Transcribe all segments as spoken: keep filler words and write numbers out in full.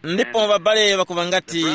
Ndipo ŵabale ŵakuŵa ngati,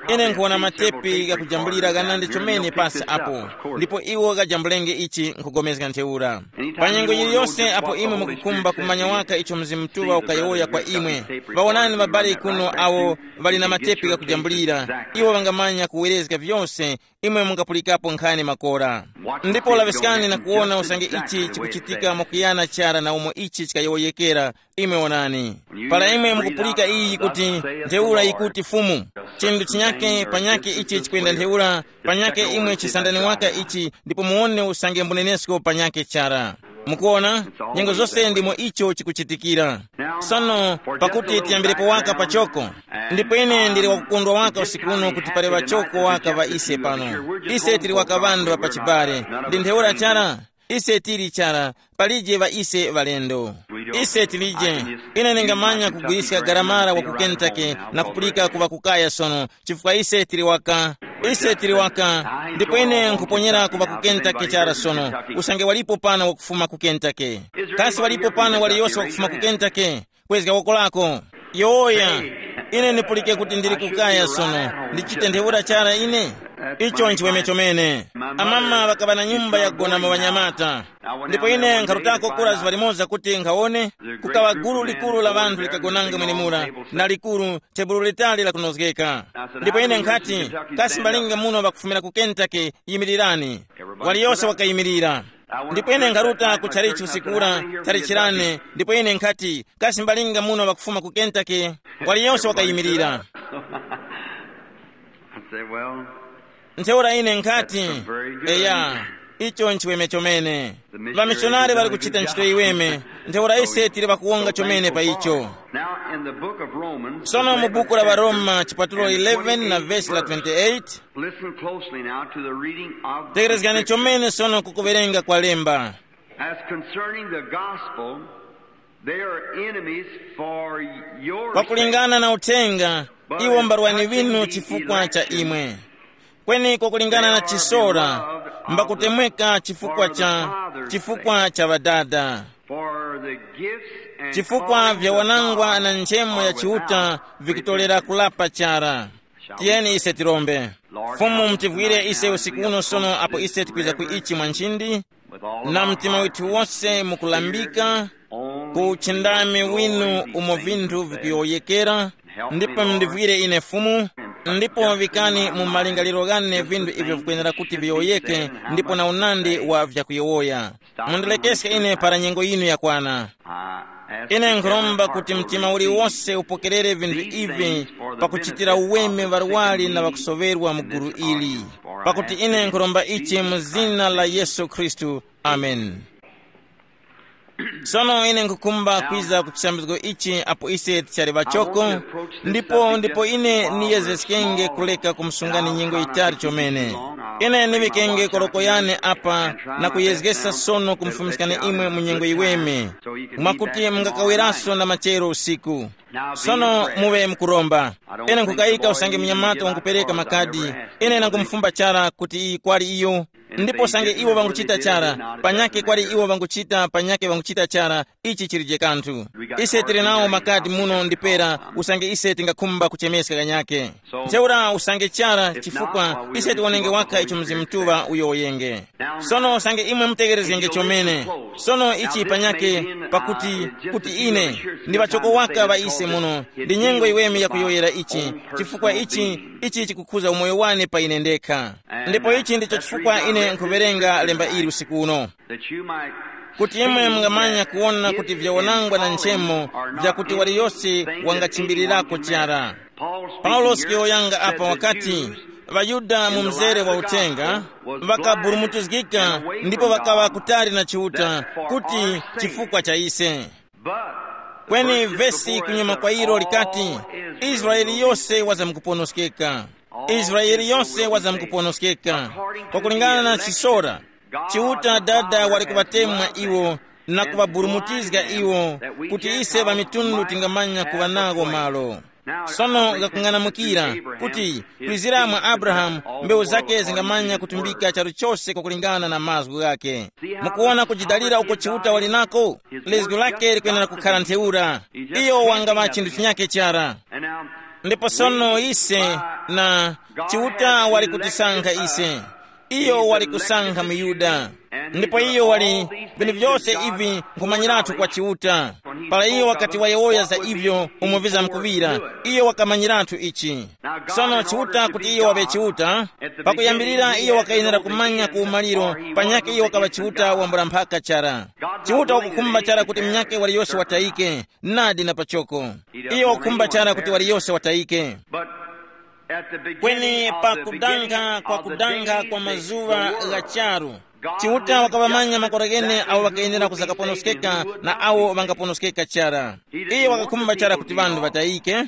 ine nkhuwona matepi ghakujambulira ghanandi chomene pasi apo, ndipo iwo ghajambulenge ichi nkugomezga ntheura. Pa nyengo yiliyose apo imwe mukukhumba kumanya waka icho Mzimu Mutuŵa ukayowoya kwa imwe, ŵawonani ŵabale kuno awo ŵali na matepi ghakujambulira, iwo ŵangamanya kuwerezga vyose, imwe mungapulikapo nkhani makora. Ndipo laŵiskani na kuwona usange ichi chikuchitika mwakuyana chara na umo ichi chikayowoyekera. Imwe wonani, para imwe mukupulika iyi kuti, ntheura yikuti Fumu, chinthu chinyake panyake ichi chikwenda ntheura, panyake imwe chisandani waka ichi ndipo muwone usange mbunenesko panyake chara. Mukuona, nyengo zose ndimo icho chikuchitikira. Sono, pakuti tiyambirepo waka pachoko, ndipo ine ndili wakukondwa waka usiku uno kuti pali ŵachoko waka ŵa ise pano. Ise tili waka ŵanthu ŵa pachibale. Ndi ntheura chara, ise tili chara, palije ŵa ise ŵalendo. Ise tilije. Ine ndingamanya kugwiriska garamara wa ku Kentucky na kupulika kuŵa kukaya sono, chifukwa ise tili waka. Ise tili waka. Ndipo ine nkuponyera kuŵa ku Kentucky chara sono, usange walipo pano wakufuma ku Kentucky. Kasi walipo pano waliyose wakufuma ku Kentucky? Kwezga woko lako. Yowoya. Ine ndipulike kuti ndili kukaya sono, ndichite ntheura chara ine? Icho nchiweme chomene. Amama ŵakaŵa na nyumba yakugonamo ŵanyamata. Ndipo ine nkharutako kura zuŵa limoza kuti nkhawone, kukaŵa gulu likuru la ŵanthu likagonanga mwenemura, na likuru, tebulo litali lakunozgeka. Ndipo ine nkhati, kasi mbalinga muno ŵakufumira ku Kentucky, yimirirani. Waliyose wakayimirira. Ndipo ine nkharuta ku chalichi usikura, chalichirane, ndipo ine nkhati, kasi mbalinga muno ŵakufuma ku Kentucky? Waliyose wakayimirira. I said, well, ntheura ine nkhati, eya, icho nchiweme chomene. Vamishonari ŵali kuchita ntchito yiweme, ntheura ise tili ŵakuwonga chomene pa icho. Now in the book of Romans, sono mu buku la Varoma chipatulo eleven na vesi la twenty-eight. Listen closely now to the reading of the tekerezgani scripture. Chomene sono kukuwerenga kwa lemba. As concerning the gospel, they are enemies for your sake. Pakulingana na uthenga, iwo mbarwani ŵinu chifukwa cha imwe. Kweni kwakulingana na chisora, mbakutemweka chifukwa cha, chifukwa cha ŵadada. For the gifts and chifukwa callings vya of wanangwa God na nchemo ya are Chiuta without vikutolera kulapa chara. Tiyeni ise tirombe. Fumu, mutivwire ise usiku uno sono apo ise tikwiza ku ichi mwa nchindi, na mtima withu wose mukulambika ku uchindami winu umo vinthu vikuyowoyekera, ndipo mundivwire ine Fumu, ndipo vikani mu malingaliro ghane vinthu ivyo vikwenera kuti viyowoyeke, ndipo na unandi wa vyakuyowoya. Mundilekeske ine para nyengo yinu yakwana. Ine nkhuromba kuti mtima uliwose upokerere vinthu ivi, pakuchitira uweme ŵarwari na ŵakusoŵerwa mu gulu ili. Pakuti ine nkhuromba ichi mu zina la Yesu Khristu. Amen. Sono ine nkhukhumba kwiza ku chisambizgo ichi apo ise tichali ŵachoko, ndipo ndipo ine niyezgeskenge kuleka kumsungani nyengo yitali chomene. Ine niŵikenge koroko yane apa na kuyezgesa sono kumufumiskani imwe mu nyengo yiweme, mwakuti mungakaweraso na machero usiku. Sono muŵe mukuromba. Ine nkhukayika usange munyamata wangupereka makadi. Ine nangumufumba chara kuti iyi kwali iyo. Ndipo usange iwo ŵanguchita chara, panyake kwali iwo ŵanguchita, panyake ŵanguchita chara, ichi chilije kanthu. Ise tili nawo makadi muno ndipera, usange ise tingakhumba kuchemeska kanyake. Ntheura usange chara, chifukwa ise tiwonenge waka icho Mzimu Mutuŵa uyowoyenge. Sono usange imwe mutegerezgenge chomene. Sono ichi panyake, pakuti, kuti ine ndi ŵachoko waka ŵa ise muno, ndi nyengo yiweme yakuyowoyera ichi, chifukwa ichi, ichi chikukhuza umoyo wane pa ine ndekha. Ndipo ichi ndicho chifukwa ine nkhuwerenga lemba ili usiku uno, kuti imwe mungamanya kuwona kuti vyawonangwa na nchemo vyakuti waliyose wangachimbirirako chara. Paulosi kuyowoyanga apa wakati, ŵaYuda mu mzere wa uthenga ŵakaburumutizgika ndipo ŵakaŵa kutali na Chiuta, kuti chifukwa cha ise. Kweni vesi kunyuma kwa ilo likati, Israele yose wazamkuponoskeka. Israele yose wazamkuponoskeka. Pakulingana na chisora, Chiuta Dada wali kuŵatemwa iwo na kuŵaburumutizga iwo, kuti ise ŵamitundu tingamanya kuŵa nawo malo. Sono ngakung'anamukira kuti kwizira mwa Abrahamu, mbewu zake zingamanya kutumbika charu chose kwakulingana na mazgu ghake. Mukuwona kujidalira uko Chiuta wali nako? Lizgu lake likwenera kukhala ntheura. Iyo wangaŵa chinthu chinyake chara. Ndipo sono ise, na Chiuta wali kutisankha ise. Iyo wali kusankha muYuda. Ndipo iyo wali, vinthu vyose ivi nkhumanyiratu kwa Chiuta. Para iyo wakati wayowoya za ivyo umo vizamkuŵira, iyo wakamanyiratu ichi. Sono Chiuta kuti iyo waŵe Chiuta, pakuyambirira iyo wakayenera kumanya ku umaliro, panyakhe iyo wakaŵa Chiuta wambula mphaka chara. Chiuta wakukhumba chara kuti munyakhe waliyose watayike, nadi na pachoko. Iyo wakukhumba chara kuti waliyose watayike. Kweni pa kudanga kwa kudanga kwa mazuŵa gha charu, Chiuta wakaŵamanya makora ghene awo ŵakayenera kuzakaponoskeka na awo ŵangaponoskeka chara. Iye wakakhumba chara kuti ŵanthu ŵatayike.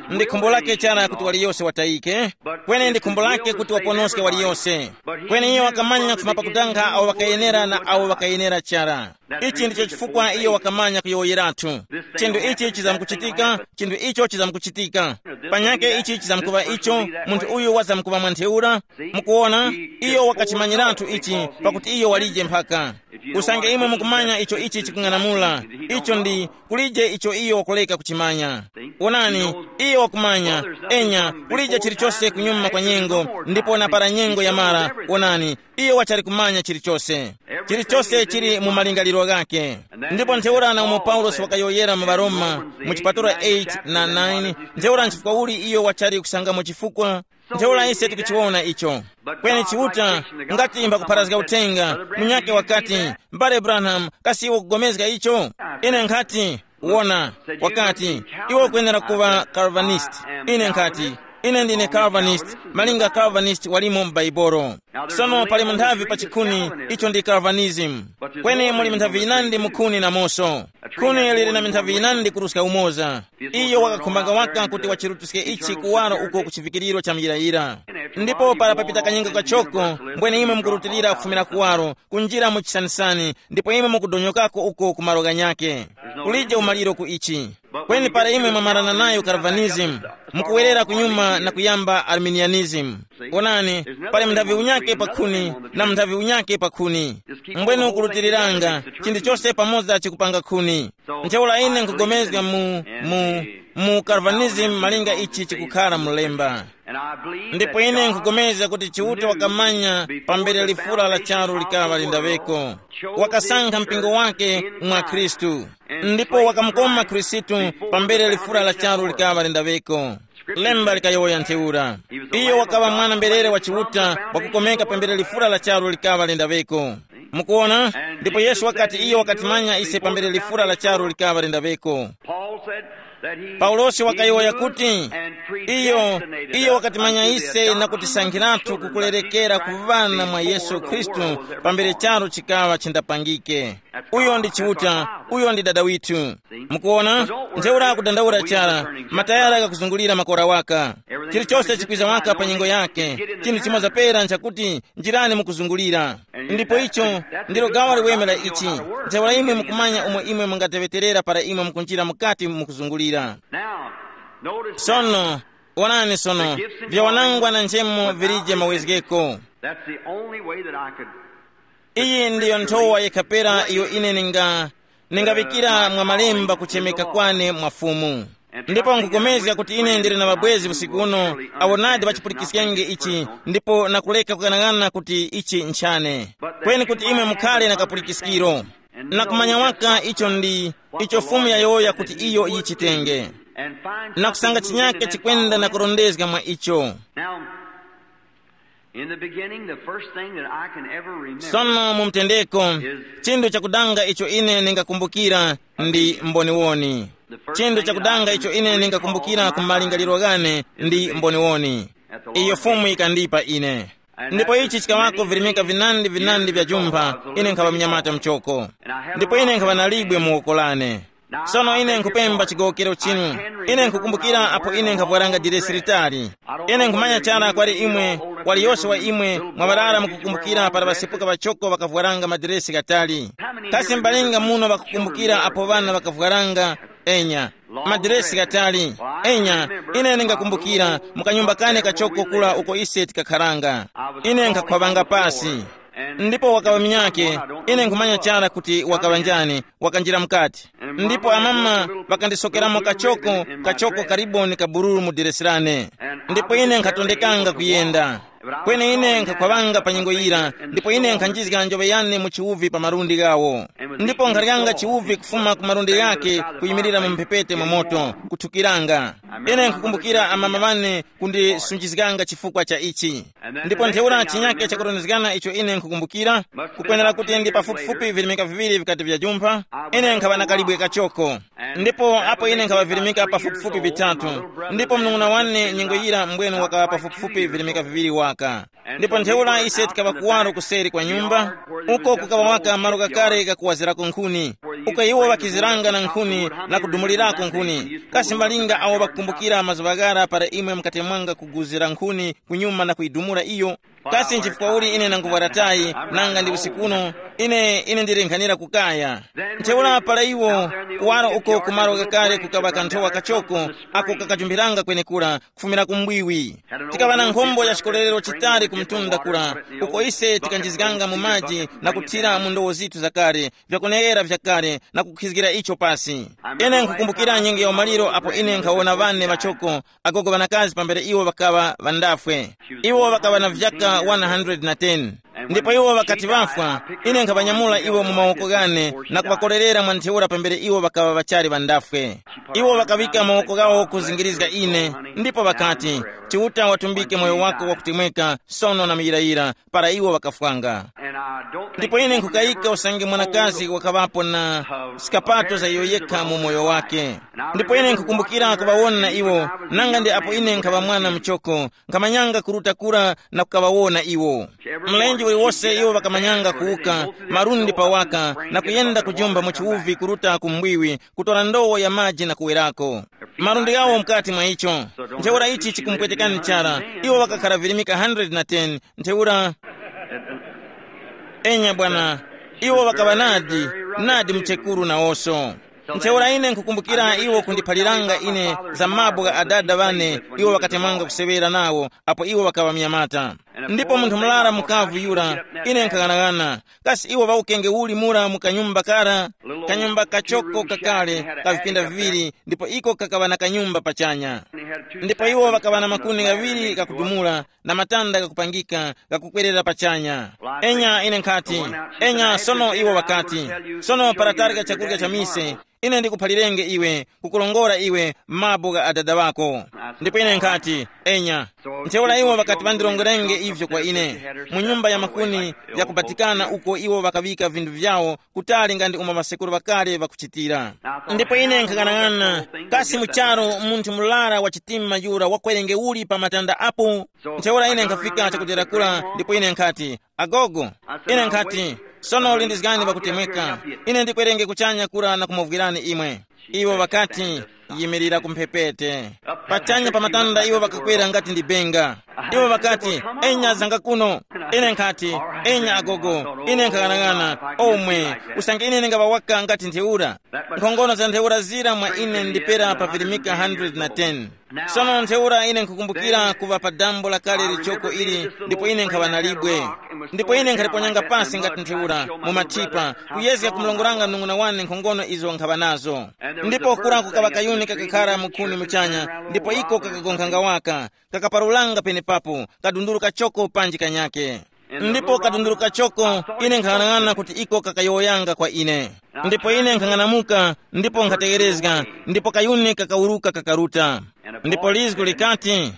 Ndi khumbo lake chara kuti waliyose watayike, kweni ndi khumbo lake kuti waponoske waliyose. Kweni iye wakamanya kufuma pakutanga awo ŵakayenera na awo ŵakayenera chara. Ichi ndicho chifukwa iyo wakamanya kuyowoyerathu. Chinthu ichi chizamkuchitika, chinthu icho chizamkuchitika. Panyake ichi chizamkuŵa icho, munthu uyu wazamkuŵa mwa ntheura. Mukuona, iyo wakachimanyiratu ichi, pakuti iyo walije mphaka. Usange imwe mukumanya icho ichi chikung'anamula, icho ndi kulije icho iyo wakuleka kuchimanya. Wonani, iyo wakumanya, enya, kulije chilichose kunyuma kwa nyengo, ndipo na para nyengo yamara, wonani, iyo wachali kumanya chilichose. Chilichose chili mu malingaliro ghake. Ndipo ntheura na umo Paulosi wakayowoyera mu Baroma, mu chipatula eight na nine, ntheura nchifukwa uli iyo wachali kusangamo chifukwa. Ntheura ise tikuchiwona icho. Kweni Chiuta, ngati mbakupharazga uthenga, munyake wakati, mbale Branham, kasi iwe ukugomezga icho? Ine nkhati, wona, wakati, iwe ukuyenera kuŵa Calvinist. Ine nkhati, ine ndine Calvinist, malinga Calvinist walimo m'Baibolo. Sono pali munthavi pa chikhuni, icho ndi Calvinism. Kweni muli minthavi yinandi mukhuni namoso. Khuni lili na minthavi yinandi kuruska umoza. Iyo wakakhumbanga waka kuti wachirutuske ichi kuwaro uko ku chivikiriro cha muyirayira. Ndipo para papita kanyengo kachoko, mbwene imwe mukurutilira kufumira kuwaro, kunjira mu chisanisani, ndipo imwe mukudonyokako uko ku malo ghanyake. Kulije umaliro ku ichi. Kweni para imwe mwamarana nayo Calvinism, mukuwerera kunyuma na kuyamba Arminianism. Onani, pali mnthavi unyake pa khuni, na mnthavi unyake pa khuni. Mbwene ukulutiriranga, chinthu chose pamoza chikupanga khuni. Ntheura ine nkugomezga mu, mu, mu Calvinism malinga ichi chikukhala mulemba. Ndipo ine nkugomezga kuti Chiuta wakamanya pambere lifura la charu likaŵa lindaŵeko. Wakasankha mpingo wake mwa Khristu. Ndipo wakamukoma Khristu pambere lifura la charu likaŵa lindaŵeko. Lemba likayowoya ntheura. Iyo wakaŵa mwana mberere wa Chiuta wakukomeka pambere lifura la charu likaŵa lindaŵeko. Mukuona? Ndipo Yesu wakati iyo wakatimanya ise pambere lifura la charu likaŵa lindaŵeko. Paulosi wakayowoya kuti, iyo, iyo wakatimanya ise na kutisankhiratu kukulerekera kuŵana mwa Yesu Khristu pambere charu chikaŵa chindapangike. Uyo ndi Chiuta, uyo ndi Dada withu. Mukuona? Ntheura kudandaula chara, matayara kakuzungulira makora waka. Chilichose chikwiza waka pa nyengo yake. Chinthu chimoza pera nchakuti, njirani mukuzungulira. Ndipo icho ndilo gawo liweme la ichi. Ntheura imwe mukumanya umo imwe mungateŵeterera para imwe mukunjira mukati mukuzungulira. Sono, onani sono, vyawanangwa na nchemo vilije mawezgeko. That's the only way that I could. Iyi ndiyo nthowa yekhapera iyo ine ninga, ningaŵikira mwa malemba kuchemeka kwane mwa Fumu. Ndipo nkupulikana kuti ine ndili na mabwezi usiku uno, awo nadi ŵachipulikiskenge ichi, ndipo nakuleka kughanagana kuti ichi nchane. Kweni kuti imwe mukhale na kapulikiskiro, na kumanya waka icho ndi, icho Fumu yayowoya kuti iyo yichitenge, na kusanga chinyake chikwenda na kurondezga mwa icho. Now, in the beginning, the first thing that I can ever remember. Sono mu mtendeko, chinthu chakudanga icho ine ningakumbukira ndi mboniwoni. Chinthu chakudanga icho ine ningakumbukira ku malingaliro ghane ndi mboniwoni. Iyo Fumu ikandipa ine. Ndipo ichi chikawako virimika vinandi vinandi vya jumpha, ine nkhaŵa mnyamata mchoko. Ndipo ine nkhaŵa na libwe mu woko lane. Sono ine nkupemba chigowokero chinu. Ine nkukumbukira apo ine nkhavwaranga diresi litali. Ine nkhumanya chara kwali imwe, waliyose wa imwe mwaŵarara mukukumbukira para ŵasepuka ŵachoko ŵakavwaranga madiresi ghatali. Kasi mbalinga muno ŵakukumbukira apo ŵana ŵakavwaranga? Enya, madiresi ghatali. Enya, ine ndingakumbukira mu kanyumba kane kachoko kula uko ise tikakharanga. Ine nkhakhwavanga pasi. Ndipo wakaŵa munyake, ine nkhumanya chara kuti wakaŵa njani, wakanjira mukati. Ndipo amama ŵakandisokeramo kachoko, kachoko kariboni kabururu mu diresi lane. Ndipo ine nkhatondekanga kuyenda. Kweni ine nkhakhwaŵanga pa nyengo yira, ndipo ine nkhanjizga njoŵe yane mu chiwuvi pa malundi ghawo. Ndipo nkharyanga chiwuvi kufuma ku malundi ghake kuyimirira mu mphepete mwa moto, kuthukiranga. Ine nkhukumbukira amama ŵane kundisunjizganga chifukwa cha ichi. Ndipo ntheura chinyake chakurondezgana icho ine nkhukumbukira, kukwenera kuti ndi pafupifupi virimika viŵiri vikati vyajumpha, ine nkhaŵa na kalibwe kachoko. Ndipo apo ine nkhaŵa virimika pafupifupi vitatu, ndipo mnung'una wane nyengo yira mbwenu wakaŵa pafupifupi virimika viŵiri waka. Ndipo ntheura ise tikaŵa kuwaro kuseri kwa nyumba, uko kukaŵa waka malo kakale kakuwazirako nkhuni, uko iwo ŵakiziranga na nkhuni na kudumulirako nkhuni, kasi malinga awo ŵakukumbukira mazuŵa ghara para imwe mukatemwanga kuguzira nkhuni kunyuma na kuyidumula iyo? Kasi nchifukwa uli ine nanguvwara tayi, nanga ndi usiku uno, ine ine ndili nkhanira kukaya? Ntheura para iwo, kuwaro uko kumaro kakale kukaŵa kanthowa kachoko, ako kakajumbiranga kwenekura kufumira ku mbwiwi. Tikaŵa na nkhombo ya chikolerero chitali ku mtunda kura, uko ise tikanjizganga mu maji na kuthira mu ndowo zithu zakale, vyakuneghera vyakale na kukhizgira icho pasi. Ine nkukumbukira nyengo ya umaliro apo ine nkhawona ŵane ŵachoko, agogo ŵanakazi pambere iwo ŵakaŵa ŵandafwe. Iwo ŵakaŵa na vyaka one hundred na ten. Ndipo iwo ŵakati ŵafwa, ine nkhaŵanyamula iwo mu mawoko ghane na kuŵakorerera mwa ntheura pambere iwo ŵakaŵa ŵachali ŵandafwe. Iwo ŵakaŵika mawoko ghawo kuzingirizga ine, ndipo ŵakati, Chiuta watumbike moyo wako wakutemweka, sono na muyirayira, para iwo ŵakafwanga. Ndipo ine nkhukayika usange mwanakazi wakaŵapo na skapato za iyo yekha mu moyo wake. Ndipo ine nkhukumbukira kuŵawona iwo, nanga ndi apo ine nkhaŵa mwana muchoko, nkhamanyanga kuruta kura na kukaŵawona iwo. Mlenje uliwose iwo ŵakamanyanga kuwuka, malundi pawaka, na kuyenda kujumba mu chiwuvi kuruta ku mbwiwi, kutora ndowo ya maji na kuwerako. Malundi ghawo mukati mwa icho. Ntheura ichi chikumupwetekani chara. Iwo ŵakakhara virimika hundred na ten. Ntheura, enya bwana, iwo ŵakaŵa nadi, nadi mchekuru nawoso. Ntheura ine nkukumbukira iwo kundiphaliranga ine za mabwe gha adada ŵane, iwo ŵakatemwanga kuseŵera nawo apo iwo ŵakaŵa mnyamata. Ndipo munthu murara mukavu yura, ine nkhang'anang'ana, kasi iwo ŵawukenge uli mura mu kanyumba kara? Kanyumba kachoko kakale ka vipinda viŵiri, ndipo iko kakaŵa na kanyumba pachanya. Ndipo iwo ŵakaŵa na makuni ghaŵiri ghakudumula, na matanda ghakupangika ghakukwerera pachanya. Enya ine nkhati, enya sono iwo ŵakati, sono para tarya chakurya cha mise, ine ndikuphalirenge iwe, kukurongora iwe mabwe gha adada ŵako. Ndipo ine nkhati, enya. Ntheura iwo ŵakati ŵandirongorenge ivyo kwa ine, mu nyumba ya makuni yakubatikana uko iwo ŵakaŵika vinthu vyawo, kutali nga ndi umo ŵasekuru ŵakale ŵakuchitira. Ndipo ine nkhang'anang'ana, kasi mu charu munthu murara wa chitima yura wakwerenge uli pa matanda apo? Ntheura ine nkhafika chakudera kura, ndipo ine nkhati, agogo, ine nkhati, sono lindizgani pakutemweka, ine ndikwerenge kuchanya kura na kumuvwirani imwe. Iwo ŵakati, yimirira ku mphepete. Pachanya pa matanda iwo ŵakakwera ngati ndi benga. Iwo ŵakati, enya zanga kuno. Ine nkhati, enya agogo, ine nkhang'anang'ana, omwe, usange ine ndingaŵa waka ngati ntheura. Nkhongono za ntheura zira mwa ine ndipera pa virimika hundred na ten. Sono ntheura ine nkhukumbukira kuŵa pa dambo lakale lichoko ili, ndipo ine nkhaŵa na libwe. Ndipo ine nkhaliponyanga pasi ngati ntheura mu mathipa, kuyezga kumulongolanga mnung'una wane nkhongono izo nkhaŵa nazo. Ndipo kura kukaŵa kayuni kakakhara mukhuni muchanya, ndipo iko kakagonkhanga waka, kakaparulanga penepapo, kadunduru kachoko panji kanyake. Ndipo kadunduru kachoko, ine nkhang'anang'ana kuti iko kakayowoyanga kwa ine. Ndipo ine nkhang'anamuka, ndipo nkhategherezga, ndipo kayuni kakawuruka kakaruta. Ndipo lizgu likati,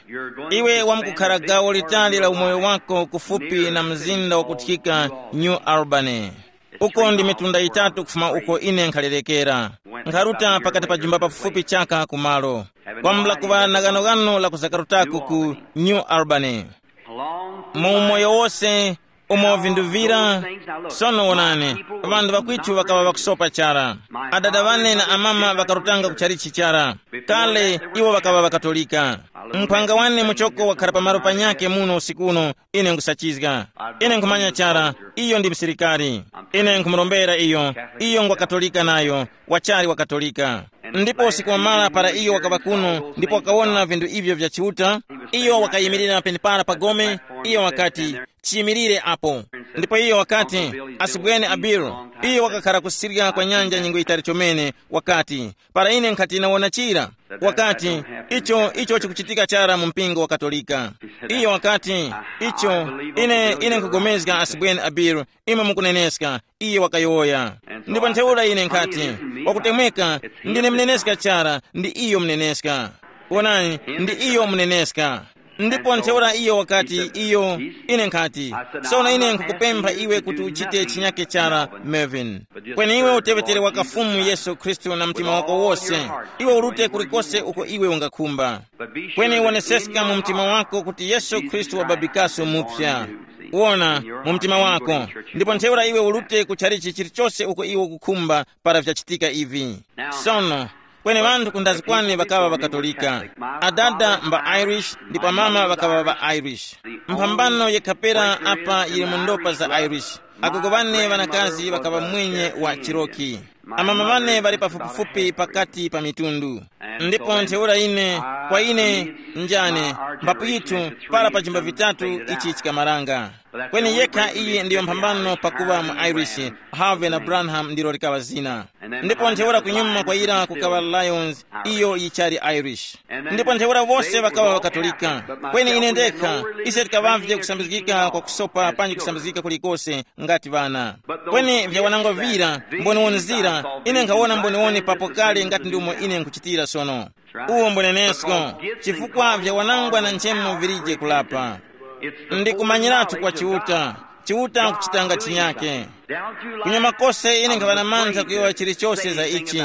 iwe wamkukhara gawo litali la umoyo wako kufupi na mzinda wakuthikika New Albany. Uko ndi mitunda yitatu kufuma uko ine nkhalerekera. Nkharuta pakati pa jumba pafupi chaka kumalo, kwambula kuŵa na ghanoghano la kuzakarutako ku New Albany. Mu umoyo wose, umo vinthu vira, sono wonani, ŵanthu ŵakwitu ŵakaŵa ŵakusopa chara. Adada wane na amama ŵakarutanga ku chalichi chara. Kale, iwo ŵakaŵa ŵakatolika. Mphwanga wane muchoko wakhara pamalo panyakhe muno usiku uno, ine nkhusachizga. Ine nkhumanya chara, iyo ndi msilikari. Ine nkhumurombera iyo, iyo ngwa katolika nayo, wachali wa katolika. Ndipo usiku wamara para iyo wakaŵa kuno ndipo wakawona vinthu ivyo vya Chiuta, iyo wakayimirira penepara pa gome, iyo wakati, chiyimirire apo. Ndipo iyo wakati, "Asibweni Abiru, iyo wakakhara kusirya kwa nyanja nyengo yitali chomene, wakati, para ine nkhati nawona chira, wakati, icho, icho chikuchitika chara mu mpingo wa Katolika." Iyo wakati, "Icho, ine, ine nkugomezga, asibweni Abiru, imwe mukuneneska," iye wakayowoya. Ndipo ntheura ine nkhati, "Wakutemweka, ndine mneneska chara, ndi iyo mneneska. Wonani, ndi iyo mneneska." Ndipo ntheura iyo wakati, iyo, ine nkhati, "Sono ine nkhukupempha iwe kuti uchite chinyake chara, Melvin. Kweni iwe uteŵetere waka Fumu Yesu Khristu na mtima wako wose, iwe urute kulikose uko iwe ungakhumba. Kweni woneseska mu mtima wako kuti Yesu Khristu wababikaso mupya. Wona, mu mtima wako, ndipo ntheura iwe urute ku chalichi chilichose uko iwe ukukhumba para vyachitika ivi." Sono, kweni ŵanthu kundazi kwane ŵakaŵa ŵaKatolika. Adada mba Irish ndipo amama ŵakaŵa ŵa Irish. Mphambano yekhapera apa yili mu ndopa za Irish. Agogo ŵane ŵanakazi ŵakaŵa mwenye wa Chiroki. Amama ŵane ŵali pafupifupi pakati pa mitundu. Ndipo ntheura ine, kwa ine, njane, mbapu yithu, para pa jimba vitatu ichi chikamaranga. Kweni yekha iyi ndiyo mphambano pakuŵa mu Irish, Harvey na Branham ndilo likaŵa zina. Ndipo ntheura kunyuma kwa ira kukaŵa Lions, iyo yichali Irish. Ndipo ntheura wose ŵakaŵa ŵaKatolika. Kweni ine ndekha, ise tikaŵavye kusambizgika kwa kusopa panji kusambizgika kulikose ngati ŵana. Kweni vyawanangwa vira, mboniwoni zira, ine nkhawona mboniwoni papo kale ngati ndi umo ine nkhuchitira sono. Uwo mbunenesko, chifukwa vyawanangwa na nchemo virije kulapa. Ndikumanyiratu kwa Chiuta, Chiuta nkuchitanga chinyake. Kunyuma kose ine nkhaŵa na mantha kuyowoya chilichose za ichi.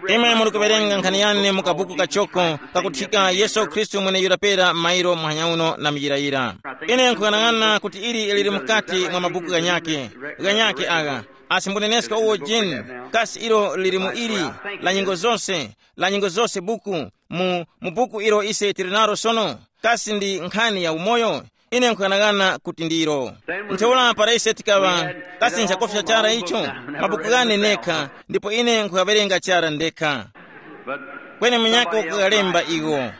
Imwe muli kuwerenga nkhani yane mu kabuku kachoko kakuthika Yesu Khristu mweneyura pera mairo muhanya uno na muyirayira. Ine nkuyang'ana kuti ili lili mukati mwa mabuku ghanyake, ghanyake agha, asi mbunenesko uwo jeni, kasi ilo lili mu ili, la nyengo zose, la nyengo zose buku, mu, mu buku ilo ise tili nalo sono, kasi ndi nkhani ya umoyo? Ine nkughanagana kuti ndilo. Ntheura para ise tikaŵa, kasi nchakofya chara icho? Mabuku ghane nekha, ndipo ine nkughawerenga chara ndekha. Kweni munyakhe wakughalemba iwo.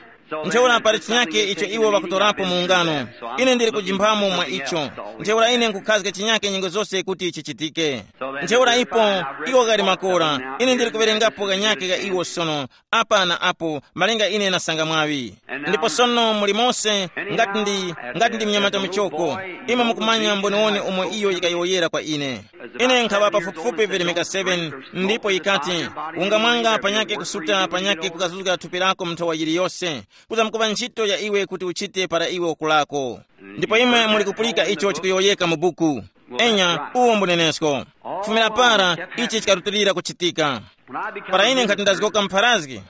Ntheura pali chinyakhe icho iwo ŵakutorapo mu ungano. Ine ndili kujimphamo mwa icho. Ntheura ine nkukhazga chinyakhe nyengo zose kuti chichitike. Ntheura ipo, iwo ghali makora. Ine ndili kuwerengapo ghanyakhe gha iwo sono, apa na apo, malinga ine nasanga mwaŵi. Ndipo sono muli mose, ngati ndi, ngati ndi mnyamata muchoko, imwe mukumanya mboniwoni umo iyo yikayowoyera kwa ine. Ine nkhaŵa pafupifupi velemeka seven, ndipo yikati, ungamwanga panyake kusuta panyake kukazuzga thupi lako mu nthowa yiliyose, kuzamkuŵa ntchito ya iwe kuti uchite para iwe ukulako. Ndipo imwe muli kupulika icho chikuyowoyeka mu buku. Enya, uwo mbunenesko. Kufumira para, ichi chikarutilira kuchitika. Para ine nkhati ndazgoka mpharazgi.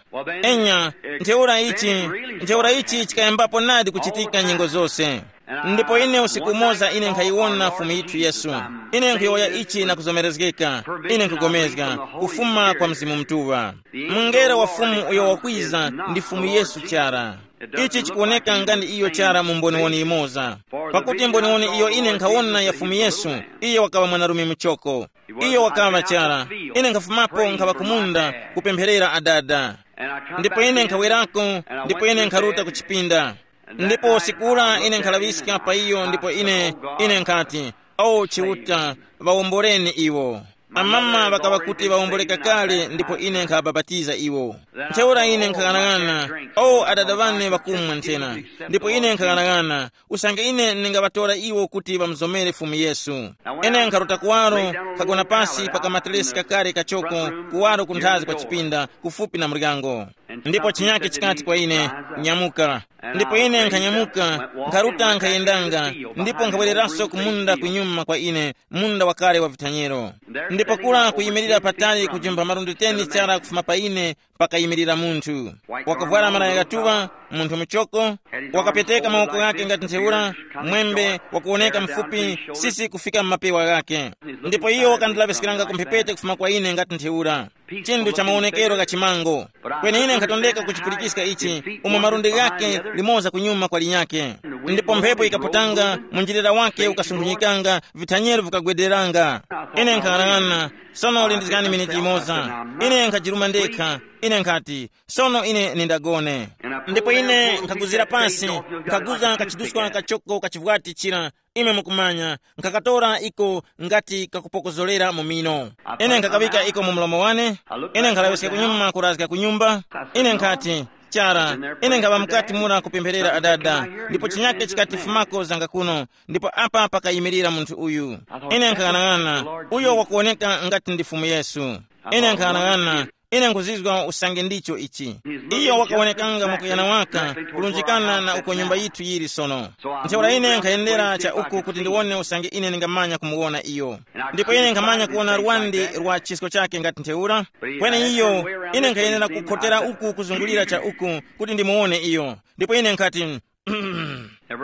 Enya, ntheura ichi, ntheura ichi chikayambapo nadi kuchitika nyengo zose. Ndipo ine usiku umoza ine nkhayiwona Fumu yithu Yesu. Ine nkhuyowoya ichi na kuzomerezgeka. Ine nkugomezga kufuma kwa Mzimu Mutuŵa. Mungelo wa Fumu uyo wakwiza ndi Fumu Yesu chara. Ichi chikuwoneka nga ndi iyo chara mu mboniwoni yimoza. Pakuti mboniwoni iyo ine nkhawona ya Fumu Yesu, iyo wakaŵa mwanarume muchoko. Iyo wakaŵa chara. Ine nkhafumapo nkhaŵa kumunda kupempherera adada. Ndipo ine nkhawerako, ndipo ine nkharuta ku chipinda. Ndipo usiku ura ine nkhalaŵiska pa iyo, ndipo ine, ine nkhati, "O Chiuta, ŵawomboreni iwo." Amama ŵakaŵa kuti ŵawomboreka kale, ndipo ine nkhabapatiza iwo. Ntheura ine nkhaghanag'ana, "O adada ŵane ŵakumwa nthena." Ndipo ine nkhaghanag'ana, usange ine ndingaŵatora iwo kuti ŵamuzomere Fumu Yesu. Ine nkharuta kuwaro, nkhagona pasi pa kamateresi kakale kachoko, kuwaro kunthazi kwa chipinda, kufupi na muryango. Ndipo chinyake chikati kwa ine, "Nyamuka." Ndipo ine nkhanyamuka, nkharuta nkhayendanga, ndipo nkhabwereranso ku munda kunyuma kwa ine, munda wakale wa vithanyero. Ndipo kura kuyimirira patali kujimba malundi teni chara kufuma pa ine, pakayimirira munthu. Wakavwara malaya ghatuŵa, munthu muchoko, wakapeteka mawoko ghake ngati ntheura, mwembe wakuwoneka mufupi, sisi kufika mu mapewa ghake. Ndipo iyo wakandilaŵiskiranga ku mphepete kufuma kwa ine ngati ntheura. Chinthu cha mawonekero gha chimango. Kweni ine nkhatondeka kuchipulikiska ichi, umo malundi ghake limoza kunyuma kwa linyakhe. Ndipo mphepo ikaputanga, munjilira wake ukasunkhunyikanga, vithanyero vikagwederanga. Ine nkang'anang'ana, sono lindizgani miniti imoza. Ine nkhajiruma ndekha. Ine nkhati, sono ine nindagone. Ndipo ine nkhaguzira pansi, nkhaguza kachiduskwa kachoko kachivwati chira, imwe mukumanya, nkhakatora iko ngati kakupokozolera mu mino. Ine nkhakawika iko mu mlomo wane. Ine nkhalaŵiska kunyuma kurazga ku nyumba. Ine nkhati, chara, ine nkhaŵa mukati mura kupempherera adada, ndipo chinyake chikatifumako zanga kuno, ndipo apa pakayimirira munthu uyu. Ine nkhang'anang'ana, uyo wakuwoneka ngati ndi Fumu Yesu. Ine nkhang'anang'ana, ine nkhuzizwa usange ndicho ichi. Iyo wakawonekanga mwakuyana waka kulunjikana na uko nyumba yithu yili sono. Ntheura ine nkhayendera cha uku kuti ndiwone usange ine ndingamanya kumuwona iyo. Ndipo ine nkhamanya kuwona lwandi lwa chisko chake ngati ntheura. Kweni iyo, ine nkhayenera kukhotera uku kuzungulira cha uku kuti ndimuwone iyo. Ndipo ine nkhati,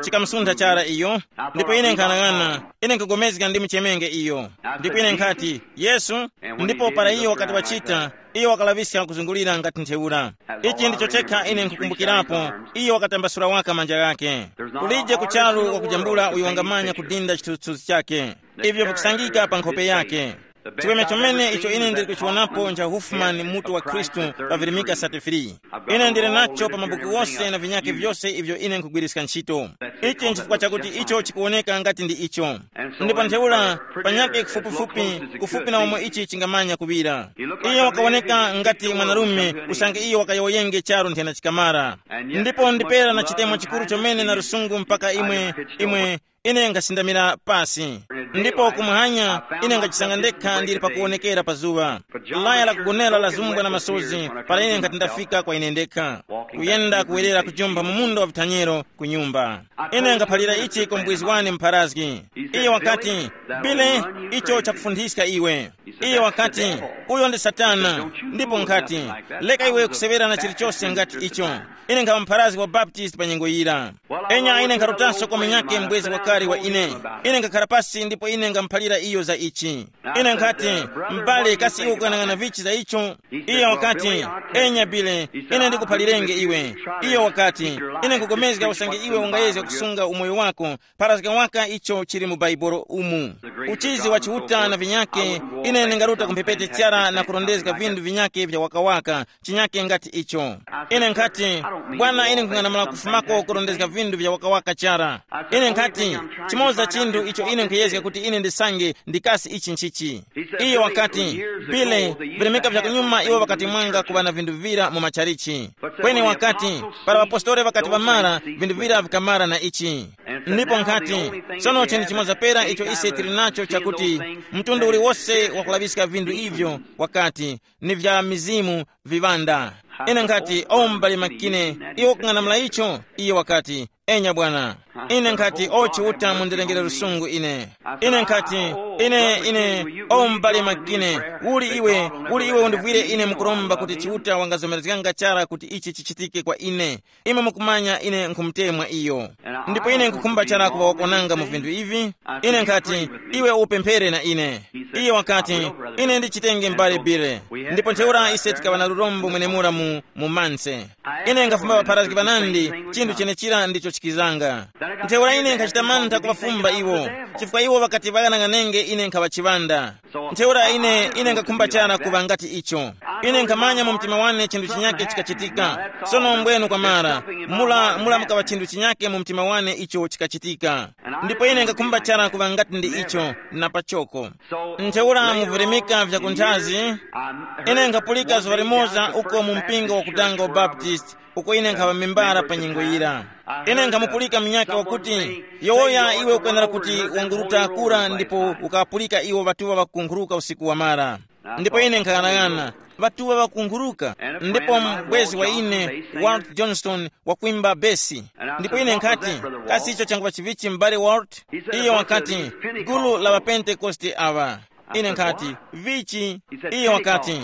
chikamusuntha chara iyo. Ndipo ine nkhanang'ana, ine nkagomezga ndi muchemenge iyo. Ndipo ine nkhati, Yesu. Ndipo para iyo wakati wachita, iyo wakalaŵiska kuzungulira ngati ntheura. Ichi ndicho chekha ine nkukumbukirapo. Iyo wakatambasula waka manja ghake. Kulije kucharu wakujambula uyo wangamanya kudinda chithunzithunzi chake. Ivyo vikusangika pa nkhope yake. Chiweme chomene icho ine ndili kuchiwonapo ncha Hufumani, mutu wa Khristu, pavirimika thirty-three. Ine ndili nacho pa mabuku wose na vinyake vyose ivyo ine nkhugwiriska ntchito. Ichi nchifukwa chakuti icho chikuwoneka ngati ndi icho. Ndipo ntheura, panyake kufupifupi, kufupi na umo ichi chingamanya kuŵira. Iyo wakawoneka ngati mwanarume, usange iyo wakayowoyenge charu nthena chikamara. Ndipo ndipera na chitemo chikuru chomene na lusungu mpaka imwe, imwe, ine nkhasindamira pasi. Ndipo kumuhanya, ine ngachisanga ndekha ndili pakuwonekera pa zuŵa. Laya la kugonera lazumbwa na masozi para ine nkhati ndafika kwa ine ndekha, kuyenda kuwerera kujumpha mu munda wa vithanyero ku nyumba. Ine ngaphalira ichi kwa mubwezi wane mpharazgi. Iye wakati, Bile, icho chakufunthiska iwe. Iye wakati, uyo ndi Satana. Ndipo nkhati, leka iwe kuseŵera na chilichose ngati icho. Ine nkhaŵa mpharazgi wa Baptist pa nyengo yira. Enya ine nkharutanso kwa munyakhe mbwezi wakale wa ine. Ine nkhakhala pasi ndipo ine ngamuphalira iyo za ichi. Ine nkhati, m'bale, kasi iwe ukuyang'ana vichi za icho? Iyo wakati, enya Bile, ine ndikuphalirenge iwe. Iyo wakati, ine nkupulikana usange iwe ungayezga kusunga umoyo wako, pharazga waka icho chili mu Bhaibuli umu. Uchizi wa Chiuta na vinyake, ine ndingaruta ku mphepete chara na kurondezga vinthu vinyake vya wakawaka, chinyake ngati icho. Ine nkhati, bwana, ine nkhung'anamula kufumako kurondezga vinthu vya wakawaka chara. Ine nkhati, chimoza chinthu icho ine nkhuyezga kuti ine ndisange ndikasi ichi nchichi. Iyo wakati, Bile, vilemeka vya kunyuma iwo ŵakati mwanga kuŵa na vinthu vira mu machalichi. Kweni wakati, para ŵapostoli ŵakati ŵamara, vinthu vira vikamara na ichi. Ndipo nkhati, sono chinthu chimoza pera icho ise tili nacho chakuti, mtundu uliwose wakulaŵiska vinthu ivyo, wakati, ni vya mizimu viŵanda. Ine nkhati, o m'bale Makine, iwe ukung'anamula icho? Iye wakati, enya bwana. Ine nkhati, o Chiuta, mundirengere lusungu ine. Ine nkhati, ine, ine, o m'bale Makine, uli iwe, uli iwe undivwire ine mukuromba kuti Chiuta wangazomerezganga chara kuti ichi chichitike kwa ine? Imwe mukumanya ine nkhumutemwa iyo. Ndipo ine nkukhumba chara kuŵa wakwananga mu vinthu ivi. Ine nkhati, iwe upemphere na ine. Iye wakati, ine ndichitenge m'bale Bile. Ndipo ntheura ise tikaŵa na lurombo mwenemura mu, mu manse. Ine nkhafumba ŵapharazgi ŵanandi, chinthu chenechira ndicho chikizanga. Ntheura ine nkhachita mantha kuŵafumba iwo, chifukwa iwo ŵakati ŵaghanaghanenge ine nkhaŵa chiŵanda. Ntheura ine, ine ngakhumba chara kuŵa ngati icho. Ine nkhamanya mu mtima wane chinthu chinyake chikachitika. Sono mbwenu kwamara, mula, mula mukaŵa chinthu chinyake mu mtima wane icho chikachitika. Ndipo ine ngakhumba chara kuŵa ngati ndi icho, na pachoko. Ntheura mu virimika vya kunthazi, ine nkhapulika zuŵa limoza uko mu mpingo wakutanga wa Baptist, uko ine nkhaŵa membara pa nyengo yira. Ine nkhamupulika munyakhe wakuti, yowoya iwe ukwenera kuti wanguruta kura ndipo ukapulika iwo ŵatuŵa ŵakunkhuruka usiku wamara. Ndipo ine nkhaghanaghananga, ŵatuŵa ŵakunkhuruka. Ndipo mbwezi wa ine, Walt Johnston, wakwimba besi. Ndipo ine nkhati, kasi icho changuŵa chivichi m'bale Walt? Iyo wakati, gulu la ŵapentekoste aŵa. Ine nkhati, vichi? Iyo wakati,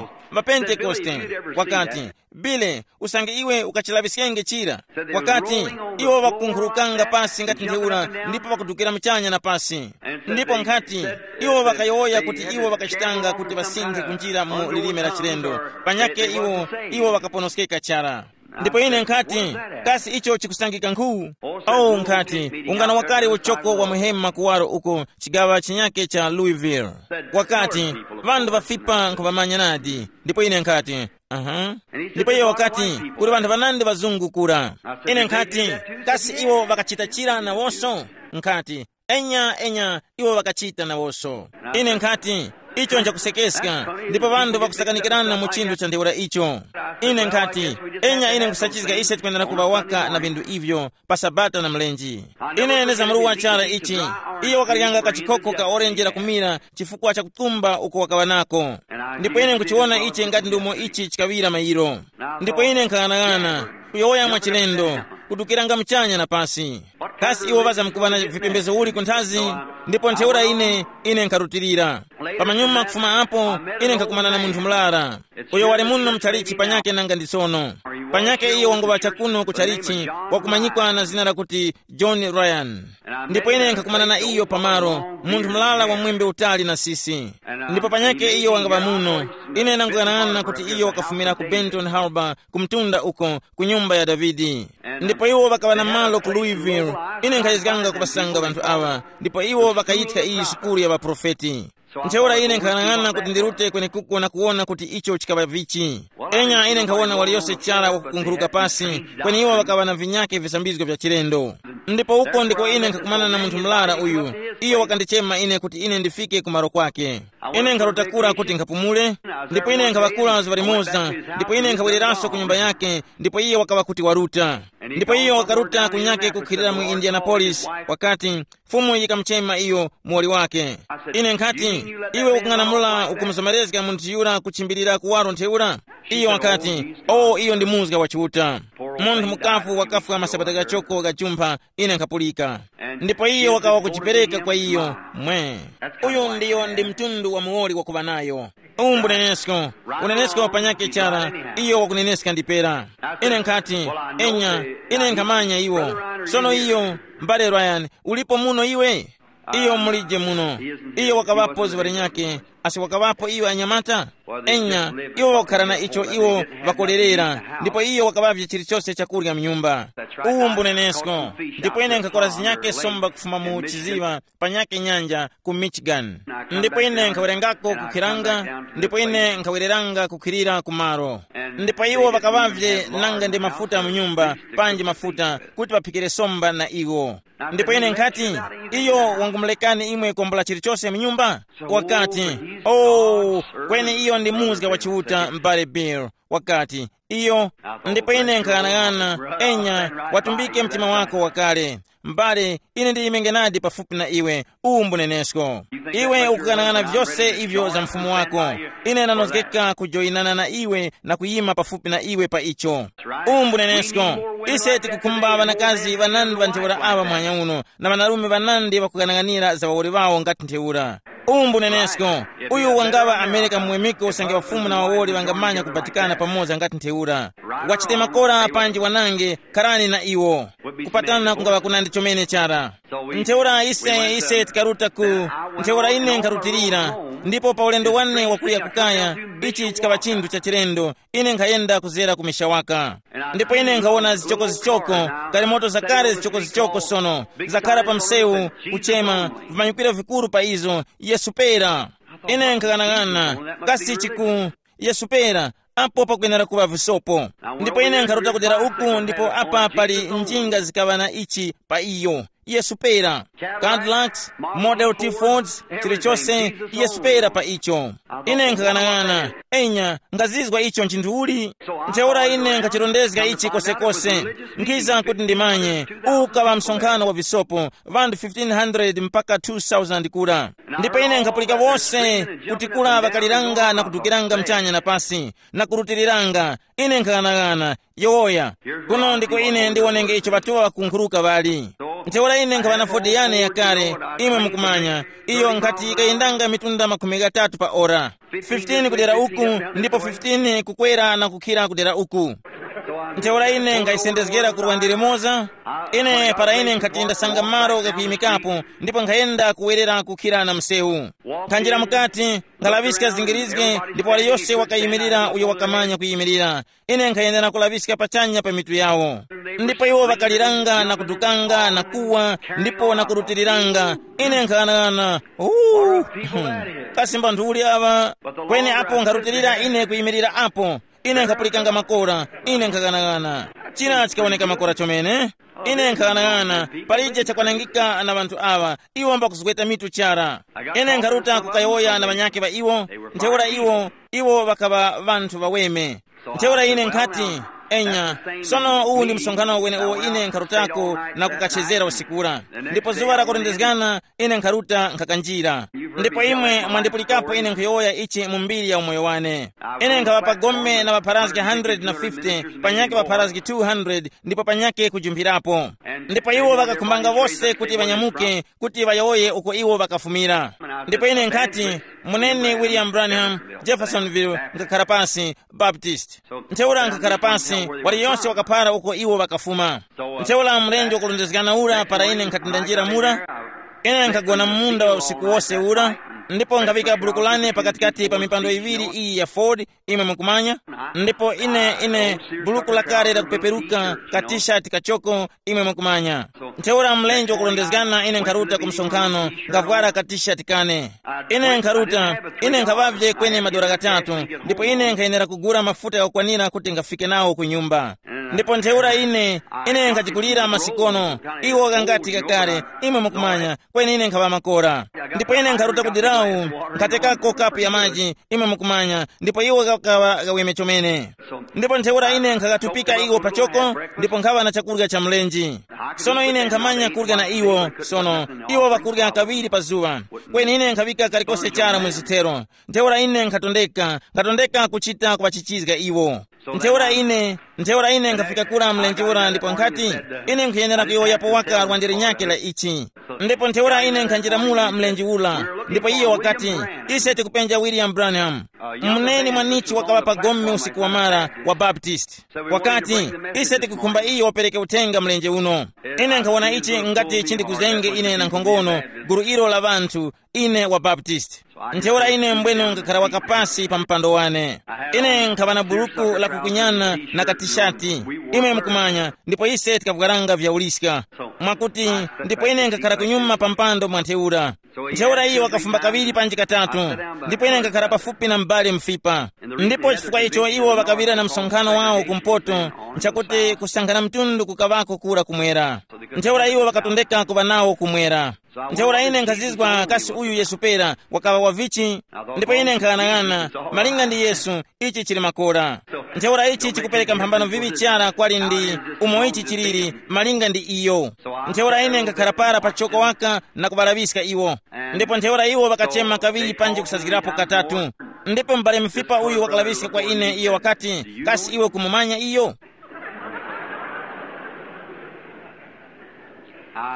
ŵapentekoste. Wakati, Bile, usange iwe ukachilaŵiskenge chira. Wakati, iwo ŵakunkhurukanga pasi ngati ntheura ndipo ŵakudukira muchanya na pasi. Ndipo nkhati, iwo ŵakayowoya kuti iwo ŵakachitanga kuti ŵasinthe kunjira mu lilime la chilendo. Panyakhe iwo, iwo ŵakaponoskeka chara. Ndipo ine nkhati, kasi icho chikusangika nkhu? Oh, nkhati, ungano wakale uchoko wa muhema kuwaro uko chigaŵa chinyake cha Louisville. Wakati, ŵanthu ŵafipa nkhuŵamanya nadi. Ndipo ine nkhati, aha. Ndipo iye wakati, kuli ŵanthu ŵanandi ŵazungu kura. Ine nkhati, kasi iwo ŵakachita chira nawonso? Nkhati, enya enya, iwo ŵakachita nawonso. Ine nkhati, icho nchakusekeska. Ndipo ŵanthu ŵakusakanikirana mu chinthu cha ntheura icho. Ine nkhati, enya, ine nkusachizga ise tikwenera kuŵa waka na vinthu ivyo pa sabata na mlenji. Ine ndizamruwa chara ichi. Iye wakaryanga kachikhokho ka orenji la kumira chifukwa cha kutumba uko wakaŵa nako. Ndipo ine nkuchiwona ichi ngati ndi umo ichi chikaŵira mayiro. Ndipo ine nkhang'anang'ana, kuyowoya mwachilendo, kudukiranga muchanya na pasi. Kasi iwo ŵazamkuŵa na vipembezo uli kunthazi? Ndipo ntheura ine, ine nkharutilira. Pamanyuma kufuma apo, ine nkhakumana na munthu murara. Uyo wali muno mchalichi panyake nanga ndi sono. Panyake iyo wanguŵa chakuno ku chalichi, wakumanyikwa na zina lakuti John Ryan. Ndipo ine nkhakumana na iyo pamalo, munthu murara wa mwembe utali na sisi. Ndipo panyake iyo wangaŵa muno. Ine ndanguyang'ana kuti iyo wakafumira ku Benton Harbor, ku mtunda uko, ku nyumba ya Davide. Ndipo iwo ŵakaŵa na malo ku Louisville. Ine nkhayezganga kuŵasanga ŵanthu awa, ndipo iwo ŵakayithya iyi sukulu ya ŵaprofeti. Ntheura ine nkhanang'ana kuti ndirute kwenekuko na kuwona kuti icho chikaŵa vichi. Enya ine nkhawona waliyose chara wakukunkhuluka pasi, kweni iwo ŵakaŵa na vinyake visambizgo vya chilendo. Ndipo uko ndiko ine nkhakumana na munthu murara uyu. Iyo wakandichema ine kuti ine ndifike ku malo kwake. Ine nkharuta kura kuti nkhapumule, ndipo ine nkhaŵakula zuŵa limoza, ndipo ine nkhawereranso ku nyumba yake, ndipo iye wakaŵa kuti waruta. Ndipo iyo wakaruta kunyake kukhilira mu Indianapolis, wakati, Fumu yikamuchema iyo muwoli wake. Ine nkhati, iwe ukung'anamula ukumuzomerezga munthu yura kuchimbilira kuwaro ntheura? Iyo wakati, o, iyo ndi muzga wa Chiuta. Munthu mukafu wakafwa masabata gachoko gajumpha, ine nkhapulika. Ndipo iyo wakawa kuchipereka kwa iyo. Mwe, uyu ndiyo ndi mtundu wa muwoli wakuŵa nayo. Umbu nenesko, unenesko panyake chara, iyo wakuneneska ndipera. Ine nkhati, enya, ine nkhamanya iwo. Sono iyo, mbale Ryan, ulipo muno iwe? Iyo mulije muno. Iyo wakaŵapo zuŵa linyakhe, asi wakaŵapo iyo anyamata? Enya, iwo wakukhala na icho iwo ŵakolerera, ndipo iyo wakaŵavye chilichose chakurya mnyumba. Uwu mbunenesko. Ndipo ine nkhakora zinyakhe somba kufuma mu chiziŵa panyakhe nyanja ku Michigan. Ndipo ine nkhawerengako kukhiranga, ndipo ine nkhawereranga kukhirira kumaro. Ndipo iwo ŵakaŵavye nanga ndi mafuta mu nyumba, panji mafuta kuti ŵaphikire somba na iwo. Ndipo ine nkhati, iyo wangumulekani imwe kwambula chilichose mu nyumba? Wakati, oh, kweni iyo ndi muzga wa Chiuta, m'bale Bill. Wakati, iyo. Ndipo ine nkhang'anang'ana, enya, watumbike mtima wako wakale. M'bale, ine ndiyimenge nadi pafupi na iwe. Uwu mbunenesko. Iwe ukughanag'ana vyose ivyo za mfumu wako. Ine ndanozgeka kujoyinana na iwe na kuyima pafupi na iwe pa icho. Uwu mbunenesko. Ise tikukhumba ŵanakazi ŵanandi ŵa ntheura aŵa muhanya uno, na ŵanarume ŵanandi ŵakughanag'anira za ŵawoli ŵawo ngati ntheura. Uwu mbunenesko. Uyu wangaŵa Amerika mwemiko usange ŵafumu na ŵawoli ŵangamanya kubatikana pamoza ngati ntheura. Wachite makora panji wanange, kharani na iwo. Kupatana kungaŵa kunandi chomene chara. Ntheura ise ise tikaruta ku, ntheura ine nkharutilira, ndipo pa ulendo wane wakuya kukaya, ichi chikaŵa chinthu cha chilendo. Ine nkhayenda kuzera ku misha waka. Ndipo ine nkhawona zichokozichoko, galimoto zakale zichokozichoko sono, zakhara pa msewu, kuchema, vimanyikiro vikuru pa izo, Yesu pera. Ine nkhaghanaghananga, kasi chiku, Yesu pera, apo pakwenera kuŵa visopo. Ndipo ine nkharuta kudera uku, ndipo apa pali njinga zikaŵa na ichi pa iyo. Yesu pera. Cadillacs, Model T Fords, chilichose, Yesu pera pa icho. Ine nkhaghanaghananga, enya, ngazizwa icho nchinthu uli? Ntheura ine nkhachirondezga ichi kosekose. Nkhiza kuti ndimanye, ukaŵa msonkhano wa visopo, ŵanthu fifteen hundred mpaka two thousand kura. Ndipo ine nkhapulika wose kuti kura ŵakaliranga na kudukiranga mchanya na pasi, na kurutiriranga. Ine nkhaghanaghananga, yowoya. Kuno ndiko ine ndiwonenge icho ŵatuŵa ŵakunkhuruka ŵali. Ntheura ine nkhaŵa na Ford yane yakale, imwe mukumanya, iyo nkhati yikayendanga mitunda makhumi ghatatu pa ora. Fifteen kudera uku, ndipo fifteen kukwera na kukhira kudera uku. Ntheura ine nkhayisendezgera kurwa ndi limoza. Ine para ine nkhati ndasanga malo ghakuyimikapo, ndipo nkhayenda kuwerera kukhira na msewu. Nkhanjira mukati, nkhalaŵiska zingirizge, ndipo waliyose wakayimirira uyo wakamanya kuyimirira. Ine nkhayenda na kulaŵiska pachanya pa mitu yawo. Ndipo iwo ŵakaliranga na kudukanga na kuwa, ndipo na kurutiriranga. Ine nkhaghanaghananga, uh, kasi mbanthu uli aŵa? Kweni apo nkharutilira ine kuyimirira apo, ine nkhapulikanga makora. Ine nkhaghanaghananga, china chikawoneka makora chomene. Ine nkhaghanaghananga, palije chakwanangika na ŵanthu aŵa. Iwo mbakuzgweta mitu chara. Ine nkharuta kukayowoya na ŵanyakhe ŵa iwo. Ntheura iwo, iwo ŵakaŵa ŵanthu ŵaweme. Ntheura ine nkhati, enya, sono uwu ndi msonkhano wenewo ine nkharutako na kukachezera usikura. Ndipo zuŵa lakurondezgana, ine nkharuta nkhakanjira. Ndipo imwe mwandipulikapo ine nkhuyowoya ichi mu mbiri ya umoyo wane. Ine nkhaŵa pa gome na ŵapharazgi hundred na fifty, panyakhe ŵapharazgi two hundred, ndipo panyakhe kujumphirapo. Ndipo iwo ŵakakhumbanga wose kuti ŵanyamuke, kuti ŵayowoye uko iwo ŵakafumira. Ndipo ine nkhati, muneni William Branham, Jeffersonville, nkhakhara pasi, Baptist. Ntheura nkhakhara pasi, waliyonse wakaphara uko iwo ŵakafuma. Ntheura mlenje wakulondezgana ura para ine nkhati ndanjira mura, ine nkhagona mu munda wa usiku wose ura, ndipo nkhaŵika buluku lane pakatikati pa mipando iŵiri iyi ya Ford, imwe mukumanya. Ndipo ine, ine, buluku lakale lakupeperuka, ka t-shirt kachoko, imwe mukumanya. Ntheura mlenje wakulondezgana ine nkharuta ku msonkhano, ngavwara ka t-shirt kane. Ine nkharuta, ine nkhaŵavye kweni madora ghatatu, ndipo ine nkhayenera kugula mafuta ghakukwanira kuti ngafike nawo ku nyumba. Ndipo ntheura ine, ine nkhajigulira masikono, iwo ghangati kakale, imwe mukumanya, kweni ine nkhaŵa makora. Ndipo ine nkharuta ku dirawu, nkhatekako kapu ya maji, imwe mukumanya, ndipo iwo ghakaŵa ghaweme chomene. Ndipo ntheura ine nkhaghatumbika iwo pachoko, ndipo nkhaŵa na chakurya cha mlenje. Sono ine nkhamanya kurya na iwo, sono iwo ŵakurya kaŵiri pa zuŵa. Kweni ine nkhaŵika kalikose chara mu zithero. Ntheura ine nkhatondeka, nkhatondeka kuchita kuŵachichizga iwo. Ntheura ine, ntheura ine nkhafika kura mlenje ura ndipo nkhati, ine nkhuyenera kuyowoyapo waka lwande linyakhe la ichi. Ndipo ntheura ine nkhanjiramula mlenje ura, ndipo iyo wakati, ise tikupenja William Branham. Muneni mwanichi wakaŵa pa gome usiku wamara wa Baptist. Wakati, ise tikukhumba iyo wapereke uthenga mlenje uno. Ine nkhawona ichi ngati chindikuzenge ine na nkhongono, gulu ilo la ŵanthu, ine wa Baptist. Ntheura ine mbwene nkhakhara waka pasi pa mpando wane. Ine nkhaŵa na buluku la kukunyana na katishati, imwe mukumanya, ndipo ise tikavwaranga vyauliska. Mwakuti, ndipo ine nkhakhara kunyuma pa mpando mwa ntheura. Ntheura iyo wakafumba kaŵiri panji katatu, ndipo ine nkhakhara pafupi na m'bale Mfipa. Ndipo chifukwa icho iwo ŵakaŵira na msonkhano wawo kumpoto, nchakuti kusankhana mtundu kukaŵako kura kumwera. Ntheura iwo ŵakatondeka kuŵa nawo kumwera. Ntheura ine nkhazizwa kasi uyu Yesu pera wakaŵa wa vichi? Ndipo ine nkhaghanaghananga, malinga ndi Yesu, ichi chili makora. Ntheura ichi chikupereka mphambano vivi chara kwali ndi umo ichi chiliri, malinga ndi iyo. Ntheura ine nkhakhala para pachoko waka na kuŵalaŵiska iwo. Ndipo ntheura iwo ŵakachema kaŵiri panji kusazgirapo katatu. Ndipo m'bale Mfipa uyu wakalaŵiska kwa ine, iyo wakati, kasi iwe kumumanya iyo?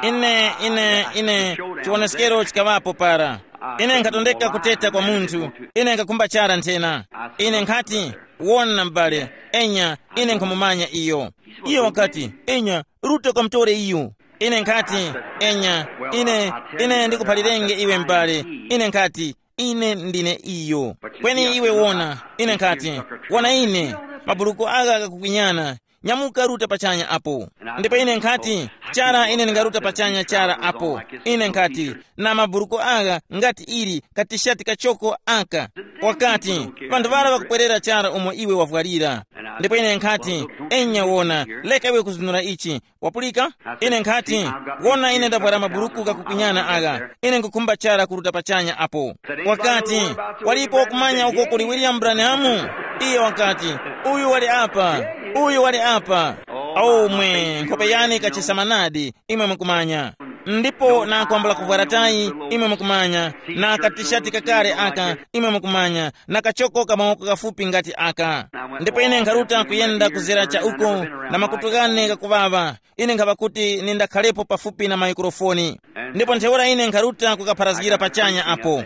Ine, ine, ine, chiwoneskero chikaŵapo para. Ine nkhatondeka kuteta kwa munthu, ine nkakhumba chara nthena. Ine nkhati, wona m'bale, enya, ine nkhumumanya iyo. Iyo wakati, enya, ruta ukamutore iyo. Ine nkhati, enya, ine, ine ndikuphalirenge iwe m'bale. Ine nkhati, ine ndine iyo. Kweni iwe wona, ine nkhati, wona ine, maburuku agha ghakukunyana. Nyamuka ruta pachanya apo. Ndipo ine nkhati, chara ine ndingaruta pachanya chara apo. Ine nkhati, na maburuku agha ngati ili katishati kachoko aka. Wakati, vanthu ŵara ŵakupwerera chara umo iwe wavwalira. Ndipo ine nkhati, enya wona, leka iwe kuzunura ichi. Wapulika? Ine nkhati, wona ine ndavwara maburuku ghakukunyana agha. Ine nkukhumba chara kuruta pachanya apo. Wakati, walipo wakumanya uko kuli William Branham? Iye wakati, uyu wali apa, uyu wali apa. Omwe, nkhope yane ikachesama nadi, imwe mukumanya. Ndipo nakwambula kuvwara tayi, imwe mukumanya, na katishati kakale aka, imwe mukumanya, na kachoko ka mawoko kafupi ngati aka. Ndipo ine nkharuta kuyenda kuzera cha uko, na makutu ghane ghakuŵaŵa. Ine nkhapa kuti nindakhalepo pafupi na maikrofoni. Ndipo ntheura ine nkharuta kukapharazgira pachanya apo.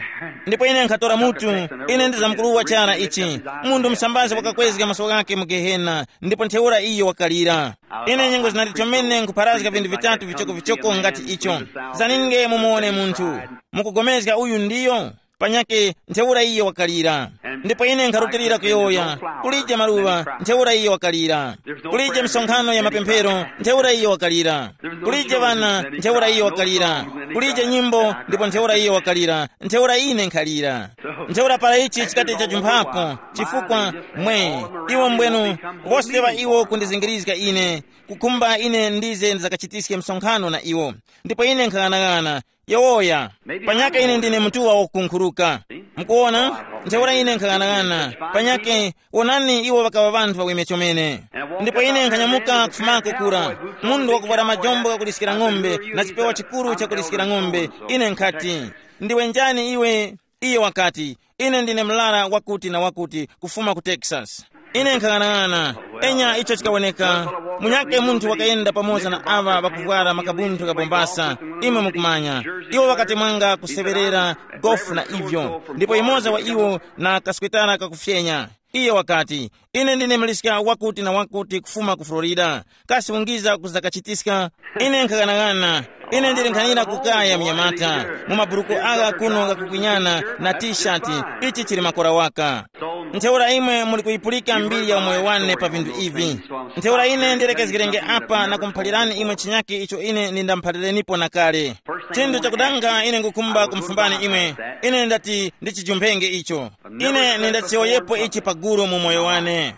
Ndipo ine nkhatora mutu, ine ndizamkuruwa chara ichi. Munthu musambazi wakakwezga maso ghake mu gehena, ndipo ntheura iyo wakalira. Ine nyengo zinati chomene nkupharazga vinthu vitatu vichokovichoko ngati icho. Zaninge mumuwone munthu, mukugomezga uyu ndiyo? Panyake ntheura iye wakalira. Ndipo ine nkharutilira kuyowoya, kulije maluŵa, ntheura iye wakalira. Kulije misonkhano ya mapemphero, ntheura iye wakalira. Kulije ŵana, ntheura iye wakalira. Kulije nyimbo, ndipo ntheura iye wakalira. Ntheura ine nkhalira. Ntheura para ichi chikati chajumphapo, chifukwa, mwe, iwo mbwenu, wose wa iwo kundizingirizga ine, kukhumba ine ndize ndizakachitiske msonkhano na iwo. Ndipo ine nkhang'anang'ana, yowoya, panyaka ine ndine mutuwa wakukunkhuruka. Mukuwona? Ntheura ine nkhang'anang'ana, panyake, wonani, iwo ŵakaŵa ŵanthu ŵaweme chomene. Ndipo ine nkhanyamuka kufumako kura, munthu wakuvwara majombo ghakuliskira ng'ombe, na chipewa chikuru chakuliskira ng'ombe. Ine nkhati, ndiwe njani iwe? Iye wakati, ine ndine mlara wakuti na wakuti, kufuma ku Texas. Ine nkhang'anang'ana, enya icho chikawoneka. Munyake munthu wakayenda pamoza na aŵa ŵakuvwara makabunthu kabombasa, imwe mukumanya. Iwo ŵakatemwanga kuseŵerera gofu na ivyo, ndipo yumoza wa iwo na kaswetara kakufyenya. Iye wakati, ine ndine mliska wakuti na wakuti kufuma ku Florida. Kasi ungiza kuzakachitiska? Ine nkhaganaghana. Ine ndili nkhanira kukaya mnyamata, mu maburuku agha kuno ghakukwinyana na tishati. Ichi chili makora waka. Ntheura imwe muli kuyipulika mbiri ya umoyo wane pa vinthu ivi. Ntheura ine ndilekezgerenge apa na kumuphalirani imwe chinyake icho ine ndindamuphalirenipo na kale. Chinthu chakudanga ine ngukhumba kumufumbani imwe. Ine ndati ndichijumphenge icho. Ine nindachiyowoyepo ichi paguru mu moyo wane.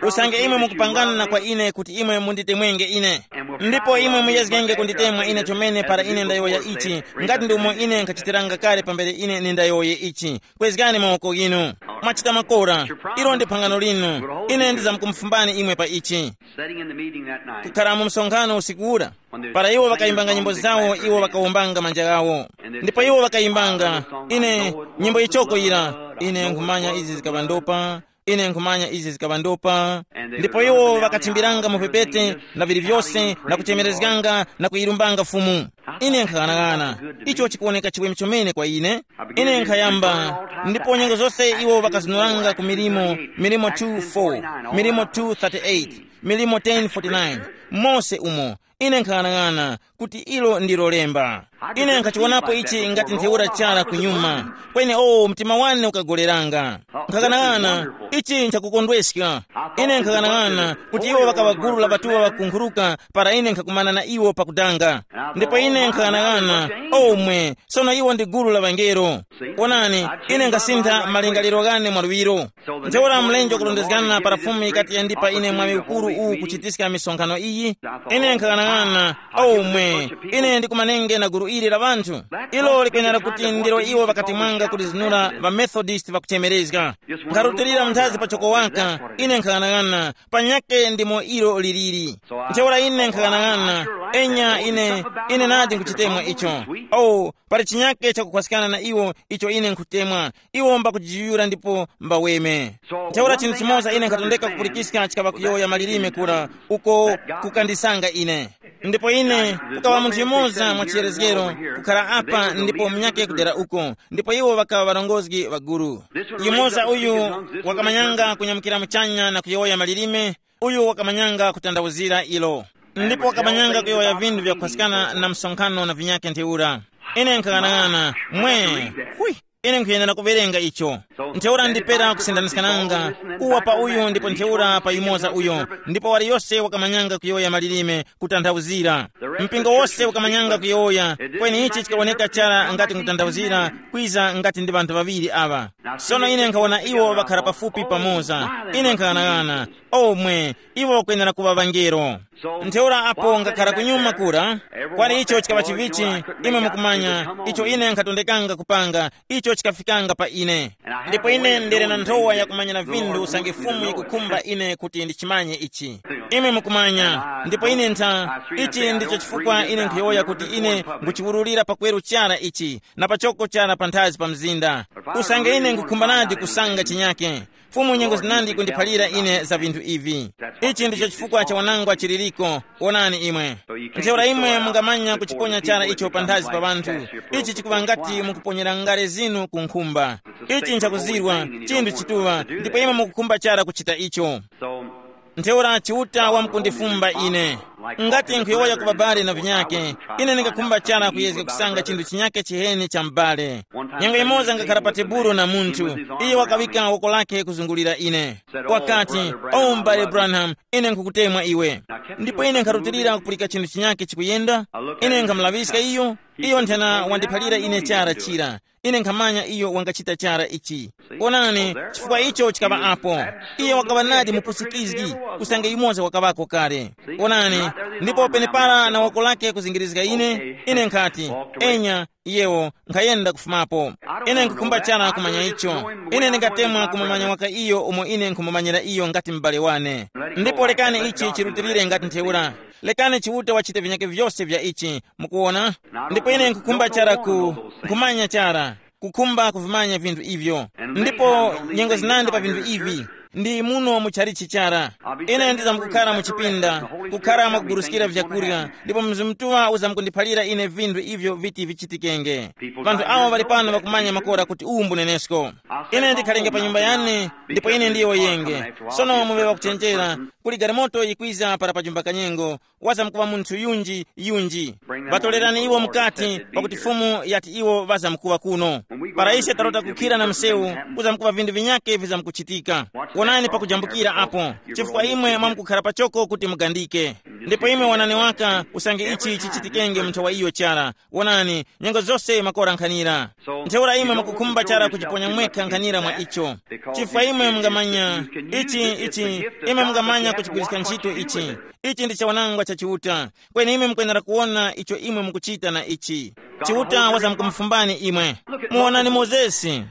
Usange imwe mukupangana na kwa ine kuti imwe munditemwenge ine, ndipo imwe muyezgenge kunditemwa ine chomene para ine ndayowoya ichi, ngati ndi umo ine nkhachitiranga kale pambere ine nindayowoye ichi. Kwezgani mawoko ghinu. Mwachita makora. Ilo ndi phangano linu. Ine ndizamkumufumbani imwe pa ichi. Sitting in the meeting that night, kukhara mu msonkhano usiku ura, para iwo ŵakayimbanga nyimbo zawo, iwo ŵakawombanga manja ghawo. Ndipo iwo ŵakayimbanga, ine, nyimbo yichoko yira, ine nkhumanya izi zikaŵa ndopa, ine nkhumanya izi zikaŵa ndopa. Ndipo iwo ŵakachimbiranga mu pepete na vili vyose, na kuchemerezganga na kuyilumbanga Fumu. Ine nkhaghanagana, icho chikuwoneka chiweme chomene kwa ine. Ine nkhayamba, ndipo nyengo zose iwo ŵakazunuranga ku milimo, milimo two four, milimo two thirty-eight, milimo ten forty-nine, mose umo. Ine nkhaghanagana kuti ilo ndilo lemba. Ine nkhachiwonapo ichi ngati ntheura chara kunyuma. Kweni o mtima wane ukagoleranga. Nkhaghanagana, ichi nchakukondweska. Ine nkhaghanagana kuti iwo ŵakaŵa gulu la ŵatuŵa ŵakunkhuruka para ine nkhakumana na iwo pakudanga. Ndipo ine nkhaghanagana, omwe, sono iwo ndi gulu la ŵangelo. Wonani, ine nkhasintha malingaliro ghane mwaluŵiro. Ntheura mlenje wakurondezgana para Fumu yikati yandipa ine mwaŵi ukuru uwu kuchitiska misonkhano iyi. Ine nkhaghanagana, omwe, ine ndikumanenge na gulu ili la ŵanthu. Ilo likwenera kuti ndilo iwo ŵakatemwanga kulizinura ŵaMethodist ŵakuchemerezga. Nkharutilira mnthazi pachoko waka, ine nkhaghanagana, panyake ndimo ilo liliri. Ntheura ine nkhaghanagana, enya ine, ine nadi nkuchitemwa icho. Oh, pali chinyake chakukhwaskana na iwo icho ine nkhutemwa. Iwo mbakujiyuyura ndipo mbaweme. Ntheura chinthu chimoza ine nkhatondeka kupulikiska chikaŵa kuyowoya malilime kura, uko kukandisanga ine. Ndipo ine, kukaŵa munthu yumoza mwa chiyerezgero, kukhara apa ndipo munyake kudera uko, ndipo iwo ŵakaŵa ŵarongozgi ŵa guru. Yumoza uyu wakamanyanga kunyamukira muchanya na kuyowoya malilime, uyu wakamanyanga kutandawuzira ilo. Ndipo wakamanyanga kuyowoya vinthu vyakukhwaskana na msonkhano na vinyake ntheura. Ine nkhaghanag'ana, mwe, hwi, ine nkhuyenera kuwerenga icho. Ntheura ndipera kusindaniska nanga, uwa pa uyu ndipo ntheura pa yumoza uyo, ndipo waliyose wakamanyanga kuyowoya malilime kutanthauzira. Mpingo wose wakamanyanga kuyowoya, kweni ichi chikawoneka chara ngati nkutanthauzira kwiza ngati ndi ŵanthu ŵaŵiri aŵa. Sono ine nkhawona iwo ŵakhara pafupi pamoza. Ine nkhaghanag'ana, omwe, iwo kwenera kuŵa ŵangelo. Ntheura apo ngakhara kunyuma kura, kwali icho chikaŵa chivichi, imwe mukumanya, icho ine nkhatondekanga kupanga, icho chikafikanga pa ine. Ndipo ine ndili na nthowa yakumanyira vinthu usange Fumu yikukhumba ine kuti ndichimanye ichi. Imwe mukumanya, ndipo ine ntha, ichi ndicho chifukwa ine nkhuyowoya kuti ine nguchiwurulira pakweru chara ichi, na pachoko chara panthazi pa mzinda. Usange ine ngukhumbanadi kusanga chinyake, Fumu nyengo zinandi kundiphalira ine za vinthu ivi. Ichi ndicho chifukwa cha wanangwa chiliriko. Wonani imwe. Ntheura imwe mungamanya kuchiponya chara icho panthazi pa ŵanthu. Ichi chikuŵa ngati mukuponyera ngale zinu ku nkhumba. Ichi nchakuzirwa, chinthu chituŵa, ndipo imwe mukukhumba chara kuchita icho. Ntheura Chiuta wamkundifumba ine. Ngati nkhuyowoya ku babale na vinyake, ine ndingakhumba chara kuyezga kusanga chinthu chinyake chiheni cha m'bale. Nyengo imoza ngakhala pa tebulo na munthu, iye wakaŵika woko lake kuzungulira ine. Wakati, "O m'bale Branham, ine nkhukutemwa iwe." Ndipo ine nkharutilira kupulika chinthu chinyake chikuyenda. Ine nkhamulaŵiska iyo, iyo nthena wandiphalira ine chara chira. Ine nkhamanya iyo wangachita chara ichi. Onani, chifukwa icho chikaŵa apo. Iye wakaŵa nadi mupusikizgi, usange yumoza wakaŵako kale. Onani, ndipo penepara na woko lake kuzingirizga ine, ine nkhati, "Enya, iyewo nkhayenda kufumapo." Ine nkhukhumba chara kumanya icho. Ine ndingatemwa kumumanya waka iyo umo ine nkhumumanyira iyo ngati m'bale wane. Ndipo lekani ichi chirutilire ngati ntheura. Lekani Chiuta wachite vinyake vyose vya ichi, mukuwona? Ndipo ine nkhukhumba chara ku, nkhumanya chara, kukhumba kuvimanya vinthu ivyo. Ndipo nyengo zinandi pa vinthu ivi, ndi muno mu chalichi chara. Ine ndizamkukhara mu chipinda, kukhara mwakuguruskira vyakurya, ndipo Mzimu Mutuŵa uzamkundiphalira ine vinthu ivyo viti vichitikenge. Vanthu awo ŵali pano ŵakumanya makora kuti uwu mbunenesko. Ine ndikhalenge pa nyumba yane, ndipo ine ndiyo yenge. Sono muŵe ŵakuchenjera, kuli galimoto yikwiza para pa chumba kanyengo, wazamkuŵa munthu yunji yunji. Ŵatolerani iwo mukati, pakuti Fumu yati iwo ŵazamkuŵa kuno. Para ise tarota kukhira na msewu, kuzamkuŵa vinthu vinyake vizamkuchitika. Wonani pakujambukira apo, chifukwa imwe mwamkukhara pachoko kuti mugandike. Ndipo imwe wanani waka usange ichi chichitikenge mu nthawa iyo chara. Wonani, nyengo zose makora nkhanira. Ntheura imwe mukukhumba chara kujiponya mwekha nkhanira mwa icho. Chifukwa imwe mungamanya, ichi, ichi, imwe mungamanya kuchigwirizika ntchito ichi. Ichi ndi chawanangwa cha Chiuta. Kweni imwe mukwenera kuwona icho imwe mukuchita na ichi. Chiuta wazamkumufumbani imwe. Muwonani Mozesi.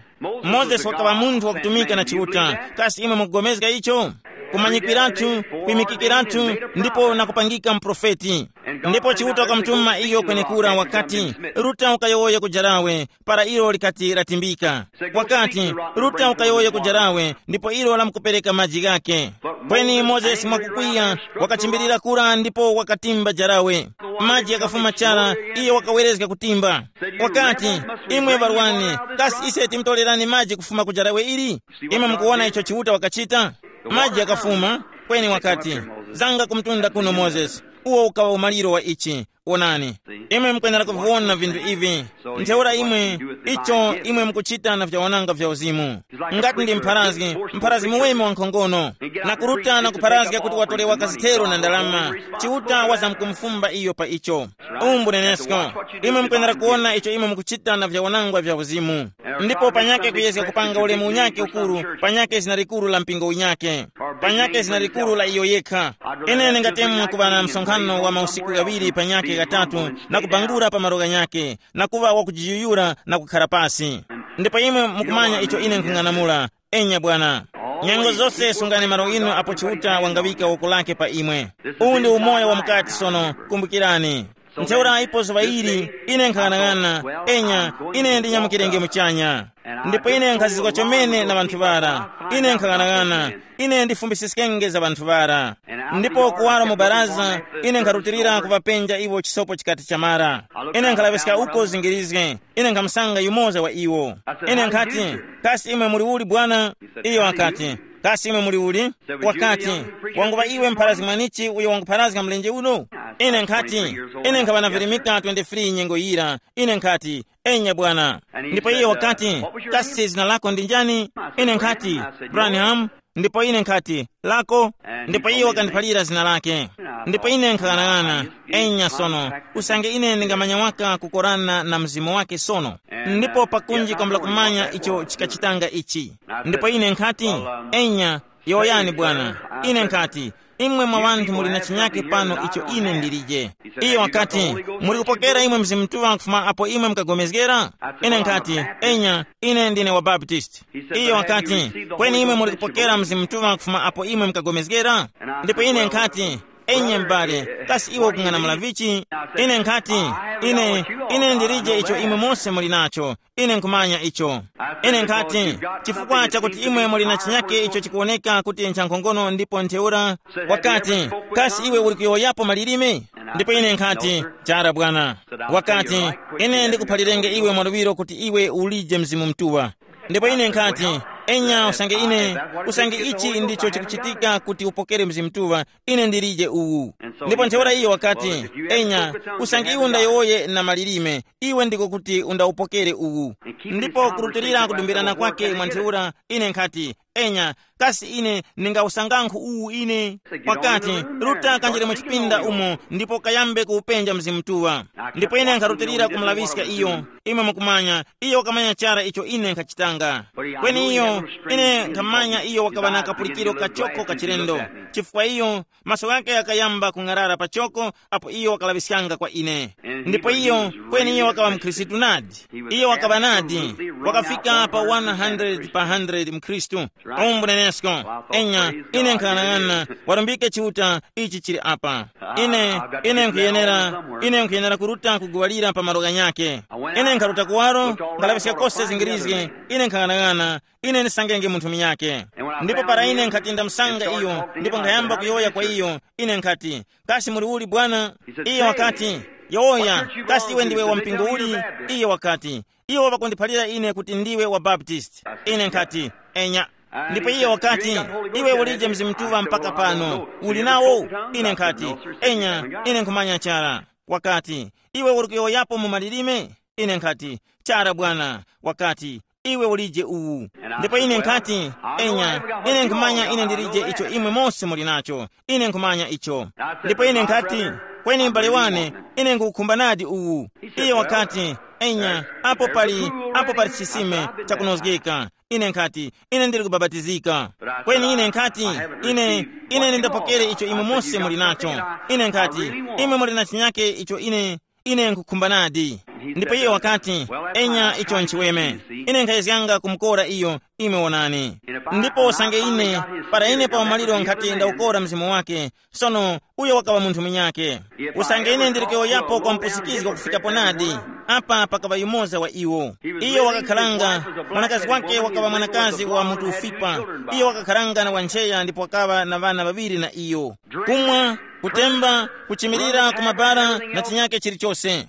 Mozesi wakaŵa munthu wakutumika na Chiuta. Kasi imwe mukupulikana icho? Kumanyikwiratu, kwimikikiratu, ndipo na kupangika muprofeti. Ndipo Chiuta wakamutuma iyo kwenekura wakati, "Ruta ukayowoye ku jarawe," para ilo likati latimbika. Wakati, "Ruta ukayowoye ku jarawe," ndipo ilo lamkupereka maji ghake. Kweni Mozesi mwakukwiya, wakachimbirira kura ndipo wakatimba jarawe. Maji yakafuma chara, iye wakawerezga kutimba. Wakati, "Imwe ŵarwani, kasi ise timtorerani maji kufuma ku jarawe ili?" Imwe mukuwona icho Chiuta wakachita? Maji yakafuma, kweni wakati, "Zanga kumtunda kuno Mozesi, uwo ukaŵa umaliro wa ichi." Wonani, imwe mukwenera kuviwona vinthu ivi. Ntheura imwe, icho imwe mukuchita na vyawananga vya uzimu. Ngati ndi mpharazgi, mpharazgi muweme wa nkhongono, na kuruta na kupharazga kuti watolewa kazithero na ndalama, Chiuta wazamkumufumba iyo pa icho. Umbu nenesko, imwe mukwenera kuwona icho imwe mukuchita na vyawanangwa vya uzimu. Ndipo panyake kuyezga kupanga ulemu unyake ukuru, panyake zina likuru la mpingo unyake, panyake zina likuru la iyo yekha. Ine ndingatemwa kuŵa na msonkhano wa mausiku ghaŵiri panyake ghatatu, na kubangura pa malo ghanyake, na kuŵa wakujiyuyura na kukhara pasi. Ndipo imwe mukumanya icho ine nkhung'anamula. Enya bwana. Nyengo zose sungani malo inu apo Chiuta wangaŵika woko lake pa imwe. Uwu ndi umoyo wa mukati sono, kumbukirani. Ntheura ipo zuŵa ili, ine nkhang'anang'ana, enya, ine ndinyamukirenge muchanya. Ndipo ine nkhazizwa chomene na ŵanthu ŵara. Ine nkhang'anang'ana, ine ndifumbisiskenge za ŵanthu ŵara. Ndipo kuwaro mu baraza, ine nkharutilira kuŵapenja iwo chisopo chikati chamara. Ine nkhalaŵiska uko zingirizge, ine nkhamusanga yumoza wa iwo. Ine nkhati, "Kasi imwe muli uli bwana?" Iyo wakati, "Kasi imwe muli uli?" Wakati, "Wanguŵa iwe mpharazgi mwanichi uyo wangupharazga mlenje uno?" Ine nkhati, "Ine nkhaŵa na virimika twenty-three nyengo yira." Ine nkhati, "Enya bwana." Ndipo iye wakati, "Kasi zina lako ndi njani?" Ine nkhati, "Branham." Ndipo ine nkhati, "Lako?" Ndipo iye wakandiphalira zina lake. Ndipo ine nkhang'anang'ana, enya sono, usange ine ndingamanya waka kukorana na mzimu wake sono. Ndipo pakunji kwambula kumanya icho chikachitanga ichi. Ndipo ine nkhati, "Enya, yowoyani bwana." Ine nkhati, Imwe mwa ŵanthu muli na chinyake pano icho ine ndilije. Iyo wakati, muli kupokera imwe Mzimu Mutuŵa kufuma apo imwe mukagomezgera? Ine nkhati, enya, ine ndine wa Baptist. Iyo wakati, kweni imwe muli kupokera Mzimu Mutuŵa kufuma apo imwe mukagomezgera? Ndipo ine nkhati, enya m'bale, kasi iwe ukung'anamula vichi? Ine nkhati, ine, ine ndilije icho imwe mose muli nacho. Ine nkhumanya icho. Ine nkhati, chifukwa chakuti imwe muli na chinyake icho chikuwoneka kuti nchankhongono ndipo ntheura, wakati, kasi iwe uli kuyowoyapo malilime? Ndipo ine nkhati, chara bwana. Wakati, ine ndikuphalirenge iwe mwaluŵiro kuti iwe ulije Mzimu Mutuŵa. Ndipo ine nkhati, enya usange ine, usange ichi ndicho chikuchitika kuti upokere Mzimu Mutuŵa, ine ndilije uwu. Ndipo ntheura iyo wakati, enya, usange iwe undayowoye na malilime, iwe ndiko kuti undawupokere uwu. Ndipo kurutilira kudumbirana kwake mwa ntheura, ine nkhati, enya, kasi ine ndingawusangankhu uwu ine? Wakati, ruta kanjire mu chipinda umo ndipo kayambe kuwupenja Mzimu Mutuŵa. Ndipo ine nkharutilira kumulaŵiska iyo. Imwe mukumanya, iyo wakamanya chara icho ine nkhachitanga. Kweni iyo, ine nkhamanya iyo wakaŵa na kapulikiro kachoko kachilendo, chifukwa iyo maso ghake ghakayamba kung'arara pachoko apo iyo wakalaŵiskanga kwa ine. Ndipo iyo, kweni iyo wakaŵa mkhristu nadi. Iyo wakaŵa nadi, wakafika pa one hundred pa hundred mkhristu. Umbu nenesko, enya, ine nkhanang'ana, warumbike Chiuta, ichi chili apa. Ine, ine nkhuyenera, ine nkhuyenera kuruta kuguwalira pa malo ghanyakhe. Ine nkharuta kuwaro, nkalaŵiska kose zingirizge, ine nkhanang'ana, ine ndisangenge munthu munyakhe. Ndipo para ine nkhati ndamusanga iyo, ndipo nkhayamba kuyowoya kwa iyo, ine nkhati, kasi muli uli bwana? Iyo wakati, yowoya, kasi iwe ndiwe wa mpingo uli? Iyo wakati, iwo ŵakundiphalira ine kuti ndiwe wa Baptist. Ine nkhati, enya. Ndipo iyo wakati, iwe ulije Mzimu Mutuŵa mpaka pano, uli nawo? Ine nkhati, enya, ine nkhumanya chara. Wakati, iwe uli kuyowoyapo mu malilime? Ine nkhati, chara bwana. Wakati, iwe ulije uwu. Ndipo ine nkhati, enya, ine nkhumanya ine ndilije icho imwe mose muli nacho. Ine nkhumanya icho. Ndipo ine nkhati, kweni m'bale wane, ine nkhukhumba nadi uwu. Iye wakati, enya, apo pali, apo pali chisime chakunozgeka. Ine nkhati, ine ndili kubabatizika. Kweni ine nkhati, ine, ine ndindapokere icho imwe mose muli nacho. Ine nkhati, imwe muli na chinyake icho ine, ine nkhukhumba nadi. Ndipo iye wakati, enya, icho nchiweme. Ine nkhayezganga kumukora iyo, imwe wonani. Ndipo usange ine, para ine pa umaliro nkhati ndawukora mzimu wake, sono uyo wakaŵa munthu munyakhe. Usange ine ndili kuyowoyapo kwa mpusikizgo kufikapo nadi, apa pakaŵa yumoza wa iwo. Iyo wakakharanga, mwanakazi wake wakaŵa mwanakazi wa mutu ufipa. Iyo wakakharanga na wancheya ndipo wakaŵa na ŵana ŵaŵiri na iyo. Kumwa, kutemba, kuchimirira ku mabara na chinyake chilichose.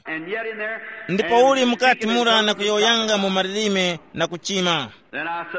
Ndipo uli mukati mura na kuyowoyanga mu malilime na kuchima.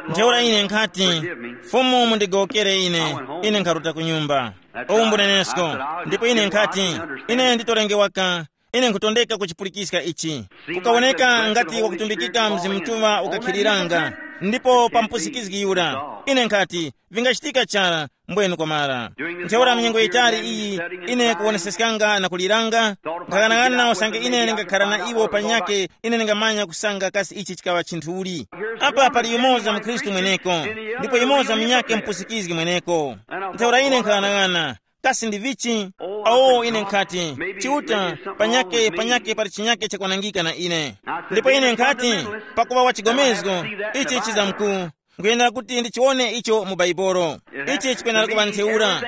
Ntheura ine nkhati, Fumu mundigowokere ine, ine nkharuta ku nyumba. Uwu mbunenesko. Ndipo ine nkhati, ine nditolengewa ka, ine nkhutondeka kuchipulikiska ichi. Kukawoneka ngati wakutumbikika Mzimu Mutuŵa ukakhiriranga, ndipo pa mpusikizgi yura. Ine nkhati, vingachitika chara, mbwenu kwamara. Ntheura mnyengo yitali iyi, ine kuwoneseskanga na kuliranga, nkhaghanaghananga usange ine ndingakhara na iwo panyakhe, ine ndingamanya kusanga kasi ichi chikaŵa chinthu uli. Apa pali yumoza mkhristu mweneko, ndipo yumoza munyakhe mpusikizgi mweneko. Ntheura ine nkhaghanaghananga, kasi ndi vichi? Awo ine nkhati, Chiuta, panyakhe panyakhe pali chinyakhe chakwanangika na ine. Ndipo ine nkhati, pakuŵa wa chigomezgo, ichi chizamku, nkuyendera kuti ndichiwone icho mu Baibolo. Ichi chikwenera kuŵa ntheura.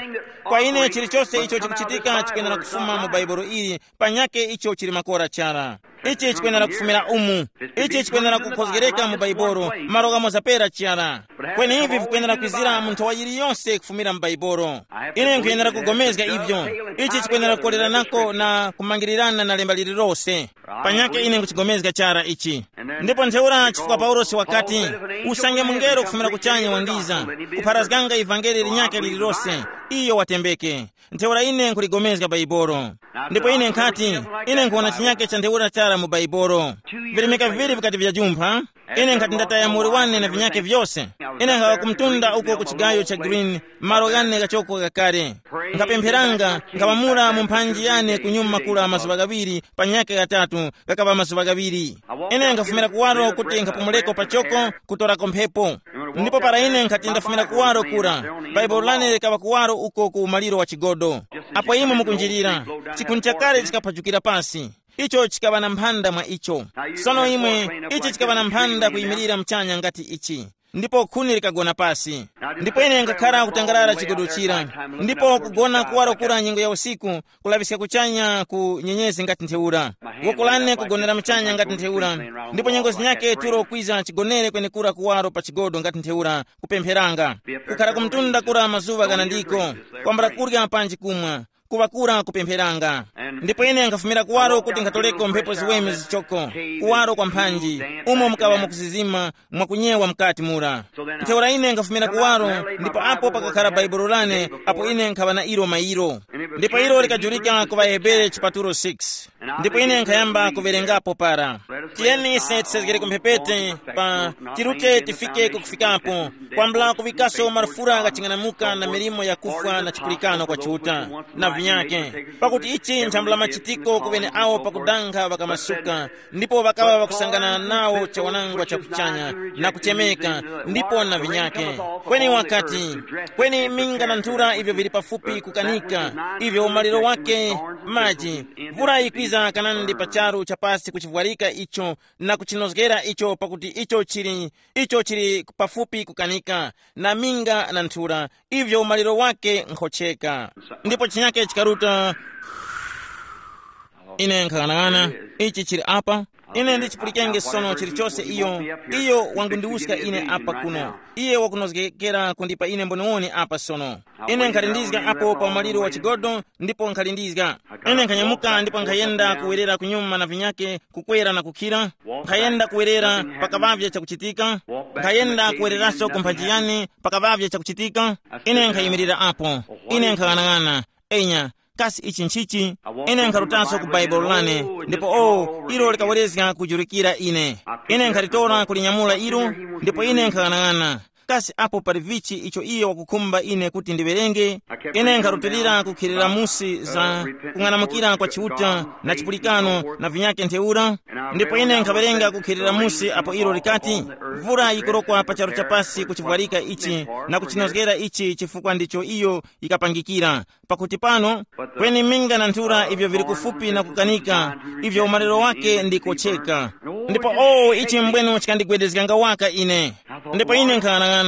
Kwa ine chilichose icho chikuchitika chikwenera kufuma mu Baibolo ili, panyakhe icho chili makora chara. Ichi chikwenera kufumira umu. Ichi chikwenera kukhozgereka mu Baibolo, malo ghamoza pera chara. Kweni ivi vikwenera kwizira mu nthowa yiliyonse kufumira mu Baibolo. Ine nkhuyenera kugomezga ivyo. Ichi chikwenera kukoleranako na kumangirirana na lemba lililose. Panyakhe ine nkuchigomezga chara ichi. Ndipo ntheura chifukwa Paulosi wakati, usange mungelo kufumira kuchanya wangiza, kupharazganga ivangeli linyakhe lililose, iyo watembeke. Ntheura ine nkhuligomezga Baibolo. Ndipo ine nkhati, ine nkhuwona chinyakhe cha ntheura chara mu Baibolo. Virimika viŵiri vikati vyajumpha, Ine nkhati ndataya muli wane na vinyake vyose. Ine nkhawa kumtunda uko ku chigayo cha Green, malo ghane ghachoko ghakale. Nkhapempheranga, nkhaŵamula mu mphanji yane kunyuma kula mazuŵa ghaŵiri, pa nyaka ghatatu, ghakaŵa mazuŵa ghaŵiri. Ine nkhafumira kuwaro kuti nkhapumuleko pachoko, kutorako mphepo. Ndipo para ine nkhati ndafumira kuwaro kura, baibulo lane likaŵa kuwaro uko ku umaliro wa chigodo. Apo imwe mukunjirira, chikhuni chakale chikaphajukira pasi. Icho chikaŵa na mphanda mwa icho. Sono imwe, ichi chikaŵa na mphanda kuyimirira muchanya ngati ichi. Ndipo khuni likagona pasi. Ndipo ine ngakhara kutangarara chigodo chira. Ndipo kugona kuwaro kura nyengo ya usiku, kulaŵiska kuchanya ku nyenyezi ngati ntheura. Woko lane kugonera muchanya ngati ntheura. Ndipo nyengo zinyake tulo kwiza chigonere kwenekura kuwaro pa chigodo ngati ntheura, kupempheranga. Kukhara kumtunda kura mazuŵa ghanandiko, kwambula kurya panji kumwa, kuŵakura kupempheranga. Ndipo ine nkhafumira kuwaro kuti nkhatoleko mphepo ziweme zichoko, kuwaro kwa mphanji, umo mukaŵa mukusizima mwakunyewa mukati mura. Ntheura ine nkhafumira kuwaro, ndipo apo pakakhala baibulo lane, apo ine nkhaŵa na ilo mairo. Ndipo ilo likajulika ku ŵahebere chipatulo six. Ndipo ine nkhayamba kuwerengapo para. Tiyeni ise tisezgere kumphepete, pa tirute tifike kukufikapo, kwambula kuŵikaso marufura ghaching'anamuka na milimo yakufwa na chipulikano kwa Chiuta na vinyake. Pakuti ichi nchambula machitiko ku ŵeneawo pakudanga ŵakamasuka, ndipo ŵakaŵa ŵakusangana nawo chawanangwa cha kuchanya, na kuchemeka, ndipo na vinyake. Kweni wakati, kweni minga na nthura ivyo vili pafupi kukanika, ivyo umaliro wake maji, mvura yikwiza kanandi pa charu chapasi kuchivwarika icho, na kuchinozgera icho, pakuti icho chili, icho chili pafupi kukanika, na minga na nthura, ivyo umaliro wake nkhocheka. Ndipo chinyake chikaruta. Ine nkhaghanaghana, ichi chili apa. Ine ndichipulikenge sono chilichose iyo. Iyo wangundiwuska ine apa kuno. Iye wakunozgekera kundipa ine mboniwoni apa sono. Ine nkhalindizga apo pa umaliro wa chigodo, ndipo nkhalindizga. Ine nkhanyamuka ndipo nkhayenda kuwerera kunyuma na vinyake, kukwera na kukhira. Nkhayenda kuwerera, pakaŵavye chakuchitika. Nkhayenda kuwereraso ku mphanji yane, pakaŵavye chakuchitika. Ine nkhayimirira apo. Ine nkhaghanag'ana. Enya, kasi ichi nchichi? Ine nkharutaso ku baibulo lane, ndipo o, ilo likawerezga kujurikira ine. Ine nkhalitora kulinyamula ilo, ndipo ine nkhaghanag'ana. Kasi apo pali vichi icho iye wakukhumba ine kuti ndiwerenge? Ine nkharutilira kukhilira musi za kung'anamukira kwa Chiuta na chipulikano na vinyake ntheura. Ndipo ine nkhawerenga kukhilira musi apo ilo likati, mvura yikurokwa pa charu chapasi kuchivwarika ichi na kuchinozgera ichi chifukwa ndicho iyo yikapangikira. Pakuti pano, kweni minga na nthura ivyo vili kufupi na kukanika, ivyo umaliro wake ndi kocheka. Ndipo o, ichi mbwenu chikandigwedezganga waka ine. Ndipo ine nkhaghanaghana,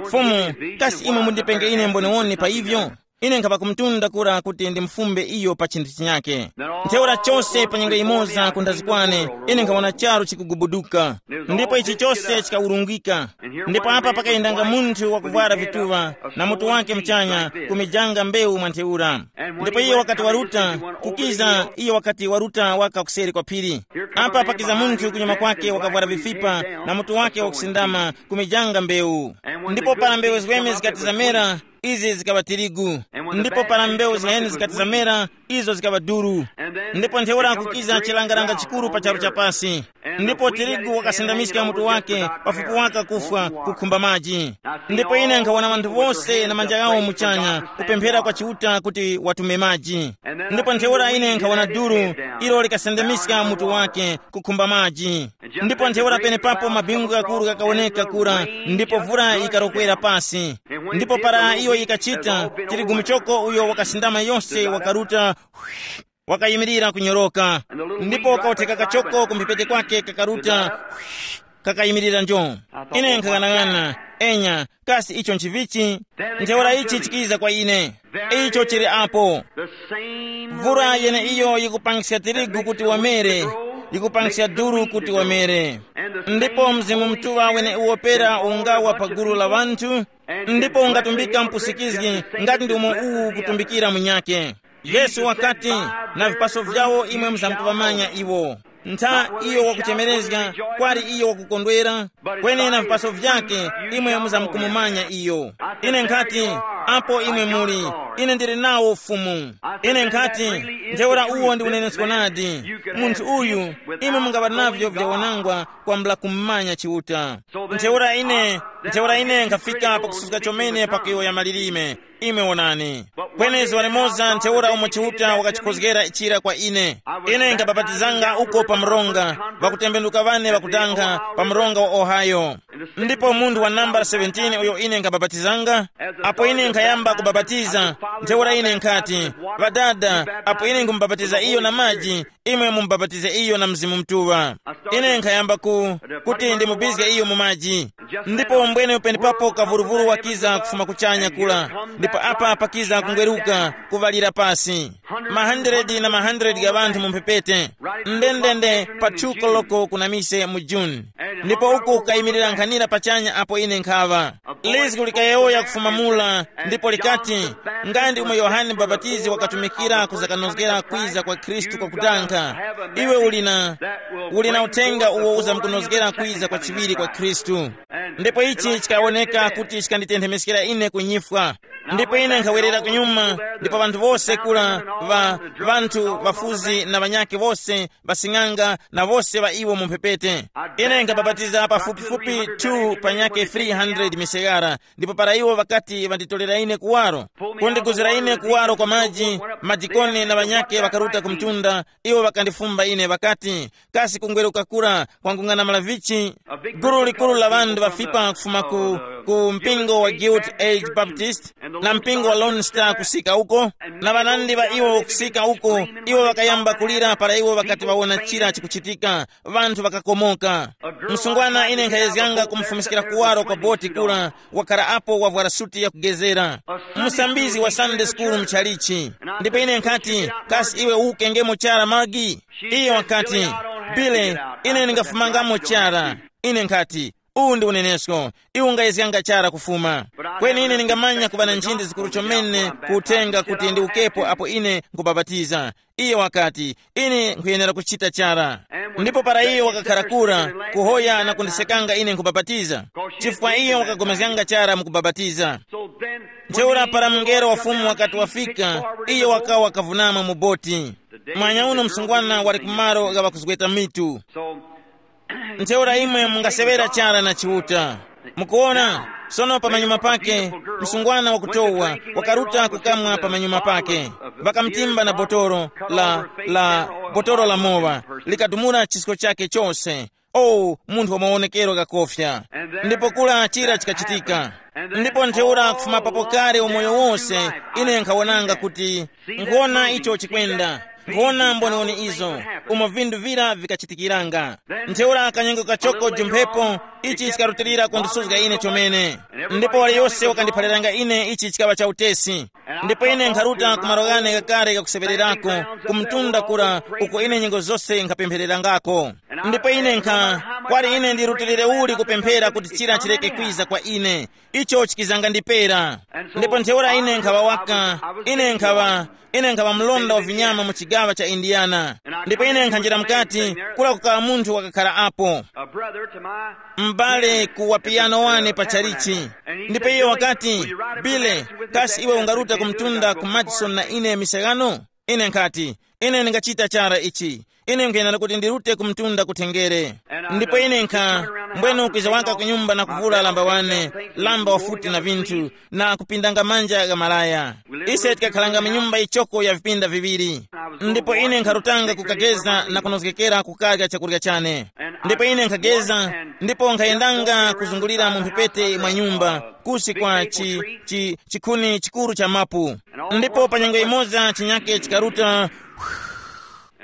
Fumu, kasi imwe mundipenge ine mboniwoni pa ivyo? Ine nkhapa kumtunda kura kuti ndimufumbe iyo pa chinthu chinyake. Ntheura chose pa nyengo yimoza ku nthazi kwane, ine nkhawona charu chikugubuduka. Ndipo ichi chose chikawurungika. Ndipo apa pakayendanga munthu wakuvwara vituŵa, na mutu wake muchanya, kumijanga mbewu mwa ntheura. Ndipo iyo wakati waruta, kukiza iyo wakati waruta waka kuseri kwa phiri. Apa pakiza munthu kunyuma kwake wakavwara vifipa, na mutu wake wakusindama, kumijanga mbewu. Ndipo para mbewu ziweme zikati zamera, izi zikaŵa tirigu. Ndipo para mbewu ziheni zikati zamera, izo zikaŵa duru. Ndipo ntheura kukiza chilangaranga chikuru pa charu chapasi. Ndipo tirigu wakasindamiska mutu wake, pafupi waka kufwa, kukhumba maji. Ndipo ine nkhawona ŵanthu wose na manja ghawo muchanya, kupemphera kwa Chiuta kuti watume maji. Ndipo ntheura ine nkhawona duru, ilo likasindamiska mutu wake, kukhumba maji. Ndipo ntheura penepapo mabingu ghakuru ghakawoneka kura, ndipo vura yikarokwera pasi. Ndipo para iyo yikachita, tirigu muchoko uyo wakasindama yose wakaruta, wakayimirira kunyoroka. Ndipo kautheka kachoko kumphepete kwake kakaruta, kakayimirira njo. Ine nkhaghanaghana, enya, kasi icho nchivichi? Ntheura ichi chikiza kwa ine. Icho chili apo. Mvura yeneiyo yikupangiska tirigu kuti wamere, yikupangiska duru kuti wamere. Ndipo Mzimu Mutuŵa weneuwo pera ungawa pa gulu la ŵanthu, ndipo ungatumbika mpusikizgi ngati ndi umo uwu ukutumbikira munyakhe. Yesu wakati, na vipaso vyawo imwe muzamkuŵamanya iwo. Ntha iyo wakuchemerezga, kwali iyo wakukondwera. Kweni na vipaso vyake, imwe muzamkumumanya iyo. Ine nkhati, apo imwe muli, ine ndili nawo Fumu. Ine nkhati, ntheura uwo ndi unenesko nadi. Munthu uyu, imwe mungaŵa navyo vyawanangwa kwambula kummanya Chiuta. Ntheura ine, ntheura ine nkhafika pakususka chomene pa kuyowoya malilime. Imwe wonani. Kweni zuŵa limoza ntheura umo Chiuta wakachikhozgera chira kwa ine. Ine nkabapatizanga uko pa mronga, ŵakutembenuka ŵane ŵakudanga pa mronga wa Ohio. Ndipo munthu wa nambala seventeen uyo ine nkabapatizanga, apo ine nkhayamba kubapatiza, ntheura ine nkhati, ŵadada, apo ine nkhumubapatiza iyo na maji, imwe mumubapatize iyo na Mzimu Mutuŵa. Ine nkhayamba ku, kuti ndimubizge iyo mu maji. Ndipo mbwene penepapo kavuruvuru wakiza kufuma kuchanya kula, ndipo apa pakiza kungweruka, kuŵalira pasi. Mahandiredi na mahandiredi gha ŵanthu mu mphepete, ndendende pa two koloko kuna mise mu June. Ndipo uku kukayimirira nkhanira pachanya apo ine nkhaŵa. Lizgu likayowoya kufuma mula, ndipo likati, nga ndi umo Yohane Mubapatizi wakatumikira kuzakanozgera kwiza kwa Khristu kwakutankha, iwe uli na, uli na uthenga uwo uzamkunozgera kwiza kwa chiŵiri kwa Khristu. Ndipo ichi chikawoneka kuti chikanditenthemeskera ine ku nyifwa. Ndipo ine nkhawerera kunyuma, ndipo ŵanthu wose kula, ŵa, ŵanthu ŵafuzi na ŵanyakhe wose, ŵasing'anga na wose ŵa iwo mu mphepete. Ine nkabapatiza pafupifupi two panyakhe three hundred misegara, ndipo para iwo ŵakati ŵanditolera ine kuwaro, kundiguzira ine kuwaro kwa maji, madikoni na ŵanyakhe ŵakaruta ku mtunda, iwo ŵakandifumba ine ŵakati, kasi kungweruka kura kwangung'anamala vichi? Gulu likuru la ŵanthu ŵafipa kufuma ku, ku mpingo wa Guild Age Baptist na mpingo wa Lone Star kusika uko, na ŵanandi ŵa iwo kusika uko, iwo ŵakayamba kulira para iwo ŵakati ŵawona chira chikuchitika, ŵanthu ŵakakomoka. Msungwana ine nkhayezganga kumufumiskira kuwaro kwa boti kula, wakhala apo wavwara suti yakugezera. Musambizi wa Sunday school mchalichi. Ndipo ine nkhati, kasi iwe ukengemo chara magi? Iye wakati, Billy, ine ndingafumangamo chara. Ine nkhati, uwu ndi unenesko, iwe ungayezganga chara kufuma. Kweni ine ndingamanya kuŵa na nchinde zikuru chomene ku uthenga kuti ndiwukepo apo ine nkubapatiza. Iye wakati, ine nkhuyenera kuchita chara. Ndipo para iye wakakhara kura, kuhoya na kundisekanga ine nkubapatiza, chifukwa iye wakapulikana chara mu kubapatiza. Ntheura para mungelo wa Fumu wakati wafika, iye wakawa kavunama mu boti. Mwanya uno msungwana wali kumalo gha ŵakuzgweta mitu. Ntheura imwe mungaseŵera chara na Chiuta. Mukuwona, sono pamanyuma pake, msungwana wakutowa wakaruta kukamwa pamanyuma pake. Ŵakamtimba na botolo la, la, botolo la mowa, likadumula chisko chake chose. O, munthu wa mawonekero ghakofya. Ndipo kula chira chikachitika. Ndipo ntheura kufuma papo kale umoyo wose, ine nkhawonanga kuti, nkhwona icho chikwenda, nkhwona mboniwoni izo, umo vinthu vira vikachitikiranga. Ntheura kanyengo kachoko jumphepo, ichi chikarutilira kundisuzga ine chomene. Ndipo waliyose wakandiphaliranga ine ichi chikaŵa cha utesi. Ndipo ine nkharuta ku malo ghane ghakale ghakuseŵererako, ku mtunda kura, uko ine nyengo zose nkhapemphererangako. Ndipo ine nkha, kwali ine ndirutilire uli kupemphera kuti chira chireke kwiza kwa ine? Icho chikizanga ndipera. Ndipo ntheura ine nkhaŵa waka, ine nkhaŵa, ine nkhaŵa mlonda wa vinyama mu chigaŵa cha Indiana. Ndipo ine nkhanjira mukati, kula kukaŵa munthu wakakhala apo, m'bale ku wapiyano wane pa chalichi. Ndipo iye wakati, Bile, kasi iwe ungaruta ku mtunda ku Madison na ine misagano? Ine nkhati, ine ndingachita chara ichi. Ine nkuyenda kuti ndirute ku mtunda kuthengere. Ndipo ine nkha, mbwene ukwiza waka ku nyumba na kuvula lamba wane, lamba wafuti na vinthu, na kupindanga manja gha malaya. Ise tikakhalanga mu nyumba yichoko ya vipinda viŵiri. Ndipo ine nkharutanga kukageza na kunozgekera kukarya chakurya chane. Ndipo ine nkhageza, ndipo nkhayendanga kuzungulira mu mphepete mwa nyumba, kusi kwa chi, chi, chikhuni chikuru cha mapu. Ndipo pa nyengo imoza chinyake chikaruta,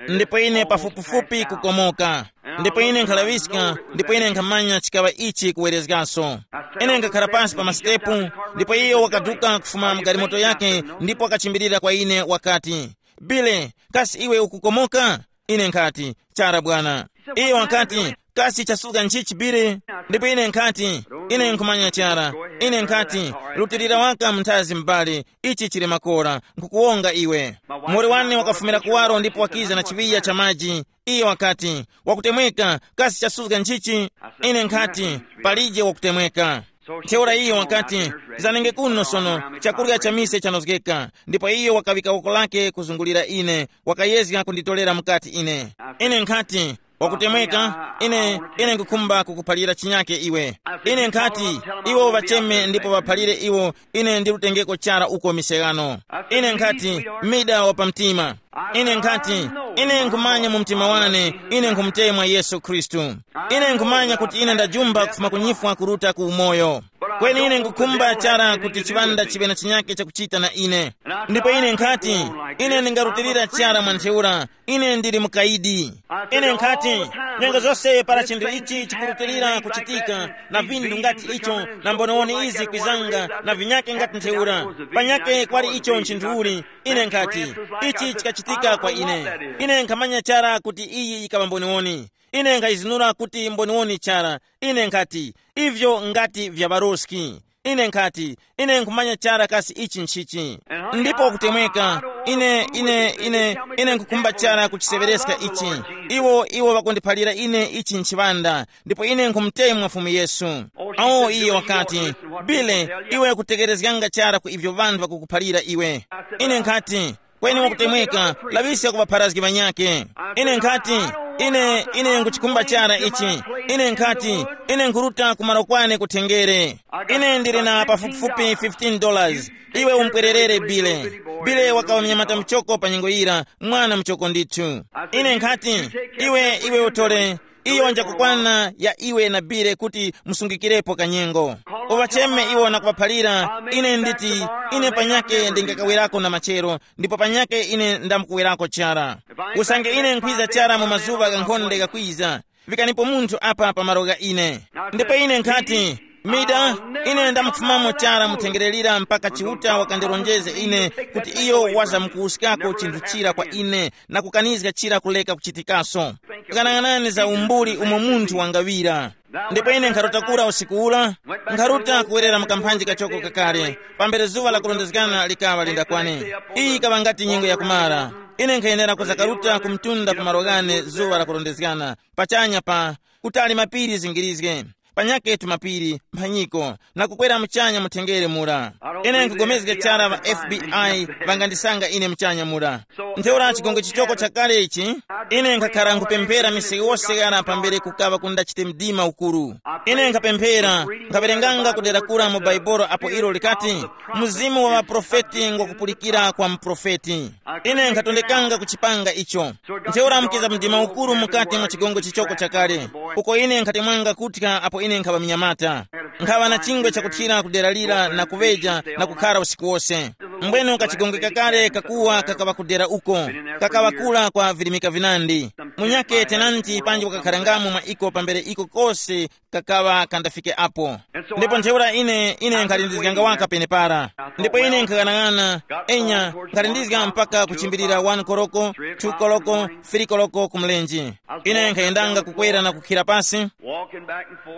ndipo ine pafupifupi kukomoka. Ndipo ine nkhalaŵiska, ndipo ine nkhamanya chikaŵa ichi kuwerezgaso. Ine nkhakhala pansi pa masitepu, ndipo iyo wakaduka kufuma mu galimoto yake, ndipo wakachimbirira kwa ine wakati, Bile, kasi iwe ukukomoka? Ine nkhati, chara bwana. Iyo wakati, kasi chasuka nchichi Bile? Ndipo ine nkhati, ine nkhumanya chara. Ine nkhati, lutilira waka mnthazi m'bale, ichi chili makora, nkhukuwonga iwe. Mori wane wakafumira kuwaro ndipo wakiza na chiŵiya cha maji. Iye wakati, wakutemweka, kasi chasuzga nchichi? Ine nkhati, palije wakutemweka. Ntheura iye wakati, zanenge kuno sono, chakurya cha mise chanozgeka. Ndipo iye wakaŵika woko lake kuzungulira ine, wakayezga kunditorera mukati ine. Ine nkhati, wakutemweka, ine, ine nkukhumba kukuphalira chinyake iwe. Ine nkhati, iwo ŵacheme ndipo ŵaphalire iwo, ine ndilutengeko chara uko misegano. Ine nkhati, mida wa pamtima. Ine nkhati, ine nkhumanya mu mtima wane, ine nkhumutemwa Yesu Khristu. Ine nkhumanya kuti ine ndajumba kufuma kunyifwa kuruta ku umoyo. Kweni ine nkukhumba chara kuti chiŵanda chiŵe na chinyake chakuchita na ine. Ndipo ine nkhati, ine ndingarutilira chara mwa ntheura, ine ndili mukayidi. Ine nkhati, nyengo zose para chinthu ichi chikurutilira kuchitika, na vinthu ngati icho, na mbonewoni izi kwizanga, na vinyake ngati ntheura, panyake kwali icho nchinthuuli. Ine nkhati, ichi chikachitika kwa ine. Ine nkhamanya chara kuti iyi yikaŵa mboniwoni. Ine nkhayizinura kuti mboniwoni chara. Ine nkhati, ivyo ngati vya ŵaroski. Ine nkhati, ine nkhumanya chara kasi ichi nchichi. Ndipo kutemweka, ine ine ine ine nkukhumba chara kuchiseŵereska ichi. Iwo iwo ŵakundiphalira ine ichi nchiŵanda. Ndipo ine nkhumutemwa Fumu Yesu. Awo iye wakati, Bile, iwe kutekerezganga chara ku ivyo ŵanthu ŵakukuphalira iwe. Ine nkhati, kweni wakutemweka, laŵiska ku ŵapharazgi ŵanyakhe. Ine nkhati, ine ine nkuchikhumba chara ichi. Ine nkhati, ine nkhuruta kumaro kwane kuthengere. Ine ndili na pafupifupi fifteen dollars. Iwe umpwererere Bile. Bile wakawa mnyamata muchoko pa nyengo yira, mwana muchoko ndithu. Ine nkhati, iwe iwe utole, iyo njakukwana ya iwe na Bile kuti musungikirepo kanyengo. Uŵacheme iwo na kuŵaphalira. Ine nditi, ine panyake ndingakawerako na machero, ndipo panyake ine ndamkuwerako chara. Usange ine nkhwiza chara mu mazuŵa ghankhonde gakwiza, vikanipo munthu apa pa malo gha ine. Ndipo ine nkhati, mida, ine ndamufumamo chara muthengererira mpaka Chiuta wakandilonjeze ine kuti iyo wazamkuwuskako chinthu chira kwa ine, na kukanizga chira kuleka kuchitikaso. Ghanaghanani za umbuli umo munthu wangaŵira. Ndipo ine nkharuta kura usiku ula, nkharuta kuwerera mu kamphanji kachoko kakale, pambere zuŵa la kurondezgana likaŵa lindakwane. Iyi ikaŵa ngati nyengo yakumara. Ine nkhayenera kuza karuta ku mtunda ku malo ghane zuŵa la kurondezgana, pachanya pa, kutali mapiri zingirizge, panyake tumapiri mphanyiko, na kukwera muchanya muthengere mura. Ine nkugomezga chara ŵa F B I ŵangandisanga ine muchanya mura. Ntheura chigongwe chichoko chakale ichi, ine nkhakhara nkupemphera miseke wose ghara pambere kukaŵa kundachite mdima ukuru. Ine nkhapemphera, nkhawerenganga kudera kura mu Baibolo apo ilo likati, mzimu wa ŵaprofeti ngwakupulikira kwa muprofeti. Ine nkhatondekanga kuchipanga icho. Ntheura mukiza mdima ukuru mukati mwa chigongwe chichoko chakale, uko ine nkhatemwanga kuthya apo ine nkhaŵa mnyamata. Nkhaŵa na chingwe chakuthira ku dera lira na kuŵeja na kukhara usiku wose. Mbwenu kachigongwe kakale kakuwa kakaŵa ku dera uko, kakaŵa kura kwa virimika vinandi. Munyakhe tenanti panji wakakharangamo mwa iko pambere iko kose kakaŵa kandafike apo. Ndipo ntheura ine ine nkhalindizganga waka penepara. Ndipo ine nkhaghanag'ana, enya, nkhalindizga mpaka kuchimbirira one koloko, two koloko, three koloko ku mlenje. Ine nkhayendanga kukwera na kukhira pasi,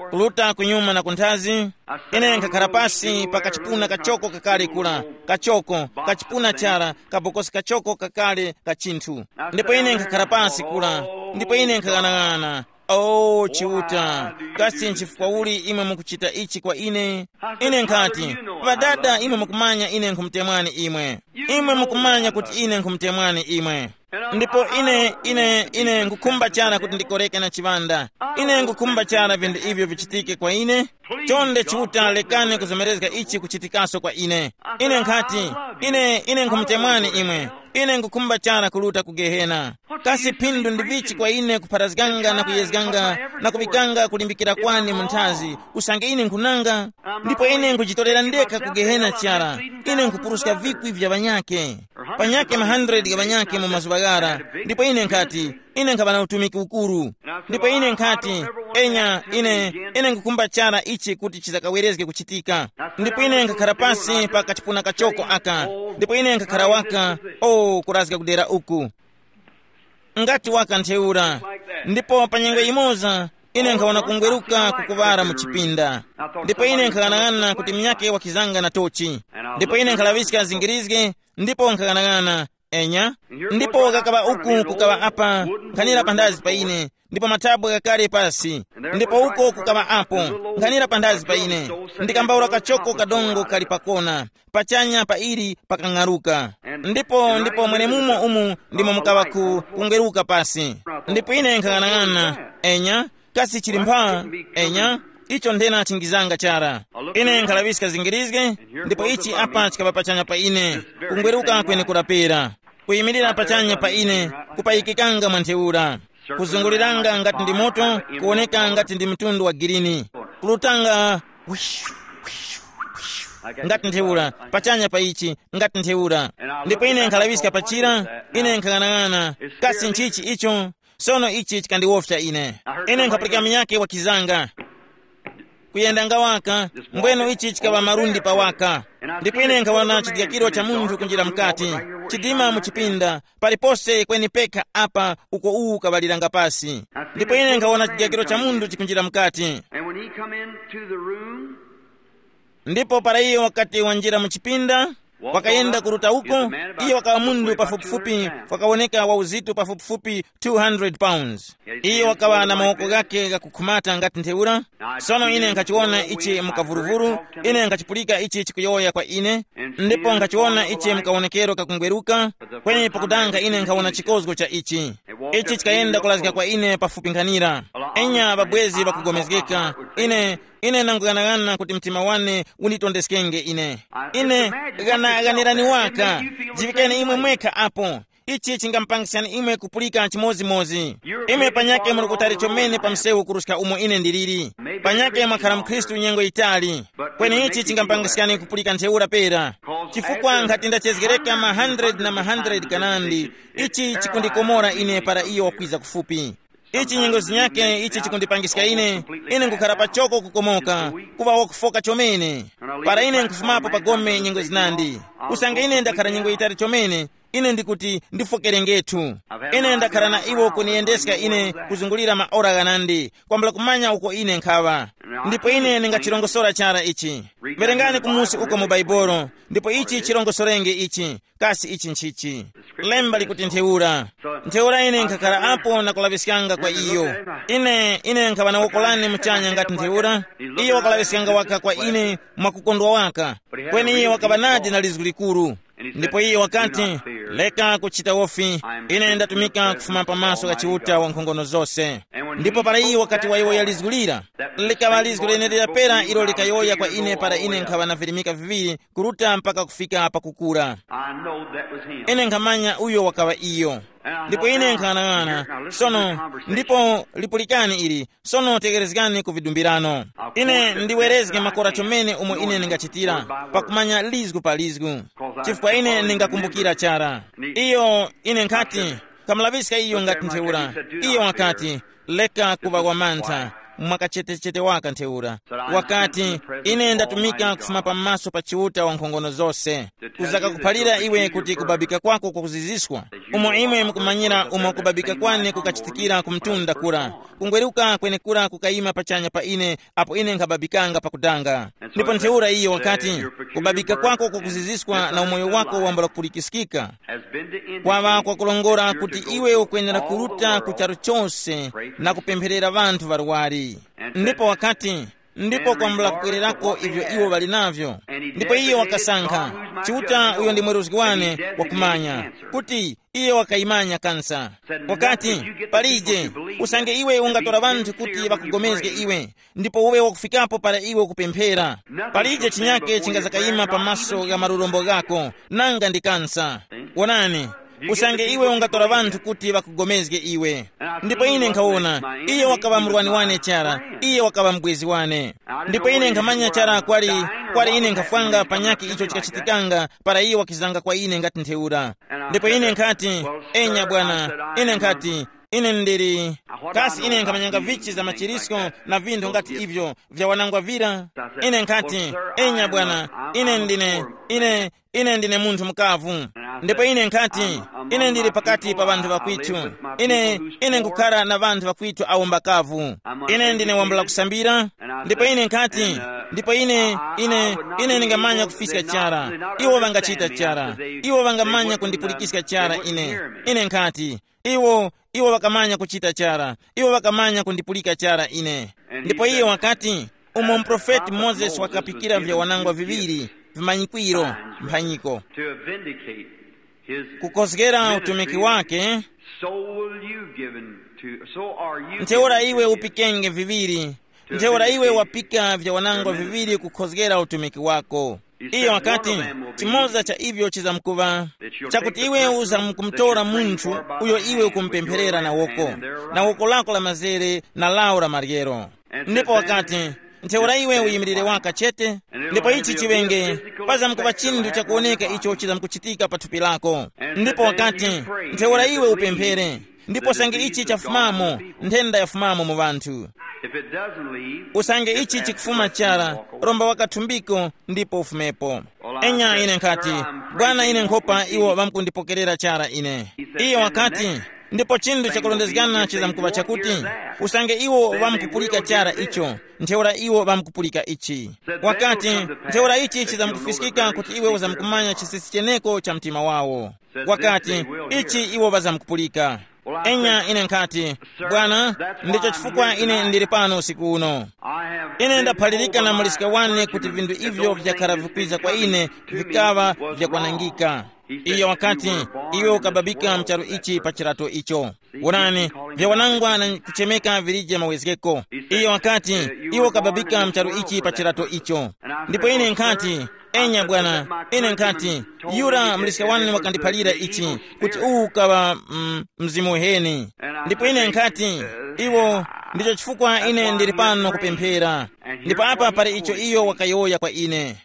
kuluta kunyuma na kunthazi. Ine nkhakhara pasi pa kachipuna kachoko kakale kula, kachoko, kachipuna chara, kabokosi kachoko kakale ka chinthu. Ndipo ine nkhakhara pasi kula, ndipo ine nkhaghanag'ana. O Chiuta, kasi nchifukwa uli imwe mukuchita ichi kwa ine? Ine nkhati, Ŵadada, imwe mukumanya ine nkhumutemwani imwe. Imwe mukumanya kuti ine nkhumutemwani imwe. Ndipo ine ine ine ngukhumba chara kuti ndikoreke na chiŵanda. Ine ngukhumba chara vinthu ivyo vichitike kwa ine. Chonde Chiuta, lekani kuzomerezga ichi kuchitikaso kwa ine. Ine nkhati, ine ine nkhumutemwani imwe. Ine ngukhumba chara kuluta ku Gehena. Kasi phindu ndi vichi kwa ine kupharazganga na kuyezganga na kuŵikanga kulimbikira kwane mu nthazi, usange ine nkhunanga? Ndipo ine nkhujitorera ndekha ku Gehena chara. Ine nkhupuruska vikwi vya ŵanyake, panyake ma hundred gha ŵanyake mu mazuŵa ghara. Ndipo ine nkhati, ine nkhaŵa na utumiki ukuru. Ndipo ine nkhati, enya, ine ine nkhukhumba chara ichi kuti chizakawerezge kuchitika. Ndipo ine nkhakhara pasi pa kachipuna kachoko aka. Ndipo ine nkhakhara waka, o kurazga kudera uku, ngati waka ntheura. Ndipo pa nyengo yimoza, ine nkhawona kungweruka kukuŵara mu chipinda. Ndipo ine nkhaghanag'ana kuti munyakhe wakizanga na tochi. Ndipo ine nkhalaŵiska zingirizge, ndipo nkhaghanag'ana, Enya. Ndipo kakaŵa uku kukaŵa apa, nkhanira panthazi pa ine, ndipo mathabwa ghakale pasi. Ndipo uko kukaŵa apo, nkhanira panthazi pa ine, ndikambawula kachoko kadongo kali pakona, pachanya pa ili pakang'aruka. Ndipo ndipo mwenemumo umu ndimo mukaŵa ku kungweruka pasi. Ndipo ine nkhang'anang'ana, enya, kasi chili mpha? Enya, icho nthena chingizanga chara. Ine nkhalaŵiska zingirizge, ndipo ichi apa chikaŵa pachanya pa ine, kungweruka kwenekura pera, kuyimirira pachanya pa ine, kupayikikanga mwa ntheura, kuzunguliranga ngati ndi moto, kuwoneka ngati ndi mtundu wa girini, kulutanga ngati ntheura, pachanya pa ichi, ngati ntheura. Ndipo ine nkhalaŵiska pachira, ine nkhang'anang'ana, kasi nchichi icho? Sono ichi chikandiwofya ine. Ine nkhapulika munyakhe wakizanga kuyendanga waka, mbweno ichi chikaŵa malundi pa waka. Ndipo ine nkhawona chidyakiro cha munthu kunjira mukati, chidima mu chipinda, palipose kweni pekha apa uko uwu ukaŵaliranga pasi. Ndipo ine nkhawona chidyakiro cha munthu chikunjira mukati. And when he come into the room, ndipo para iyo wakati wanjira mu chipinda, wakayenda kuruta uko, iyo wakawa mundu pafupifupi, wakawoneka wa uzito pafupifupi two hundred pounds. Iyo wakawa na mawoko ghake ghakukhumata ngati ntheura. Sono ine nkhachiwona ichi mukavuruvuru, ine nkhachipulika ichi chikuyowoya kwa ine, ndipo nkhachiwona ichi mukawonekero kakungweruka, kweni pakudanga ine nkhawona chikozgo cha ichi. Ichi chikayenda kulazga kwa ine pafupi nkhanira. Enya ŵabwezi ŵakugomezgeka, ine ine nanguyang'ana kuti mtima wane unditondeskenge ine. Ine ghana ghanirani waka, jivikeni imwe mwekha apo. Ichi chingamupangiskani imwe kupulika chimodzimodzi. Imwe panyake muli kutali chomene pa msewu kuruska umo ine ndiliri. Panyake mwakhala mkhristu nyengo yitali, kweni ichi chingamupangiskani kupulika ntheura pera. Chifukwa nkhati ndachezgereka ma hundred na ma hundred kanandi, ichi chikundikomora ine para iyo wakwiza kufupi. Ichi nyengo zinyake ichi chikundipangiska ine, ine nkukhala pachoko kukomoka, kuŵa wakufoka chomene. Para ine nkufumapo pa gome nyengo zinandi, usange ine ndakhala nyengo yitali chomene, ine ndikuti ndifokerengethu. Ine ndakhala na iwo kuniyendeska ine kuzungulira maora ghanandi, kwambula kumanya uko ine nkhaŵa. Ndipo ine ndingachirongosora chara ichi. Verengani kumusi uko mu Baibolo, ndipo ichi chilongosorenge ichi. Kasi ichi nchichi? Lemba likuti ntheura. Ntheura ine nkhakhala apo na kulaŵiskanga kwa iyo. Ine ine nkhaŵa na woko lane muchanya ngati ntheura. Iyo wakalaŵiskanga waka kwa ine mwakukondwa waka. Kweni iyo wakaŵa nadi na lizgu likuru. Ndipo iyo wakati, leka kuchita wofi, ine ndatumika kufuma pamaso gha Chiuta wankhongono zose. Ndipo para iyo wakati wayowoya lizgu lira, likaŵa lizgu lenelira pera ilo likayowoya kwa ine para ine nkhaŵa na virimika viŵiri kuruta mpaka kufika pakukura. I know that was him. Ine nkhamanya uyo wakaŵa iyo. Ndipo ine nkhanang'ana sono. Ndipo lipulikani ili. Sono tegerezgani ku vidumbirano. Ine ndiwerezge makora chomene umo ine ndingachitira, pakumanya lizgu pa lizgu, chifukwa ine ndingakumbukira chara. Iyo ine nkhati, kamulaŵiska iyo ngati ntheura. Iyo wakati, leka kuŵa wamantha, mwakachetechete waka ntheura. Wakati, ine ndatumika kufuma pamaso pa Chiuta wankhongono zose, kuzaka kuphalira iwe kuti kubabika kwako kwakuziziswa, umo imwe mukumanyira umo kubabika kwane kukachitikira ku mtunda kura. Kungweruka kwenekura kukayima pachanya pa ine, apo ine nkhababikanga pakudanga. Ndipo ntheura iyo wakati, kubabika kwako kwakuziziswa na umoyo wako wambula kupulikiskika. Kwaŵa kwakulongora kuti iwe ukwenera kuruta ku charu chose na kupempherera ŵanthu ŵarwari. Ndipo wakati, ndipo kwambula kukwererako ivyo iwo ŵali navyo. Ndipo iyo wakasankha, Chiuta uyo ndi mweruzgi wane wakumanya, kuti iye wakayimanya kansa. Wakati, palije, usange iwe ungatora ŵanthu kuti ŵakugomezge iwe, ndipo uwe wakufikapo para iwe ukupemphera. Palije chinyake chingazakayima pamaso gha malurombo ghako, nanga ndi kansa. Wonani, usange iwe ungatora ŵanthu kuti ŵakugomezge iwe. Ndipo ine nkhawona, iye wakaŵa murwani wane chara, iye wakaŵa mubwezi wane. Ndipo ine nkhamanya chara kwali, kwali ine nkhafwanga panyakhe icho chikachitikanga para iye wakizanga kwa ine ngati ntheura. Ndipo ine nkhati, enya bwana, ine nkhati, ine ndili, kasi ine nkhamanyanga vichi za machirisko na vinthu ngati ivyo vya wanangwa vira? Ine nkhati, enya bwana, ine ndine, ine ine ndine munthu mukavu. Ndipo ine nkhati, ine ndili pakati pa ŵanthu ŵakwitu. Ine ine nkukhala na ŵanthu ŵakwitu awo mbakavu. Ine ndine wambula kusambira. Ndipo ine nkhati, Ndipo ine, ine, ine ndingamanya kufiska chara. Iwo ŵangachita chara. Iwo ŵangamanya kundipulikiska chara ine. Ine nkhati, iwo, iwo ŵakamanya kuchita chara. Iwo ŵakamanya kundipulika chara ine. Ndipo iye wakati, umo muprofeti Mozesi wakapikira vyawanangwa viŵiri, vimanyikwiro, mphanyiko, to vindicate his kukozgera utumiki ministry, wake. So will you given to, so are you ntheura given iwe to him. Upikenge viŵiri. Ntheura iwe wapika vyawanangwa viŵiri kukhozgera utumiki wako. Iyo akati, chimoza cha ivyo chizamkuva, chakuti iwe uzamkumtora munthu uyo iwe ukumpempherera na woko, na woko lako la mazere na lawo la maryero. Ndipo wakati, ntheura iwe uyimirire waka chete. Ndipo ichi chiŵenge, pazamkuva chinthu chakuwoneka icho chizamkuchitika pa thupi lako. Ndipo wakati, ntheura iwe upemphere. Ndipo usange ichi chafumamo, nthenda yafumamo mu ŵanthu. If it doesn't leave, usange ichi chikufuma chara, romba wakathumbiko ndipo ufumepo. Enya ine nkhati, bwana, ine nkhopa iwo ŵamkundipokerera chara ine. Iyo wakati, ndipo chinthu chakulondezgana chizamkuŵa chakuti, usange iwo ŵamkupulika chara icho, ntheura iwo ŵamkupulika ichi. Wakati, ntheura ichi chizamkufiskika kuti iwe uzamkumanya chisisi cheneko cha mtima wawo. Wakati, ichi iwo ŵazamkupulika. Enya ine nkhati, bwana, ndicho chifukwa ine ndili pano usiku uno. Ine ndaphalirika na muliska wane kuti vinthu ivyo vyakhala vikwiza kwa ine vikaŵa vyakwanangika. Iyo wakati, iwe ukababika mcharu ichi pa chirato icho. Wonani, vyawanangwa na kuchemeka vilije mawezgeko. Iyo wakati, iwe ukababika mcharu ichi pa chirato icho. Ndipo ine nkhati, enya bwana, ine nkhati, yura mliska wani wakandiphalira ichi, kuti uwu ukaŵa, mm, mzimu uheni. Ndipo ine nkhati, iwo, ndicho chifukwa ine ndili pano kupemphera. Ndipo apa pali icho iyo wakayowoya kwa ine.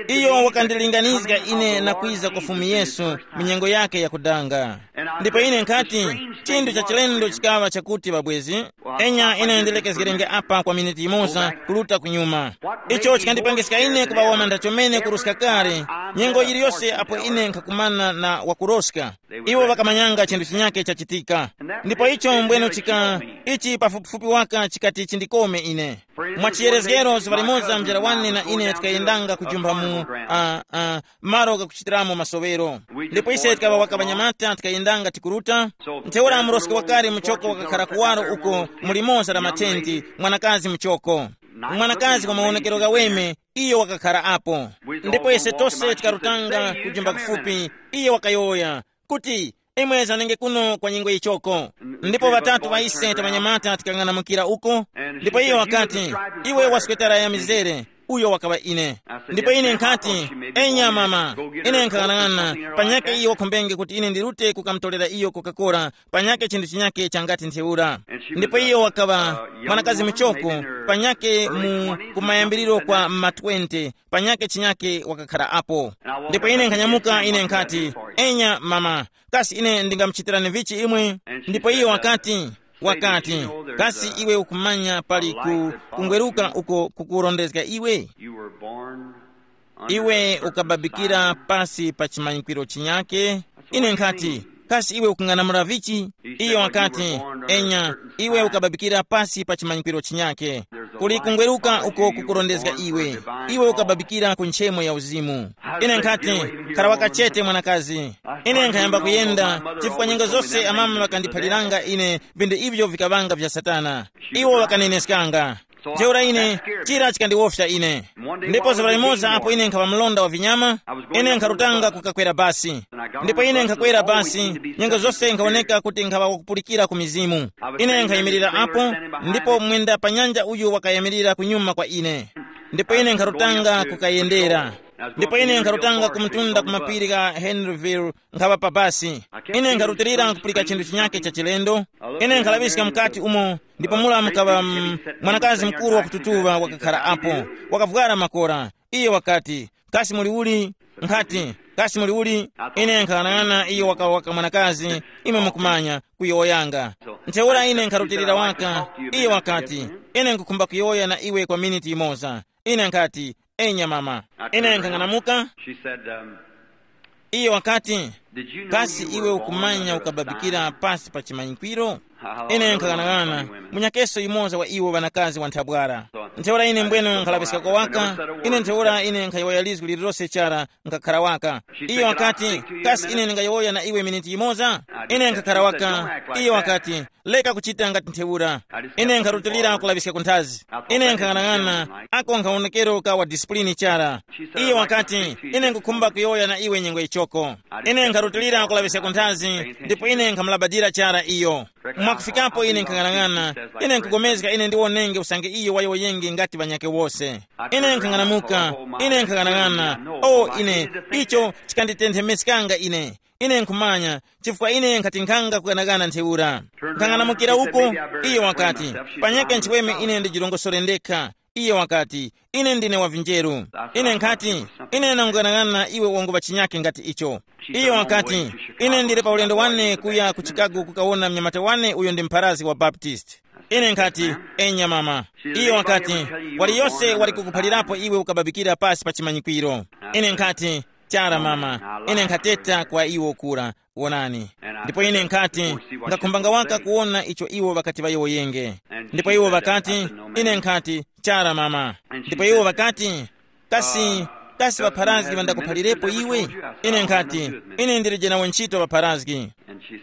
Iyo wakandilinganizga ine na kwiza kwa Fumu Yesu mu nyengo yake yakudanga. Ndipo ine nkhati, chinthu cha chilendo chikaŵa chakuti, ŵabwezi, enya ine ndilekezgerenge apa kwa miniti yimoza kuluta kunyuma. Icho chikandipangiska ine kuŵa wamantha chomene kuruska kale, nyengo yiliyose apo ine nkhakumana na wakuroska. Iwo ŵakamanyanga chinthu chinyake chachitika. Ndipo icho mbweno chika, ichi pafupifupi waka chikati chindikome ine. Mwa chiyerezgero zuŵa limoza mzera wane na ine tikayendanga kujumba mu, uh, uh, malo ghakuchitiramo masowero. Ndipo ise tikaŵa waka ŵanyamata tikayendanga tikuruta. Ntheura muroski wakale muchoko wakakhara kuwaro uko mu limoza la matenti, mwanakazi muchoko. Mwanakazi wa mawonekero ghaweme, iyo wakakhara apo. Ndipo ise tose tikarutanga kujumba kufupi, iyo wakayowoya kuti, imwe zanenge kuno kwa nyengo yichoko. Ndipo ŵatatu ŵa ise taŵanyamata tikang'anamukira uko. Ndipo iyo wakati, iwe waswetara ya mizere. Uyo wakaŵa ine. Ndipo ine nkhati, enya mama, ine nkhang'anang'ana, panyake iyo wakhumbenge kuti ine ndirute kukamutolera iyo Coca-Cola, panyake chinthu chinyake changati ntheura. Ndipo iyo wakaŵa mwanakazi muchoko, panyake mu kumayambiriro kwa ma twenty, panyake chinyake wakakhara apo. Ndipo ine nkhanyamuka ine nkhati, enya mama, kasi ine ndingamuchitirani vichi imwe? Ndipo iyo wakati, wakati, kasi iwe ukumanya pali ku kungweruka uko kukurondezga iwe? You were born under iwe a curse ukababikira of pasi pa chimanyikwiro chinyake. Ine nkhati, kasi iwe ukung'anamula vichi? Iyo wakati, enya, iwe ukababikira pasi pa chimanyikwiro chinyake. Kuli kungweruka uko kukurondezga iwe. Iwe ukababikira ku nchemo ya uzimu. Ine nkhati, khara wakachete mwanakazi. Ine nkhayamba kuyenda, chifukwa nyengo zose amama ŵakandiphaliranga ine vinthu ivyo vikaŵanga vya Satana. Iwo ŵakaneneskanga. Ntheura ine, chira chikandiwofya ine. Ndipo zuŵa limoza apo ine nkhaŵa mlonda wa vinyama, ine nkharutanga kukakwera basi. Ndipo ine nkhakwera basi, nyengo zose nkhawoneka kuti nkhaŵa wakupulikira ku mizimu. Ine nkhayimirira apo, ndipo mwenda pa nyanja uyu wakayimirira kunyuma kwa ine. Ndipo ine nkharutanga kukayendera. Ndipo ine nkharutanga kumtunda ku mapiri gha Henryville, nkhaŵa pa basi. Ine nkharutilira nkupulika chinthu chinyake cha chilendo. Ine nkhalaŵiska mukati umo, ndipo mula mukaŵa, mm, mwanakazi mukuru wakututuŵa wakakhara apo, wakavwara makora. Iyo wakati, kasi muli uli? Nkhati, kasi muli uli? Ine nkhanang'ana iyo waka waka mwanakazi, imwe mukumanya, kuyowoyanga. Ntheura ine nkharutilira waka. Iyo wakati, ine nkukhumba kuyowoya na iwe kwa miniti imoza. Ine nkhati, enya mama. Ine nkhang'anamuka. She said, um, Iyo wakati, did you know kasi you iwe were born ukumanya under a ukababikira sign? Pasi pa chimanyikwiro? Ine nkhang'anang'ana, munyakeso yumoza wa iwo ŵanakazi wa nthabwara. Ntheura ine mbwenu nkhalaŵiskako waka. Ine ntheura ine nkhayowoya lizgu lililose chara, nkhakhara waka. Iyo wakati, kasi ine ndingayowoya na iwe miniti yimoza? Ine nkhakhala waka. Iyo wakati, leka kuchita ngati ntheura. Ine nkharutilira kulaŵiska kunthazi. Ine nkhang'anang'ana, ako nkhawonekero ka wa disipulini chara. Iyo wakati, ine nkukhumba kuyowoya na iwe nyengo ichoko. Ine nkharutilira kulaŵiska kunthazi, ndipo ine nkhamulabadira chara iyo. Mwakufikapo ine nkhang'anang'ana, ine nkugomezga ine ndiwonenge usange iyo wayowoyenge ngati ŵanyakhe wose. Ine nkhang'anamuka, ine nkhang'anang'ana. O ine, icho chikanditenthemeskanga ine. Ine nkhumanya, chifukwa ine nkhati nkhanga kughanaghana ntheura. Nkhang'anamukira uko, iyo wakati, panyakhe nchiweme ine ndijirongosore ndekha. Iyo wakati, ine ndine wa vinjeru. Ine nkhati, ine nangughanagana iwe wanguŵa chinyake ngati icho. Iyo wakati, ine ndili pa ulendo wane kuya ku Chicago kukawona mnyamata wane uyo ndi mpharazi wa Baptist. Ine nkhati, enya mama. Iyo wakati, waliyose wali kukuphalirapo iwe ukababikira pasi pa chimanyikwiro. Ine nkhati, chara mama. Ine nkhateta kwa iwo kura, wonani. Ndipo ine nkhati, ngakhumbanga waka kuwona icho iwo ŵakati ŵayowoyenge. Ndipo iwo ŵakati, ine nkhati, chara mama. Ndipo iwo ŵakati, kasi, kasi ŵapharazgi ŵandakuphalirepo iwe? Ine nkhati, ine ndilije nawo ntchito ŵapharazgi.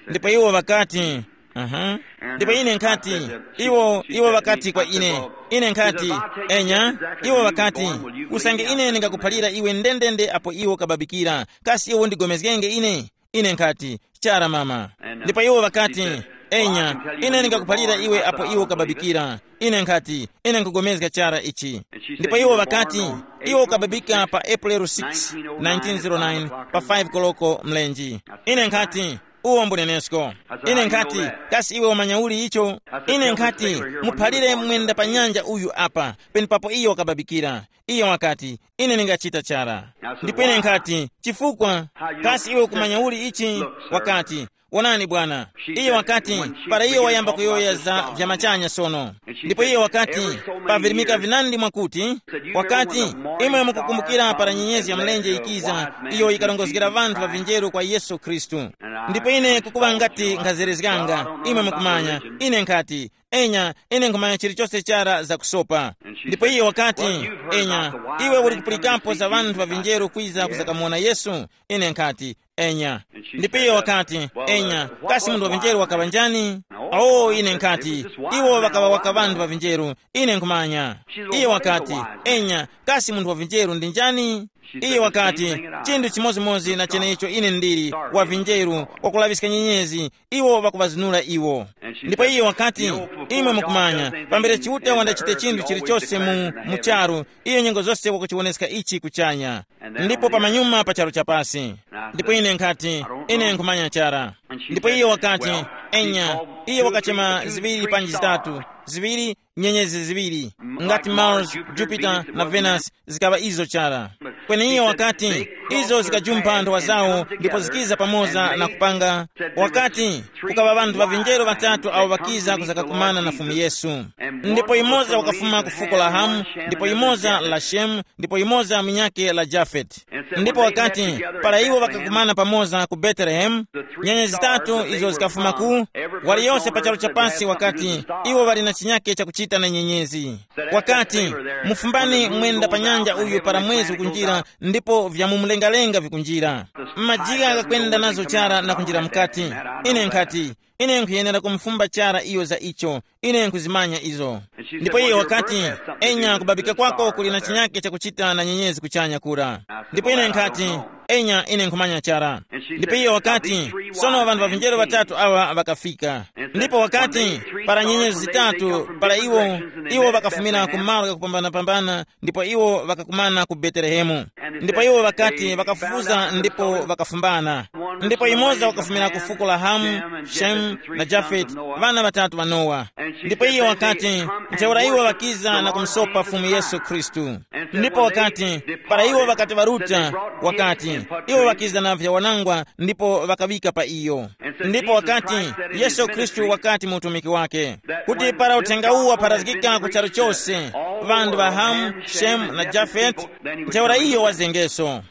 Ndipo iwo ŵakati, aha. Ndipo ine nkhati, iwo iwo ŵakati kwa ine, ine nkhati, enya, iwo ŵakati, usange ine ndingakuphalira iwe ndendende apo iwo kababikira, kasi iwe undigomezgenge ine? Ine nkhati, chara mama. Ndipo iwo ŵakati, enya, ine ndingakuphalira iwe apo iwo kababikira. Ine nkhati, ine nkugomezga chara ichi. Ndipo iwo ŵakati, iwo ukababika pa April six, nineteen oh nine, pa five koloko mlenji. Ine nkhati, uwo mbunenesko. Ine nkhati, kasi iwe umanya uli icho? Ine nkhati, muphalire mwenda pa nyanja uyu apa, penepapo iyo wakababikira. Iyo wakati, ine ndingachita chara. Ndipo ine nkhati, chifukwa? Kasi iwe ukumanya uli ichi? Wakati, wonani bwana. Iyo wakati, para iyo wayamba kuyowoya za vya machanya sono. Ndipo iyo wakati, pavirimika vinandi mwakuti, wakati, imwe mukukumbukira para nyenyezi ya mlenje ikiza, iyo ikarongozgera vanthu ŵa vinjeru kwa Yesu Khristu. Ndipo ine kukuŵa ngati nkhazerezganga, imwe mukumanya, ine nkhati, enya, ine nkhumanya chilichose chara zakusopa. Ndipo iyo wakati, enya, iwe uli kupulikapo za vanthu ŵa vinjeru kwiza kuzakamuwona Yesu? Ine nkhati, enya. Ndipo iyo wakati, enya, kasi munthu wa vinjeru wakaŵa njani? Awo ine nkhati, iwo ŵakaŵa waka vanthu ŵa vinjeru, ine nkhumanya. Iyo wakati, enya, kasi munthu wa vinjeru ndi njani? Iyo wakati, chinthu chimodzimodzi na chenecho ine ndili, wa vinjeru, wakulaŵiska nyenyezi, iwo ŵakuŵazinura iwo. Ndipo iye wakati, imwe mukumanya, pambere Chiuta wandachite chinthu chilichose mu, mu charu, iyo nyengo zose wakuchiwoneska ichi kuchanya, ndipo pamanyuma pa charu chapasi. Ndipo ine nkhati, ine nkhumanya chara. Ndipo iye wakati, enya, iye wakachema ziŵiri panji zitatu, ziŵiri, nyenyezi ziŵiri, ngati Mars, Jupiter na Venus, zikaŵa izo chara. Kweni iye wakati, izo zikajumpha nthowa zawo ndipo zikiza pamoza na kupanga. Wakati, kukaŵa ŵanthu ŵa vinjero ŵatatu awo ŵakiza kuzakakumana na Fumu Yesu. Ndipo yumoza wakafuma ku fuko la Hamu, ndipo yumoza la Shemu, ndipo yumoza munyakhe la Jafeti. Ndipo wakati, para iwo ŵakakumana pamoza ku Betelehemu, nyenye zitatu izo zikafuma ku, waliyose pa charu cha pasi wakati, iwo ŵali na chinyakhe chakuchita na nyenyezi. Wakati, mufumbani mwenda pa nyanja uyu para mwezi ukunjira, ndipo vya mu mlengalenga vikunjira. Majigha ghakwenda nazo chara na kunjira mukati. Ine nkhati, ine nkhuyenera kumufumba chara iyo za icho. Ine nkuzimanya izo. Ndipo iye wakati, enya, kubabika kwako kuli na chinyake chakuchita na nyenyezi kuchanya kura. Ndipo ine nkhati, enya, ine nkhumanya chara. Ndipo iye wakati, sono ŵanthu ŵa vinjero ŵatatu awa ŵakafika. Ndipo wakati, para nyenyezi zitatu, para iwo, iwo ŵakafumira ku malo ghakupambanapambana, ndipo iwo ŵakakumana ku Betelehemu. Ndipo iwo ŵakati ŵakafufuza ndipo ŵakafumbana. Ndipo yumoza wakafumira ku fuko la Hamu, Shemu na Jafeti, ŵana ŵatatu ŵa Nowa. Ndipo iye wakati, ntheura iwo ŵakiza na kumusopa Fumu Yesu Khristu. Ndipo wakati, para iwo ŵakati ŵaruta, wakati, iwo ŵakiza na vyawanangwa ndipo ŵakaŵika pa iyo. Ndipo wakati, Yesu Khristu wakati mu utumiki wake, kuti para uthenga uwu wapharazgika ku charu chose, ŵanthu ŵa Hamu, Shemu na Jafeti, ntheura iyo wazengeso.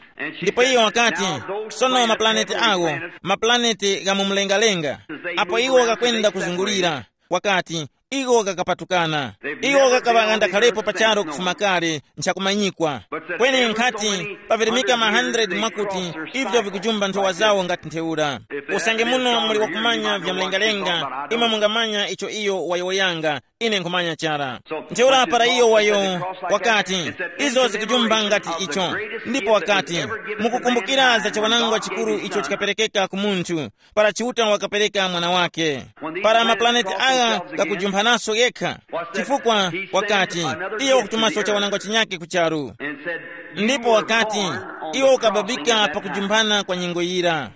Ndipo iyo wakati, sono mapulaneti awo, mapulaneti gha mu mlengalenga, apo iwo ghakwenda kuzungulira, wakati, Iwo kakapatukana. Iwo kakaŵa ghandakhalepo pa charu kufuma kale, nchakumanyikwa. Kweni nkhati pavirimika ma hundred mwakuti ivyo vikujumba nthowa zawo ngati ntheura. Usange muno muli wakumanya vya mlengalenga, imwe mungamanya icho iyo wayowoyanga. Ine nkhumanya chara. Ntheura para iyo wayo wakati, izo zikujumba ngati icho. Ndipo wakati, mukukumbukira za chiwanangwa chikuru icho chikaperekeka ku munthu, para Chiuta wakapereka mwana wake. Para maplaneti agha ghakujumphananso yekha, chifukwa wakati, iye wakutumanso chawanangwa chinyake ku charu. Ndipo wakati, iwe ukababika pakujumphana kwa nyengo yira.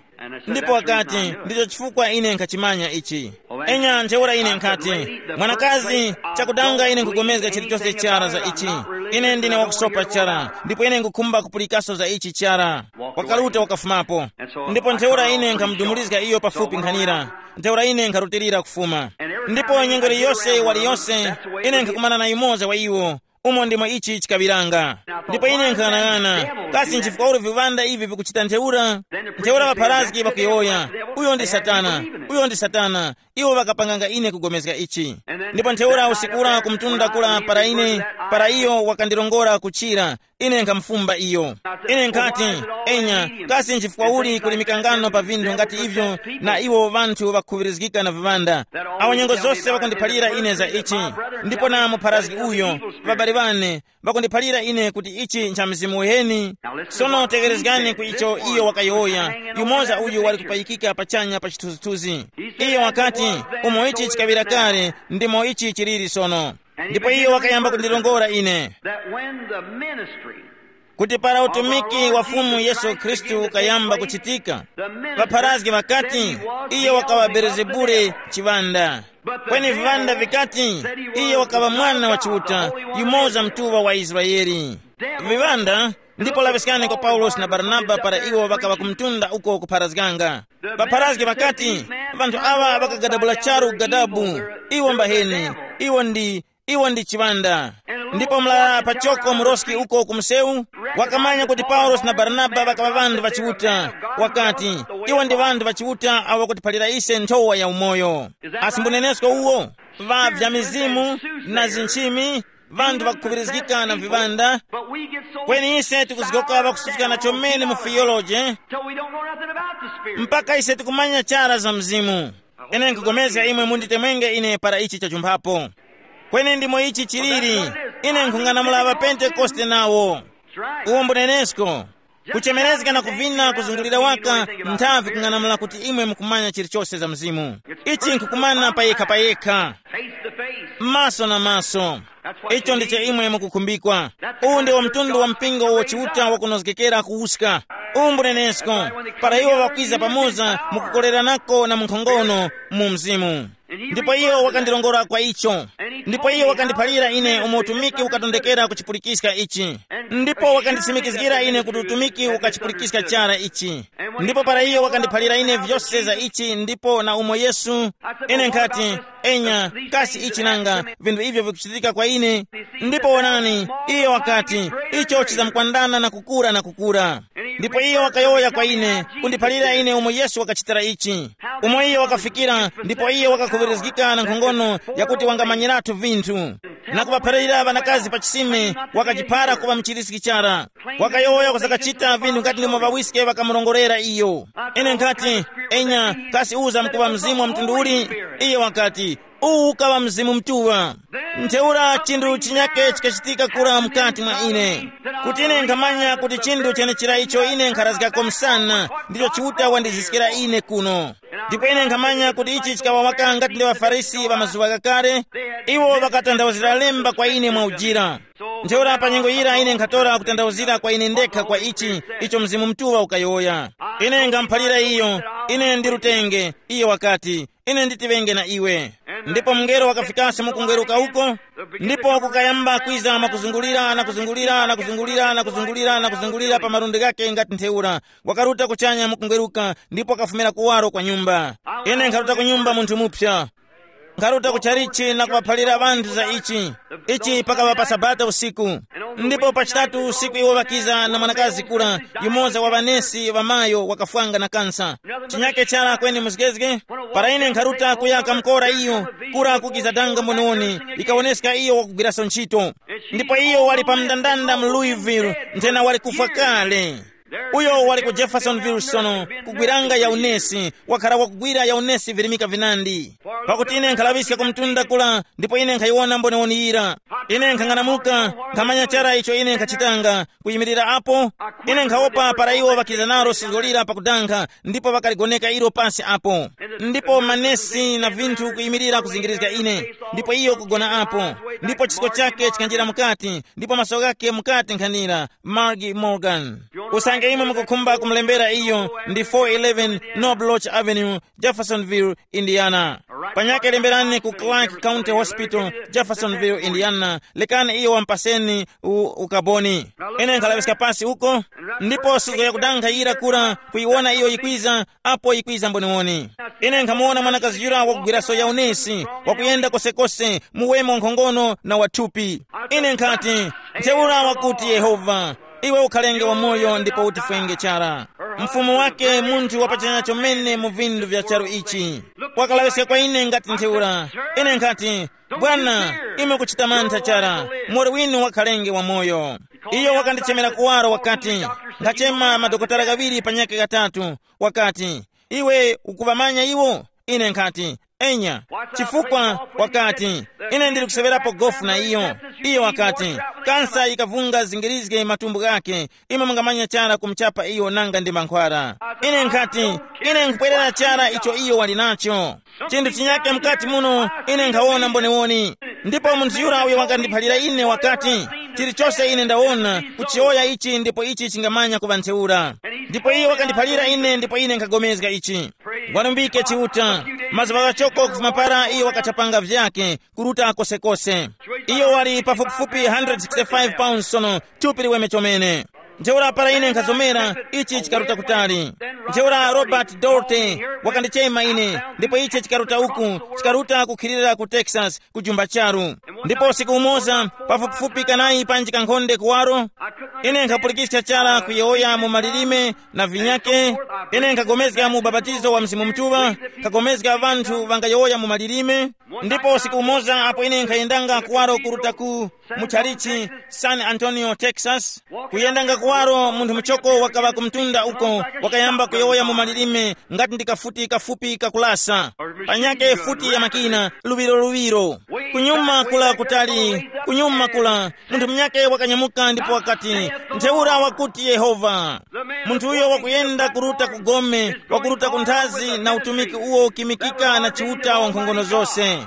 Ndipo wakati, ndicho chifukwa ine nkhachimanya ichi. Enya ntheura ine nkhati, mwanakazi, chakudanga ine nkugomezga chilichonse chara za ichi. Ine ndine wakusopa chara, ndipo ine nkukhumba kupulikaso za ichi chara. Wakaruta wakafumapo. Ndipo ntheura ine nkhamudumulizga iyo pafupi nkhanira. Ntheura ine nkharutilira kufuma. Ndipo nyengo iliyose waliyose, ine nkhakumana na yumoza wa iwo. Umo ndimo ichi chikaŵiranga. Ndipo ine nkhanang'ana, kasi nchifukwa uli viŵanda ivi vikuchita ntheura? Ntheura ŵapharazgi ŵakuyowoya, uyo ndi satana. Uyo ndi satana. Iwo ŵakapanganga ine kugomezga ichi. Ndipo ntheura usiku ura kumtunda kula para ine, para iyo wakandilongora kuchira, ine nkhamufumba iyo. Ine nkhati, enya, kasi nchifukwa uli kuli mikangano pa vinthu ngati ivyo? Na iwo ŵanthu ŵakukhuŵirizgika na viŵanda, awo nyengo zose ŵakundiphalira ine za ichi. Ndipo na mupharazgi uyo, ŵabale ŵane, ŵakundiphalira ine kuti ichi ncha mzimu uheni. Sono tegherezgani ku icho iyo wakayowoya. Yumoza uyu wali kupayikika pachanya pa chithunzithunzi. Iyo wakati, umo ichi chikaŵira kale, ndimo ichi chiliri sono. Ndipo iyo wakayamba kundilongora ine, that when the ministry kuti para utumiki wa Fumu Yesu Khristu ukayamba kuchitika, ŵapharazgi ŵakati, iye wakaŵa Belezebule chiŵanda. Kweni viŵanda vikati, iye wakaŵa mwana wa Chiuta, yumoza mtuŵa wa Israele. Viŵanda. Ndipo laŵiskani kwa Paulosi na Baranaba para iwo ŵakaŵa kumtunda uko kupharazganga. Ŵapharazgi ŵakati, vanthu aŵa ŵakagadabula charu gadabu. Iwo mbaheni. Iwo ndi iwo ndi chiŵanda. Ndipo mla pachoko muroski uko ku msewu wakamanya kuti Paulosi na Baranaba ŵakaŵa ŵanthu ŵa Chiuta. Wakati, iwo ndi ŵanthu ŵa Chiuta awo ŵakutiphalira ise nthowa ya umoyo. Asi mbunenesko uwo? Ŵa vya mizimu na zinchimi, vanthu ŵakukhuŵirizgika na viŵanda. Kweni ise tikuzgoka ŵakusufikana chomene mu theology mpaka ise tikumanya chara za mzimu. Ine nkugomezga imwe munditemwenge ine para ichi chachumphapo. Kweni ndimo ichi chiliri. Ine nkhung'anamula ŵapentekoste nawo. Uwo mbunenesko. Kuchemerezga na kuvina kuzungulira waka nthavi kung'anamula kuti imwe mukumanya chilichose za mzimu. Ichi nkukumana payekha payekha. Maso na maso. Icho ndicho imwe mukukhumbikwa. Uwu ndiwo mtundu wa mpingo uwo Chiuta wakunozgekera kuwuska. Uwu mbunenesko. Para iwo ŵakwiza pamoza mukukoleranako na munkhongono mu mzimu. Ndipo iyo wakandilongora kwa icho. Ndipo iyo wakandiphalira ine umo utumiki ukatondekera kuchipulikiska ichi. Ndipo wakanditsimikizgira ine kuti utumiki ukachipulikiska chara ichi. Ndipo para iyo wakandiphalira ine vyose za ichi ndipo na umo Yesu, ine nkhati, enya, kasi ichi nanga vinthu ivyo vikuchitika kwa ine? Ndipo wonani, iyo wakati, icho chizamkwandana na kukura na kukura. Ndipo iyo wakayowoya kwa ine, kundiphalira ine umo Yesu wakachitira ichi. Umo iyo wakafikira, ndipo iyo wakakhuŵirizgika na nkhongono yakuti wangamanyiratu vinthu. Na kuŵaphalira ŵanakazi pa chisime, wakachiphara kuŵa mchiriski chara. Wakayowoya kusakachita vinthu ngati ndimo ŵawiske ŵakamurongorera iyo. Ine nkhati, enya, kasi uza mkuŵa mzimu wa mtundu uli? Iyo wakati, uwu ukaŵa mzimu mtuŵa. Ntheura chinthu chinyake chikachitika kura mukati mwa ine, kuti ine nkhamanya kuti chinthu chenechira icho ine nkharazgako msana ndicho Chiuta wandiziskira ine kuno. Ndipo ine nkhamanya kuti ichi chikaŵa waka ngati ndi ŵaFarisi ŵa mazuŵa ghakale. Iwo ŵakatanthauzira lemba kwa ine mwa ujira. Ntheura pa nyengo yira ine nkhatora kutanthauzira kwa ine ndekha kwa ichi icho Mzimu Mutuŵa ukayowoya. Ine ngamuphalira iyo, ine ndi lutenge, iyo wakati, ine nditiŵenge na iwe. Ndipo mungelo wakafikanso mukungweruka uko, ndipo kukayamba kwiza mwakuzungulira na kuzungulira na kuzungulira na kuzungulira na kuzungulira pa malundi ghake ngati ntheura. Wakaruta kuchanya mukungweruka ndipo wakafumira kuwaro kwa nyumba. Ine nkharuta ku nyumba munthu mupsa. Nkharuta ku chalichi na kuŵaphalira ŵanthu za ichi. Ichi pakaŵa pa Sabata usiku. Ndipo pa chitatu usiku iwo ŵakiza na mwanakazi kura, yumoza wa ŵanesi ŵamayo wakafwanga na kansa. Chinyake chara kweni muzgezge. Para ine nkharuta kuya kamkora iyo, kura kukiza danga mboniwoni, ikawoneska iyo wakugwiraso ntchito. Ndipo iyo wali pa mndandanda mu Louisville, nthena wali kufwa kale. Uyo wali ku Jeffersonville sono, kugwiranga yaunesi, wakhala wakugwira yaunesi virimika vinandi. Pakuti ine nkhalaŵiska ku mtunda kula, ndipo ine nkhayiwona mboniwoni yira. Ine nkhang'anamuka, nkhamanya chara icho ine nkhachitanga, kuyimirira apo. Ine nkhawopa para iwo ŵakiza nalo suzgo lira pakudankha, ndipo ŵakaligoneka ilo pasi apo. Ndipo manesi na vinthu kuyimirira kuzingirizga ine, ndipo iyo kugona apo. Ndipo chisko chake chikanjira mukati, ndipo maso ghake mukati nkhanira. Margie Morgan. Usange imwe mukukhumba kumulembera iyo, ndi four eleven Nob Lodge Avenue, Jeffersonville, Indiana. Panyake lemberani ku Clark County Hospital, Jeffersonville, Indiana. Lekani iyo wampaseni u-, ukaboni. Ine nkhalaŵiska pasi uko, ndipo suzgo yakudankha yira kura kuyiwona iyo yikwiza, apo yikwiza mboniwoni. Ine nkhamuwona mwanakazi yura wakugwiraso yaunesi, wakuyenda kosekose, muweme wankhongono na wathupi. Ine nkhati, ntheura wakuti Yehova, iwe ukhalenge wamoyo ndipo utifwenge chara. Mfumu wake munthu wapachanya chomene mu vindu vya charu ichi. Wakalaŵiska kwa ine ngati ntheura. Ine nkhati, bwana, ime kuchita mantha chara, mori winu wakhalenge wamoyo. Iyo wakandichemera kuwaro wakati, nkhachema madokotala ghaŵiri panyaka ghatatu, wakati, iwe ukuŵamanya iwo? Ine nkhati, enya. Chifukwa wakati, ine ndili kusewerapo gofu na iyo. Iyo wakati, kansa yikavunga zingirizge matumbu ghake, imwe mungamanya chara kumuchapa iyo nanga ndi mankhwara. Ine nkhati, ine nkupwerera chara icho iyo wali nacho. Chinthu chinyake mukati muno, ine nkhawona mboniwoni. Ndipo munthu yura uyo wakandiphalira ine wakati, chilichose ine ndawona kuchiyowoya ichi ndipo ichi chingamanya kuŵa ntheura. Ndipo iyo wakandiphalira ine ndipo ine nkhagomezga ichi. Walumbike Chiuta. Mazuŵa ghachoko kufuma para iyo wakachapanga vyake, kuruta kosekose. Iyo wali pafupifupi one hundred sixty-five pounds sono, thupi liweme chomene. Ntheura para ine nkhazomera, ichi chikaruta kutali. Ntheura Robert Dorte wakandichema ine, ndipo ichi chikaruta uku, chikaruta kukhilira ku Texas, ku jumba charu. Ndipo usiku umoza, pafupifupi kanayi panji kankhonde kuwaro, ine nkhapulikiska chara kuyowoya mu malilime na vinyake. Ine nkhagomezga mu ubapatizo wa Mzimu Mutuŵa, nkhagomezga ŵanthu ŵangayowoya mu malilime. Ndipo usiku umoza apo ine nkhayendanga kuwaro kuruta ku mu chalichi San Antonio, Texas, kuyendanga kuwaro, munthu muchoko wakaŵa ku mtunda uko, wakayamba kuyowoya mu malilime ngati ndi kafuti kafupi kakulasa, panyake futi ya makina, luŵiro luŵiro. Kunyuma kula kutali, kunyuma kula, munthu munyake wakanyamuka ndipo wakati, ntheura wakuti Yehova. Munthu uyo wakuyenda kuruta ku gome, wakuruta ku nthazi na utumiki uwo ukimikika na Chiuta wa nkhongono zose.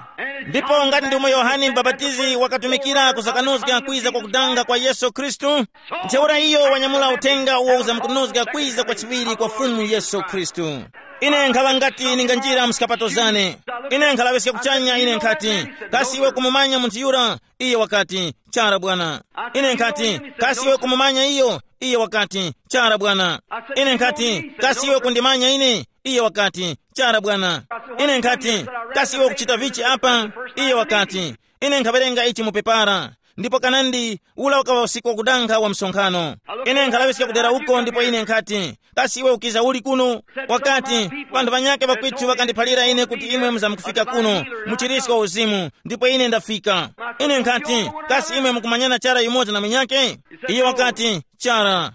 Ndipo ngati ndi umo Yohane Mbapatizi wakatumikira kusakanuzga kwiza kwa kudanga kwa Yesu Khristu, ntheura iyo wanyamula uthenga uwo uzamukunuzga kwiza kwa chiŵiri kwa Fumu Yesu Khristu. Ine nkhaŵa ngati ninganjira mu zikapato zane. Ine nkhalaŵiska kuchanya, ine nkhati, kasi iwe kumumanya munthu yura? Iye wakati, chara bwana. Ine nkhati, kasi iwe kumumanya iyo? Iye wakati, chara bwana. Ine nkhati, kasi iwe kundimanya ine? Iye wakati, chara bwana. Ine nkhati, kasi iwe ukuchita vichi apa? Iye wakati, ine nkhawerenga ichi mu pepara. Ndipo kanandi, ula ukaŵa usiku wakudankha wa msonkhano. Ine nkhalaŵiska kudera uko ndipo ine nkhati, kasi iwe ukiza uli kuno? Wakati, vanthu vanyakhe ŵakwitu ŵakandiphalira ine kuti imwe muzamkufika kuno, muchirisko uzimu, ndipo ine ndafika. Ine nkhati, kasi imwe mukumanyana chara yumoza na munyakhe? Iye wakati, chara.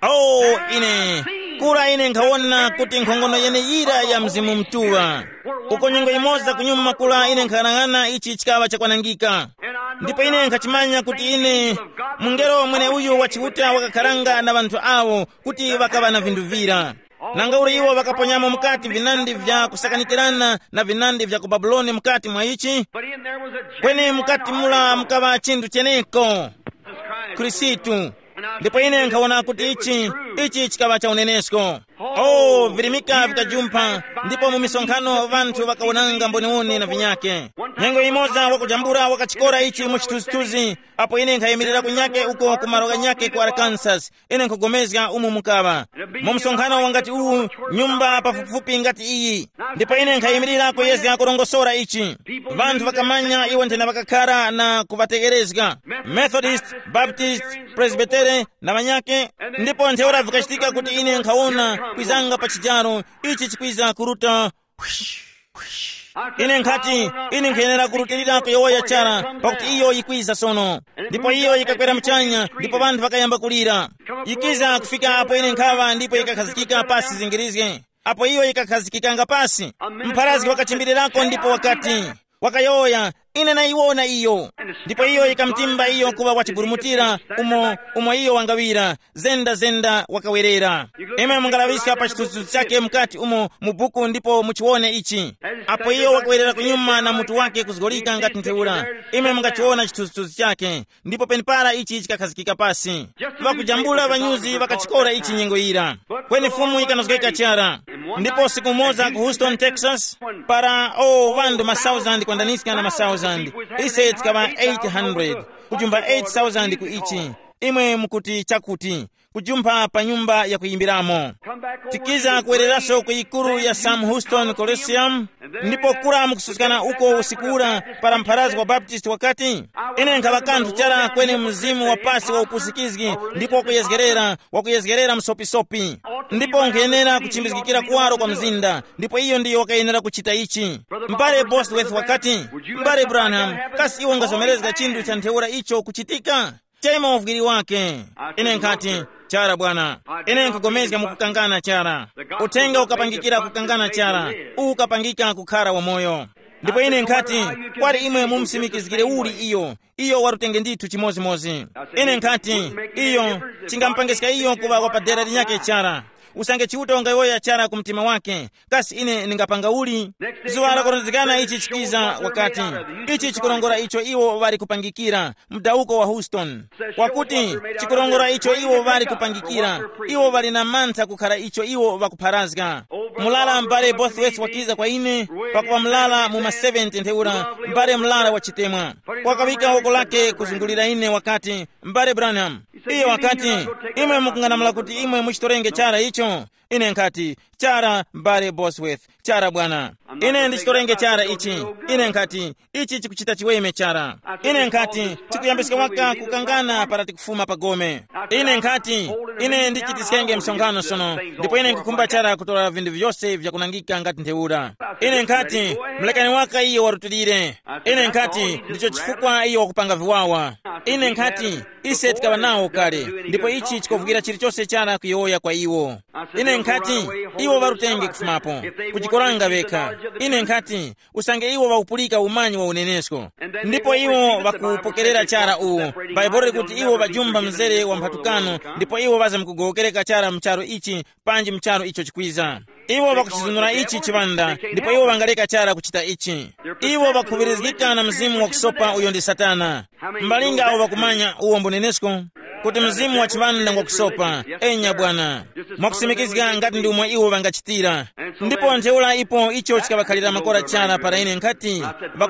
Oh, ine kura ine nkhawona kuti nkhongono yeneyira ya Mzimu Mutuŵa. Uko nyengo yimoza kunyuma kura ine nkhanang'ana ichi chikaŵa chakwanangika. Ndipo ine nkhachimanya kuti ine mungelo mwene uyu wa Chiuta wakakharanga na ŵanthu awo kuti ŵakaŵa na vinthu vira. Nanga uli iwo ŵakaponyamo mukati vinandi vya kusakanikirana na vinandi vya ku Babuloni mukati mwa ichi? Kweni mukati mula mukaŵa chinthu cheneko, Khristu. Ndipo ine nkhawona kuti ichi Ichi chikaŵa cha unenesko. Oh, virimika vikajumpha, ndipo mu misonkhano ŵanthu ŵakawonanga mboniwoni na vinyake. Nyengo imoza wakujambula wakachikora ichi mu chithunzithunzi, apo ine nkhayimirira kunyake uko ku malo ghanyake ku Arkansas, ine nkhugomezga umu mukaŵa mu msonkhano wangati uwu, nyumba pafupifupi ngati iyi. Ndipo ine nkhayimirira kuyezga kurongosora ichi. Vanthu ŵakamanya iwo nthena ŵakakhara na kuŵategherezga, Methodist, Baptist, Presbytere na ŵanyake. Ndipo ntheura vikachitika kuti ine nkhawona kwizanga pa chijaro, ichi chikwiza kuruta. Ine nkhati, ine nkhayenera kurutilira kuyowoya chara, pakuti iyo yikwiza sono. Ndipo iyo yikakwera muchanya, ndipo vanthu vakayamba kulira. Yikiza kufika apo ine nkhaŵa, ndipo yikakhazikika pasi zingirizge. Apo iyo yikakhazikikanga pasi, mpharazgi wakachimbirirako ndipo wakati, wakayowoya, ine nayiwona iyo. Ndipo iyo yikamutimba iyo kuŵa wachiburumutira, umo, umo iyo wangaŵira, zenda zenda wakawerera. Imwe mungalaŵiska pa chithunzithunzi chake mukati umo mu buku ndipo muchiwone ichi. Apo iyo wakawerera kunyuma na mutu wake kuzgolika ngati ntheura, imwe mungachiwona chithunzithunzi chake. Ndipo penepara ichi chikakhazikika pasi. Ŵakujambula ŵanyuzi ŵakachikora ichi nyengo yira. Kweni Fumu yikanozgeka chara. Ndipo usiku umoza ku Houston, Texas, para o vandu masauzandi kwandaniska na masauzandi, ise tikaŵa eight hundred, kujumba eight thousand ku ichi. Imwe mukuti chakuti, kujumpha pa nyumba yakuyimbiramo. Tikiza kuwereraso ku yikuru ya Sam Houston Coliseum, ndipo kura mukususkana uko usiku ura, para mpharazi wa Baptist wakati, ine nkhaŵa kanthu chara kweni mzimu wa pasi wa upusikizgi, ndipo wakuyezgerera, wakuyezgerera msopisopi. Ndipo nkhayenera kuchimbizgikira kuwaro kwa mzinda, ndipo iyo ndiyo wakayenera kuchita ichi. M'bale Bosworth wakati, m'bale Branham, kasi iwe ungazomerezga chinthu cha ntheura icho kuchitika? Chema uvwiri wake. Ine nkhati, chara bwana. Ine nkugomezga mukukangana chara. Uthenga ukapangikira kukangana chara, ukapangika kukhara wamoyo. Ndipo ine nkhati, kwali imwe mumusimikizgire uli iyo? Iyo warutenge ndithu chimozimozi. Ine nkhati, iyo, chingamupangiska iyo kuŵa wapadera linyake chara. Usange Chiuta ungayowoya chara ku mtima wake, kasi ine ndingapanga uli? Zuŵa lakurondezgana ichi chikiza wakati, ichi chikurongora icho iwo ŵali kupangichira, mdawuko wa Houston. Wakuti, chikurongora icho iwo ŵali kupangichira, iwo ŵali na mantha kukhara icho iwo ŵakupharazga. Mulala m'bale Bosworth wakiza kwa ine, pakuŵa mulala mu ma seventy ntheura, m'bale mulala wa chitemwa. Wakawika woko lake kuzungulira ine wakati, m'bale Branham, iyo wakati, imwe mukunganamula kuti imwe muchitorenge chara icho? Ine nkhati, chara, m'bale Bosworth, chara bwana. Ine ndichitorenge chara ichi. Ine nkhati, ichi chikuchita chiweme chara. Ine nkhati, tikuyambiska waka kukangana para tikufuma pa gome. Ine nkhati, ine ndichitiskenge msonkhano sono, ndipo ine nkukhumba chara kutora vinthu vyose vyakunangika ngati ntheura. Ine nkhati, mulekani waka iyo warutilire. Ine nkhati, ndicho chifukwa iyo wakupanga viwawa. Ine nkhati, ise tikaŵa nawo kale, ndipo ichi chikovukira chilichonse chara kuyowoya kwa iwo. Ine nkhati, iwo ŵarutenge kufumapo, kujikoranga ŵekha. Ine nkhati, usange iwo ŵakupulika umanyi wa unenesko, ndipo iwo ŵakupokerera chara uwu, Bhaibuli likuti iwo ŵajumba mzere wa mphatukano, ndipo iwo ŵazamkugowokereka chara mu charu ichi, panji mu charu icho chikwiza. Iwo ŵakuchizunura ichi chiŵanda, ndipo iwo ŵangaleka chara kuchita ichi. Iwo ŵakhuŵirizgika na mzimu wakusopa uyo ndi Satana. Mbalinga awo ŵakumanya uwo mbunenesko, kuti mzimu wa chiŵanda ngwakusopa, enya bwana, mwakusimikizga ngati ndi umo iwo ŵangachitira. Ndipo ntheura ipo icho chikaŵakhalira makora chara para ine nkhati,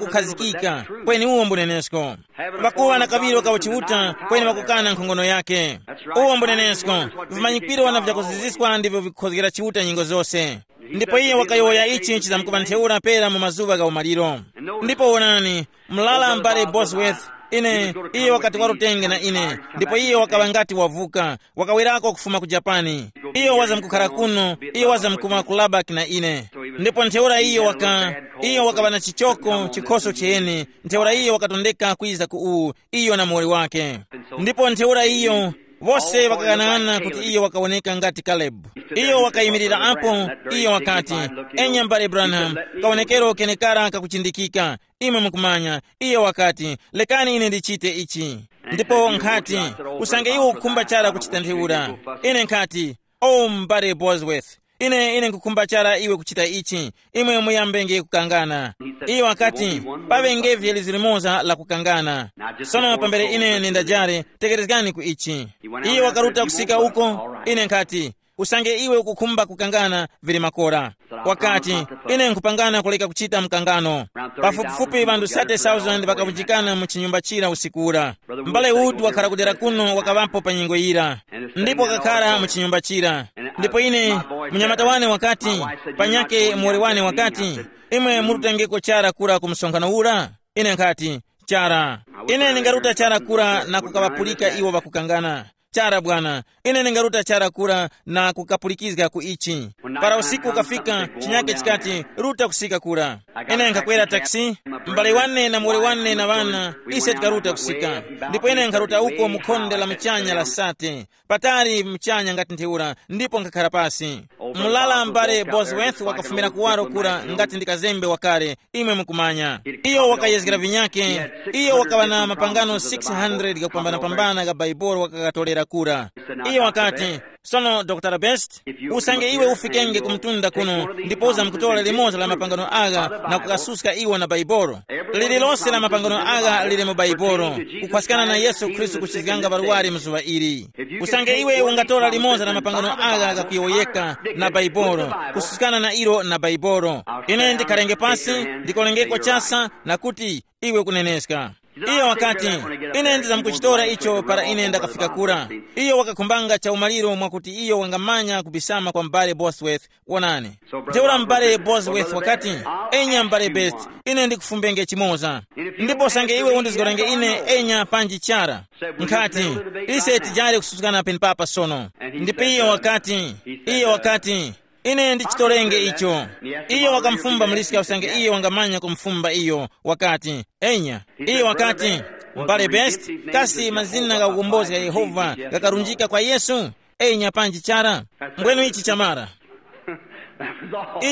ŵakukhazikika, kweni uwo mbunenesko. Ŵakuŵa na kaŵiro ka uchiuta, kweni ŵakukana nkhongono yake. Uwo mbunenesko, vimanyikwiro na vyakuziziswa ndivyo vikukhozgera Chiuta nyengo zose. Ndipo iye wakayowoya ichi chizamkuŵa ntheura pera mu mazuŵa gha umaliro. Ndipo wonani, mlala m'bale Bosworth, ine, iye wakati warutenge na ine, ndipo iye wakaŵa ngati wavuka, wakawerako kufuma ku Japani. Iyo wazamkukhala kuno, iyo wazamkuma ku Lubbock na ine. Ndipo ntheura iyo waka, iyo wakaŵa na chichoko chikhoso chiyene, ntheura iyo wakatondeka kwiza ku uwu, iyo na muwoli wake. Ndipo ntheura iyo, wose ŵakaghanaghanana kuti iyo wakawoneka ngati Kalebu. Iyo wakayimirira apo, iyo wakati, enya m'bale Branham, kawonekero kenekara kakuchindikika. Imwe mukumanya, iyo wakati, lekani ine ndichite ichi. Ndipo nkhati, usange iwe ukukhumba chara kuchita ntheura. Ine nkhati, o m'bale Bosworth, Ine, ine nkhukhumba chara iwe kuchita ichi. Imwe muyambenge kukangana. Iyo wakati, paŵengevye lizu limoza la kukangana. Sono pambere ine nindajare, tekerezgani ku ichi. Iyo wakaruta kusika uko. Ine nkhati, usange iwe ukukhumba kukangana, vili makora. Wakati, ine nkhupangana kuleka kuchita mkangano. Pafupifupi ŵanthu thirty thousand ŵakavunjikana mu chinyumba chira usiku ura. M'bale Wood wakhala kudera kuno wakaŵapo pa nyengo yira, ndipo wakakhara mu chinyumba chira. Ndipo ine, munyamata wane wakati, panyake muwoli wane wakati, imwe murutengeko chara kura ku msonkhano ura? Ine nkhati, chara. Ine ndingaruta chara kura na kukaŵapulika iwo ŵakukangana. Chara bwana, ine ndingaruta chara kura na kukapulikizga ku ichi. Para usiku ukafika, chinyake chikati, ruta kusika kura. Ine nkhakwera taxi, m'bale wane na muwoli wane na ŵana, ise tikaruta kusika. Ndipo ine nkharuta uko mu khonde la muchanya la sate, patali muchanya ngati ntheura, ndipo nkhakhara pasi. Mulala m'bale Bosworth wakafumira kuwaro kura ngati ndi kazembe wakale, imwe mukumanya. Iyo wakayezgera vinyake. Iyo wakaŵa na mapangano six hundred gakupambanapambana ga Baibolo wakakatorera kura. Iyo wakati, sono Dr Best, usange iwe ufikenge ku mtunda kuno, ndipo uzamkutora limodzi la mapangano agha na kukasuska iwo na Baibolo. Lililonse la mapangano agha lili mu Baibolo, kukhwaskana na Yesu Khristu kuchizganga ŵarwari mu zuŵa ili. Usange iwe ungatora limodzi la mapangano agha ghakuyowoyeka na Baibolo, kususkana na ilo na Baibolo, ine ndikharenge pasi, ndikolengeko chasa na kuti, iwe kuneneska. Iyo wakati, ine ndizamkuchitora icho para ine ndakafika kura. Iyo wakakhumbanga chaumaliro mwakuti iyo wangamanya kubisama kwa m'bale Bosworth. Wonani. Ntheura m'bale Bosworth wakati, enya m'bale Best, ine ndikufumbenge chimoza. Ndipo sange iwe undizgorenge ine enya panji chara. Nkhati, ise tijali kususkana penepapa sono. Ndipo iyo wakati, iyo wakati, ine ndichitorenge icho. Iyo wakamufumba muliska usange iyo wangamanya kumufumba iyo, wakati, enya. Iyo wakati, m'bale Best, kasi mazina gha ukombozi gha Yehova ghakarunjika kwa Yesu? Enya panji chara. Mbwenu ichi chamara.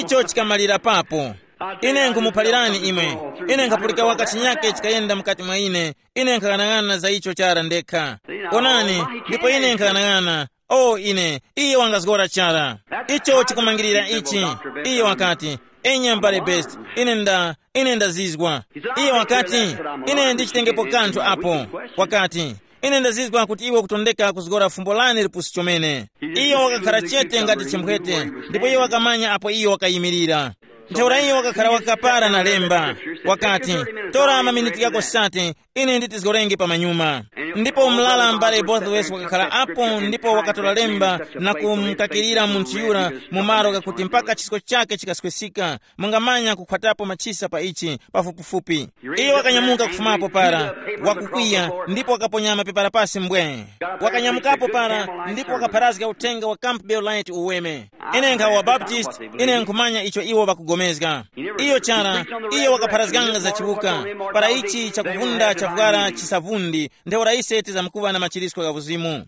Icho chikamalira papo. Ine nkhumuphalirani imwe, ine nkhapulika waka chinyake chikayenda mukati mwa ine. Ine nkhaghanag'ana za icho chara ndekha. Onani, ndipo ine nkhaghanag'ana. O ine, iye wangazgora chara. Icho chikumangirira ichi. Iye wakati, enya m'bale Best, ine nda ine ndazizwa. Iye wakati, ine ndichitengepo kanthu apo. Wakati, ine ndazizwa kuti iwe ukutondeka kuzgora fumbo lane lipusi chomene. Iyo wakakhara chete ngati chimphwete, ndipo iyo wakamanya apo iyo wakayimirira. Ntheura iyo wakakhara wakapara na lemba. Wakati, tora maminiti ghako sate, ine nditizgorenge pamanyuma. Ndipo mlala m'bale Bothwell wakakhala apo ndipo wakatora lemba na kumukakirira munthu yura mu malo ghakuti mpaka chisko chake chikaswisika. Mungamanya kukhwatapo machisa pa ichi pafupifupi. Iye wakanyamuka kufumapo para, wakukwiya, ndipo wakaponya mapepala pasi mbwe. Wakanyamukapo para, ndipo wakapharazga uthenga wa Campbell Light uweme. Ine nkhawa Baptist, ine nkhumanya icho iwo ŵakugomezga. Iyo chara, iyo wakapharazganga za chiwuka, para ichi chakuvunda chavwara chisavundi, ntheura ise tizamkuŵa na machirisko gha uzimu.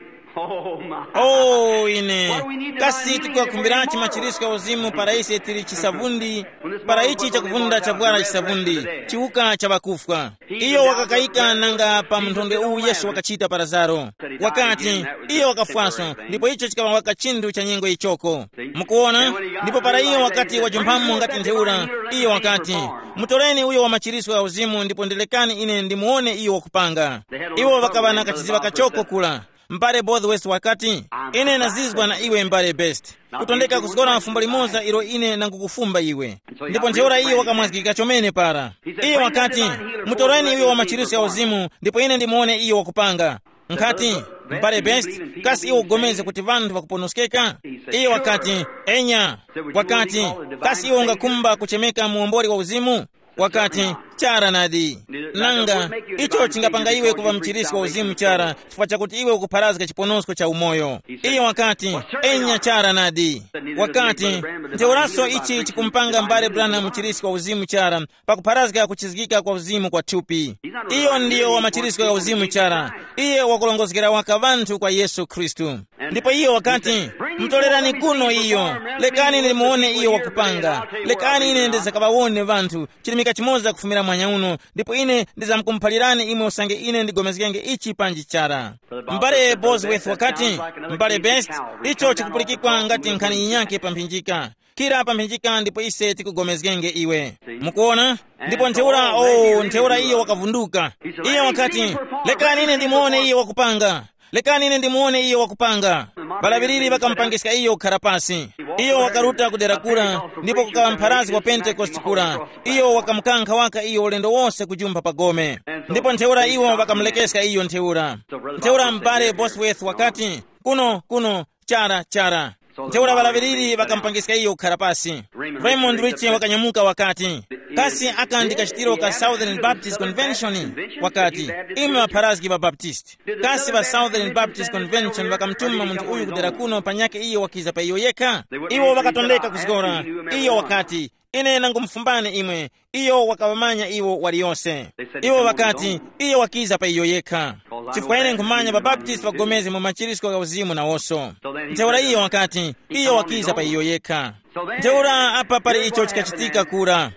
Oh, ine. Kasi tikwakhumbiranji machirisko gha uzimu para ise tili chisavundi, para ichi chakuvunda chavwara chisavundi, chiwuka cha ŵakufwa. Iyo wakakayika nanga pa mthondwe uwu Yesu wakachita pa Lazaro. Wakati, iyo wakafwaso, ndipo icho chikaŵa waka chinthu cha nyengo ichoko. Mukuona? Ndipo para iyo wakati wajumphamo ngati ntheura, iyo wakati, mutoreni uyo wa machiriswa gha uzimu ndipo ndilekani ine ndimuwone iyo wakupanga. Iwo ŵakaŵa na kachiziŵa kachoko kula. M'bale Bothwell wakati, ine nazizwa na iwe m'bale Best. Kutondeka kuzgora fumbo limoza ilo ine nangukufumba iwe. Ndipo ntheura iyo wakamwazgika chomene para. Iyo wakati, mutoreni uyo wa machiritso ya uzimu ndipo ine ndimuwone iyo wakupanga. Nkhati, m'bale Best, kasi iwe ugomeze kuti vanthu vakuponoskeka? Iyo wakati, enya. Wakati, kasi iwe ungakhumba kuchemeka muwomboli wa uzimu? Wakati, chara nadi. Nanga, icho chingapanga iwe kuva mchirisi wa uzimu chara chifukwa chakuti iwe ukupharazga chiponosko cha umoyo. Iye wakati, enya chara nadi. Wakati, ntheuraso ichi chikumpanga m'bale Branham mchirisi wa uzimu chara, pakupharazga kuchizgika kwa uzimu kwa thupi. Iyo ndiyo wa machirisko ya uzimu chara. Iye wakulongozgera waka vanthu kwa Yesu Khristu. Ndipo iyo wakati, mutorerani kuno iyo, lekani ndimuwone iyo wakupanga. Lekani ine ndizakaŵawone vanthu chilimika chimoza kufumira mwanya uno, ndipo ine ndizamkumuphalirani imwe usange ine ndigomezgenge ichi panji chara. M'bale Bosworth wakati, "M'bale Best, icho chikupulikikwa ngati nkhani yinyakhe pa mphinjika. Kira pa mphinjika ndipo ise tikugomezgenge iwe." Mukuona? Ndipo ntheura, oh, ntheura iyo wakavunduka. Iyo wakati, "Lekani ine ndimuone iyo wakupanga. Lekani ine ndimuone iyo wakupanga." Ŵalaŵiriri ŵakamupangiska iyo kukhara pasi. Iyo wakaruta ku dera kura, ndipo kukaŵa mpharazi wa Pentekoste kura. Iyo wakamukankha waka iyo ulendo wose kujumpha pa gome. Ndipo ntheura iwo ŵakamulekeska iyo ntheura. Ntheura m'bale Bosworth wakati, "Kuno, kuno, chara, chara." Ntheura ŵalaŵiriri ŵakamupangiska iyo kukhara pasi. Raymond Rich wakanyamuka wakati, "Kasi aka ndi kachitiro ka Southern Baptist Convention?" Wakati, "Imwe ŵapharazgi ŵa Baptist. Kasi ŵa Southern Baptist Convention ŵakamutuma munthu uyu kudera kuno panyakhe iyo wakiza pa iyo yekha?" Iwo ŵakatondeka kuzgora. Iyo wakati, "Ine nangumufumbani imwe, iyo wakaŵamanya iwo waliyose." Iwo ŵakati, "Iyo wakiza pa iyo yekha." Chifukwa ine nkhumanya ŵabaptisti ŵagomezge mu machiritiko gha uzimu nawoso. Ntheura iyo wakati, "Iyo wakiza pa iyo yekha." Ntheura apa pali icho chikachitika kura.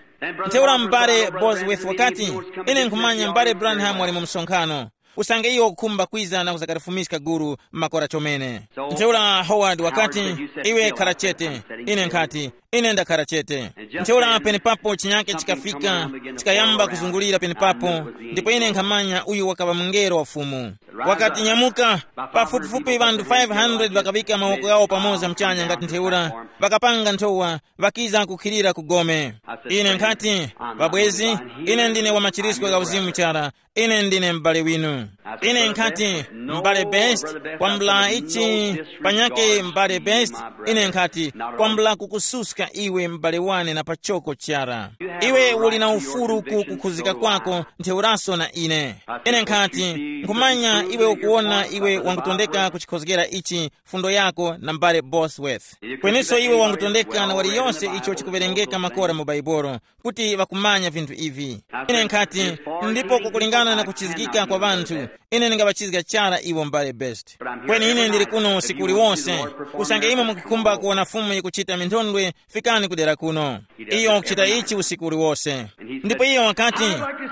Ntheura m'bale Bosworth wakati, "Ine nkhumanya m'bale Branham wali mu msonkhano. Usange iwo ukukhumba kwiza na kuzakalifumiska gulu makora chomene." Ntheura Howard wakati, "Iwe khara chete." Ine nkhati, "Ine ndakhara chete." Ntheura penepapo chinyake chikafika, chikayamba kuzungulira penepapo, ndipo ine nkhamanya uyu wakaŵa mungelo wa Fumu. Wakati, "Nyamuka." Pafupifupi ŵanthu five hundred ŵakaŵika mawoko ghawo pamoza muchanya ngati ntheura, ŵakapanga nthowa, ŵakiza kukhilira ku gome. Ine nkhati, "Ŵabwezi, ine ndine wa machiritiko gha uzimu chara, ine ndine m'bale winu." Ine nkhati, "M'bale Best, kwambula ichi, panyake m'bale Best." Ine nkhati, "Kwambula kukususka iwe m'bale wane na pachoko chara. Iwe uli na ufuru ku kukhuzika kwako ntheuraso na ine." Ine nkhati, "Nkhumanya iwe ukuwona iwe wangutondeka kuchikhozgera ichi, fundo yako na m'bale Bosworth. Kweniso iwe wangutondeka na waliyonse icho chikuwerengeka makora mu Baibolo, kuti ŵakumanya vinthu ivi." Ine nkhati, "Ndipo kukulingana na kuchizgika kwa ŵanthu, ine ndingaŵachizga chara iwo m'bale Best. Kweni ine ndili kuno usiku uliwonse. Usange imwe mukukhumba kuwona Fumu yikuchita minthondwe, fikani kudera kuno. Iyo wakuchita ichi usiku uliwose." Ndipo iyo wakati,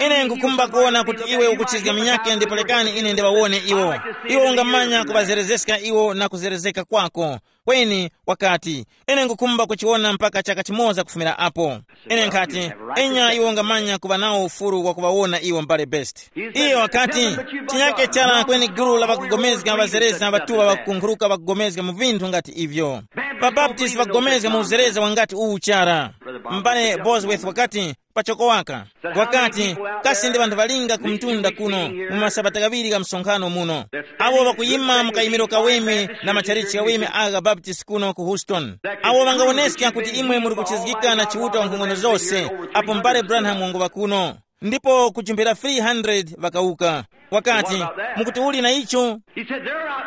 "Ine nkukhumba kuwona kuti iwe ukuchizga minyake ndipo lekani ine ndiŵawone iwo. Iwe ungamanya kuŵazerezeska iwo na kuzerezeka kwako. Kweni," wakati, "ine nkukhumba kuchiwona mpaka chaka chimoza kufumira apo." Ine nkhati, "Enya iwe ungamanya kuŵa nawo ufuru wa kuŵawona iwo m'bale Best." Iyo wakati, "Chinyake chara kweni gulu la ŵakugomezga ŵazereza ŵatuŵa ŵakukunkhuruka ŵakugomezga mu vinthu ngati ivyo. Ŵabaptisti ŵakugomezga mu uzereza wangati uwu chara." M'bale Bosworth wakati, pachoko waka, wakati, "Kasi ndi ŵanthu ŵalinga ku mtunda kuno mu masabata ghaŵiri gha msonkhano muno, awo ŵakuyima mu kayimiro kaweme na matchalichi ghaweme agha Baptist kuno ku Houston, awo ŵangawoneska kuti imwe muri kuchizgika na Chiuta wankhongono zose, apo m'bale Branham wanguŵa kuno?" Ndipo kujumphira three hundred ŵakawuka. Wakati, "Mukuti uli na icho?"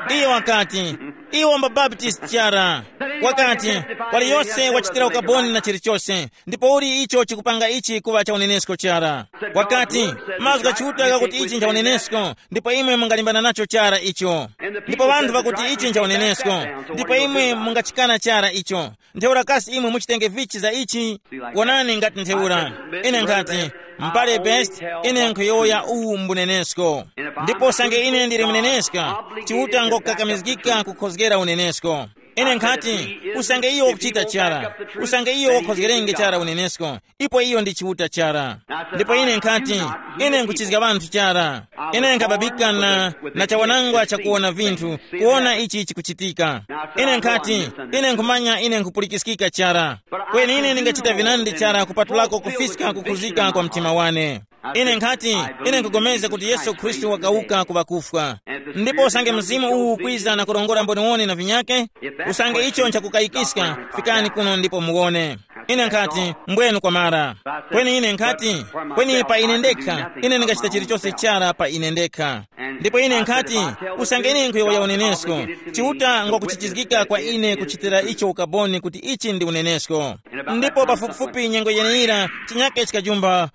Iye wakati, "Iwo mbaBaptisti chara." Wakati, "Waliyose wachitira ukaboni na chilichose, ndipo uli icho chikupanga ichi kuŵa cha unenesko chara?" Wakati, "Mazgu gha Chiuta ghakuti ichi ncha unenesko, ndipo imwe mungalimbana nacho chara icho. Ndipo ŵanthu ŵakuti ichi ncha unenesko, ndipo imwe mungachikana chara icho. Ntheura kasi imwe muchitenge vichi za ichi?" Wonani ngati ntheura. Ine nkhati, "M'bale Best, ine nkhuyowoya uwu mbunenesko. Ndipo usange ine ndili muneneska, Chiuta ngokukakamizgika kukhozgera unenesko." Ine nkhati, "Usange iyo wakuchita chara, usange iyo wakhozgerenge chara unenesko, ipo iyo ndi Chiuta chara." Ndipo ine nkhati, "Ine nkuchizga ŵanthu chara. Ine nkhababika na, na chawanangwa chakuwona vinthu, kuwona ichi chikuchitika. Ine nkhati, ine nkhumanya ine nkhupulikiskika chara. Kweni ine ndingachita vinandi chara kupatulako kufiska kukhuzika kwa mtima wane. Ine nkhati, ine nkugomeza kuti Yesu Khristu wakawuka ku ŵakufwa. Ndipo usange mzimu uwu ukwiza na kurongora mboniwoni na vinyake, usange icho nchakukayikiska, fikani kuno ndipo muwone." Ine nkhati, "Mbwenu kwamara." Kweni ine nkhati, "Kweni pa ine ndekha, ine ndingachita chilichose chara pa ine ndekha." Ndipo ine nkhati, "Usange ine nkhuyowoya unenesko, Chiuta ngwakuchichizgika kwa ine kuchitira icho ukaboni kuti ichi ndi unenesko." Ndipo pafupifupi nyengo yeneyira, chinyake chikajumba.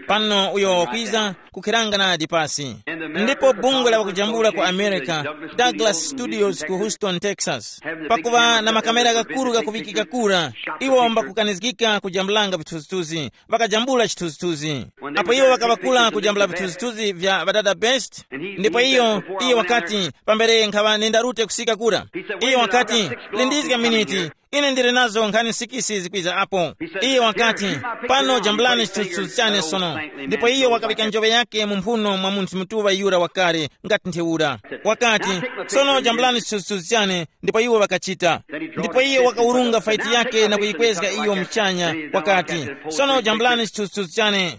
Pano uyo wakwiza kukhiranga nadi pasi. Ndipo bungwe la wakujambula ku America, Douglas Studios ku Houston, Texas, pakuva na makamera kakuru kakuvikika kura, iwo mbakukanizgika kujambulanga vithunzithunzi, vakajambula chithunzithunzi. Apo iwo vakaŵakula kujambula vithunzithunzi vya ŵadada Best, ndipo iyo, iyo wakati, pambere nkhaŵa nenda rute kusika kura, iyo wakati, lindizga miniti, ine ndili nazo nkhani sikisi zikwiza apo. Iye wakati, pano jambulani chithunzithunzi chane sono. Ndipo iye wakapika njoŵe yake mu mphuno mwa munthu mutuŵa yura wakale, ngati ntheura. Wakati, sono jambulani chithunzithunzi chane. Ndipo iwo wakachita. Ndipo iye wakawurunga faiti yake na kuyikwezga iyo mchanya, wakati, sono jambulani chithunzithunzi chane.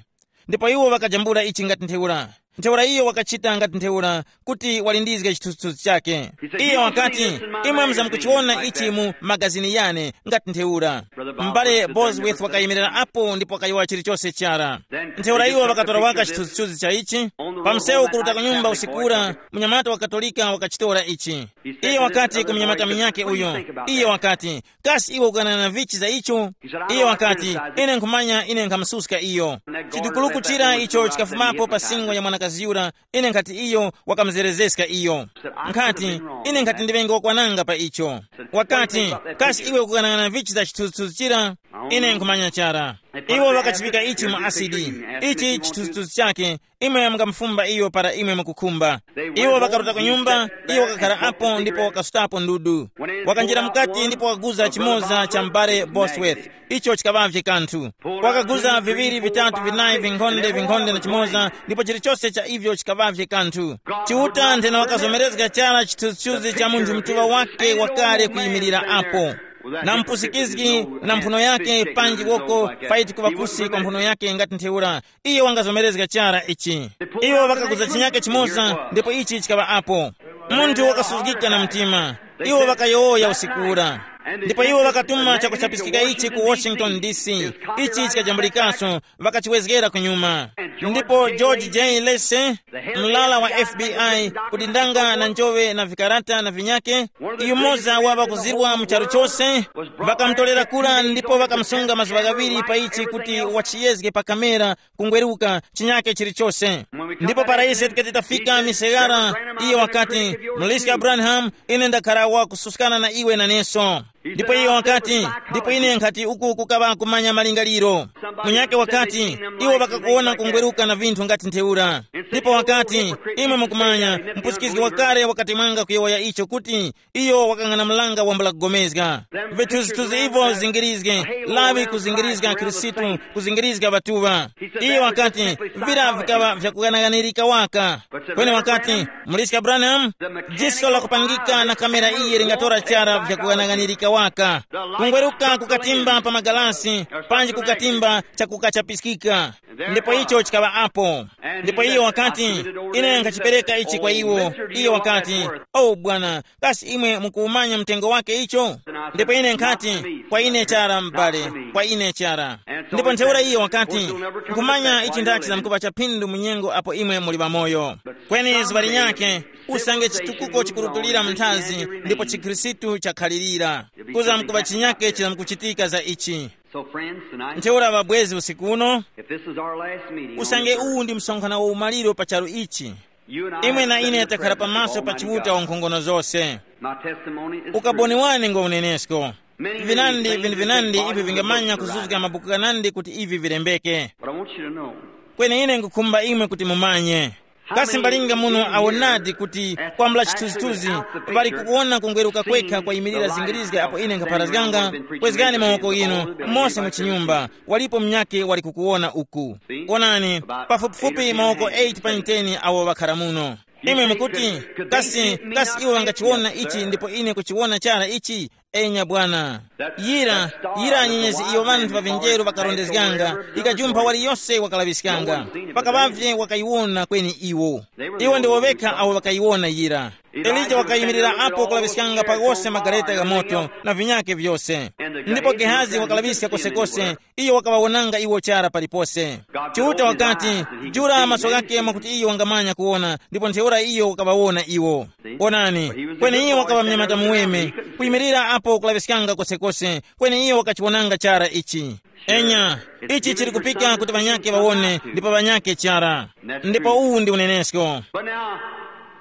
Ndipo iwo wakajambula ichi ngati ntheura. Ntheura iyo wakachita ngati ntheura, kuti walindizge chithunzithunzi chake. Iye wakati, imwe muzamkuchiwona ichi mu magazini yane, ngati ntheura. M'bale Bosworth wakayimirira apo ndipo wakayowoya chilichonse chara. Ntheura iwo wakatora waka chithunzithunzi cha ichi. Pa msewu kuruta ku nyumba usiku ura, munyamata wa Katolika wakachitora ichi. Iye wakati ku munyamata minyake uyo, iye wakati, kasi iwe ukanana vichi za icho? Iye wakati, ine nkhumanya ine nkhamususka iyo. Chidukuluku chira icho chikafumapo pa singo ya mwanakazi yura, ine nkhati iyo wakamzerezeska iyo. Nkhati, ine nkhati ndiŵenge wakwananga pa icho. Wakati, kasi iwe ukukanang'ana vichi za chithunzithunzi chira? Ine nkhumanya chara. Iwo ŵakachipika ichi mu asidi. Ichi chithunzithunzi chake, imwe mungamufumba iyo para imwe mukukhumba. Iwo ŵakaruta ku nyumba, iyo wakakhara apo ndipo wakasutapo ndudu. Wakanjira mukati ndipo wakaguza chimoza cha m'bale Bosworth. Icho chikaŵavye kanthu. Wakaguza viŵiri vitatu vinayi vinkhonde vinkhonde na chimoza, ndipo chilichonse cha ivyo chikaŵavye kanthu. Chiuta nthena wakazomerezga chara chithunzithunzi cha munthu mtuŵa wake wakale kuyimirira apo, na mpusikizgi na mphuno yake panji woko, faiti kuŵa kusi kwa mphuno yake ngati ntheura. Iye wangazomerezga chara ichi. Iwo ŵakaguza chinyake chimoza ndipo ichi chikaŵa apo. Munthu wakasuzgika na mtima. Iwo ŵakayowoya usiku ura. Ndipo iwo ŵakatuma chakuchapiskika ichi ku Washington D C. Ichi chikajambulikaso, ŵakachiwezgera kunyuma. Ndipo George J Lacey, mlala wa F B I, kudindanga na njowe na vikarata na vinyake, yumoza wa ŵakuzirwa mu charu chose, ŵakamutolera kura ndipo ŵakamusunga mazuŵa ghaŵiri pa ichi kuti wachiyezge pa kamera kungweruka chinyake chilichose. Ndipo para ise tikati tafika misegara, iye wakati, muliska Abrahamu, ine ndakhara wakususkana na iwe naneso. Ndipo iye wakati, ndipo ine nkhati uku kukaŵa kumanya malingaliro. Munyake wakati, iwo ŵakakuwona kungweruka na vinthu ngati ntheura. Ndipo wakati, imwe mukumanya, mpusikizgi wakale wakati mwanga kuyowoya icho kuti, iyo wakang'ana mlanga wambula kugomezga. Vithunzithunzi ivo zingirizge, lawi kuzingirizga Khristu, kuzingirizga ŵatuŵa. Iyo wakati, vira vikaŵa vyakughanaganirika waka. Kweni wakati, muliska Branham, jiso lakupangika na kamera iyi lingatora chara vyakughanaganirika waka. Kungweruka kukatimba pa magalasi, panji kukatimba chakukachapiskika. Ndipo icho chikaŵa apo. Ndipo iyo wakati, ine nkhachipereka ichi kwa iwo. Iyo wakati, o bwana, kasi imwe mukuwumanya mtengo wake icho? Ndipo ine nkhati, kwa ine chara m'bale, kwa ine chara. Ndipo ntheura iyo wakati, nkhumanya ichi ndachi zamkuŵa chaphindu mu nyengo apo imwe muli ŵamoyo. Kweni zuŵa linyakhe, usange chitukuko chikurutulira mu nthazi, ndipo chikhristu chakhalirira, kuzamkuŵa chinyakhe chizamkuchitika za ichi. So, friends, tonight, ntheura ŵabwezi usiku uno, if this is our last meeting on usange earth, uwu ndi msonkhano wa umaliro pa charu ichi, you and I imwe na have ine sat in the takhala presence of pamaso pa Almighty Chiuta God. Wankhongono zose. My testimony is ukaboni true. Wane ngo unenesko. Many, many vinandi things vinandi have been vinandi ivi bottled vingamanya up in the kuzuzga writing. Mabuku kanandi kuti ivi vilembeke. But I want you to know. Kweni ine ngukhumba imwe kuti mumanye. Kasi mbalinga muno awonadi kuti kwambula chithunzithunzi ŵali kukuwona kungweruka kwekha kwayimirira zingirizge apo ine nkhaparazganga? Kwezgani mawoko inu mose mu chinyumba, walipo mnyake wali kukuwona uku. Wonani, pafupifupi mawoko eight pa ten awo ŵakhara muno. Imwe mukuti, kasi, kasi iwo ŵangachiwona ichi ndipo ine kuchiwona chara ichi? Enya bwana. Yira, yira nyenyezi iyo ŵanthu ŵa vinjeru ŵakarondezganga, ikajumpha waliyose wakalaŵiskanga. Pakaŵavye wakayiwona kweni iwo. Iwo ndiwo ŵekha awo ŵakayiwona yira. Elija wakayimirira apo kulaŵiskanga pa ghose magareta gha moto na vinyake vyose. Ndipo Gehazi wakalaŵiska kosekose, iyo wakaŵawonanga iwo chara palipose. Chiuta wakati, jula maso ghake mwakuti iyo wangamanya kuwona, ndipo ntheura iyo wakaŵawona iwo. Onani, kweni iyo wakaŵa mnyamata muweme, kuyimirira apo kulaŵiskanga kosekose, kweni iyo wakachiwonanga chara ichi. Enya, ichi chili kupika kuti ŵanyake ŵawone, ndipo ŵanyake chara. Ndipo uwu ndi unenesko. But now,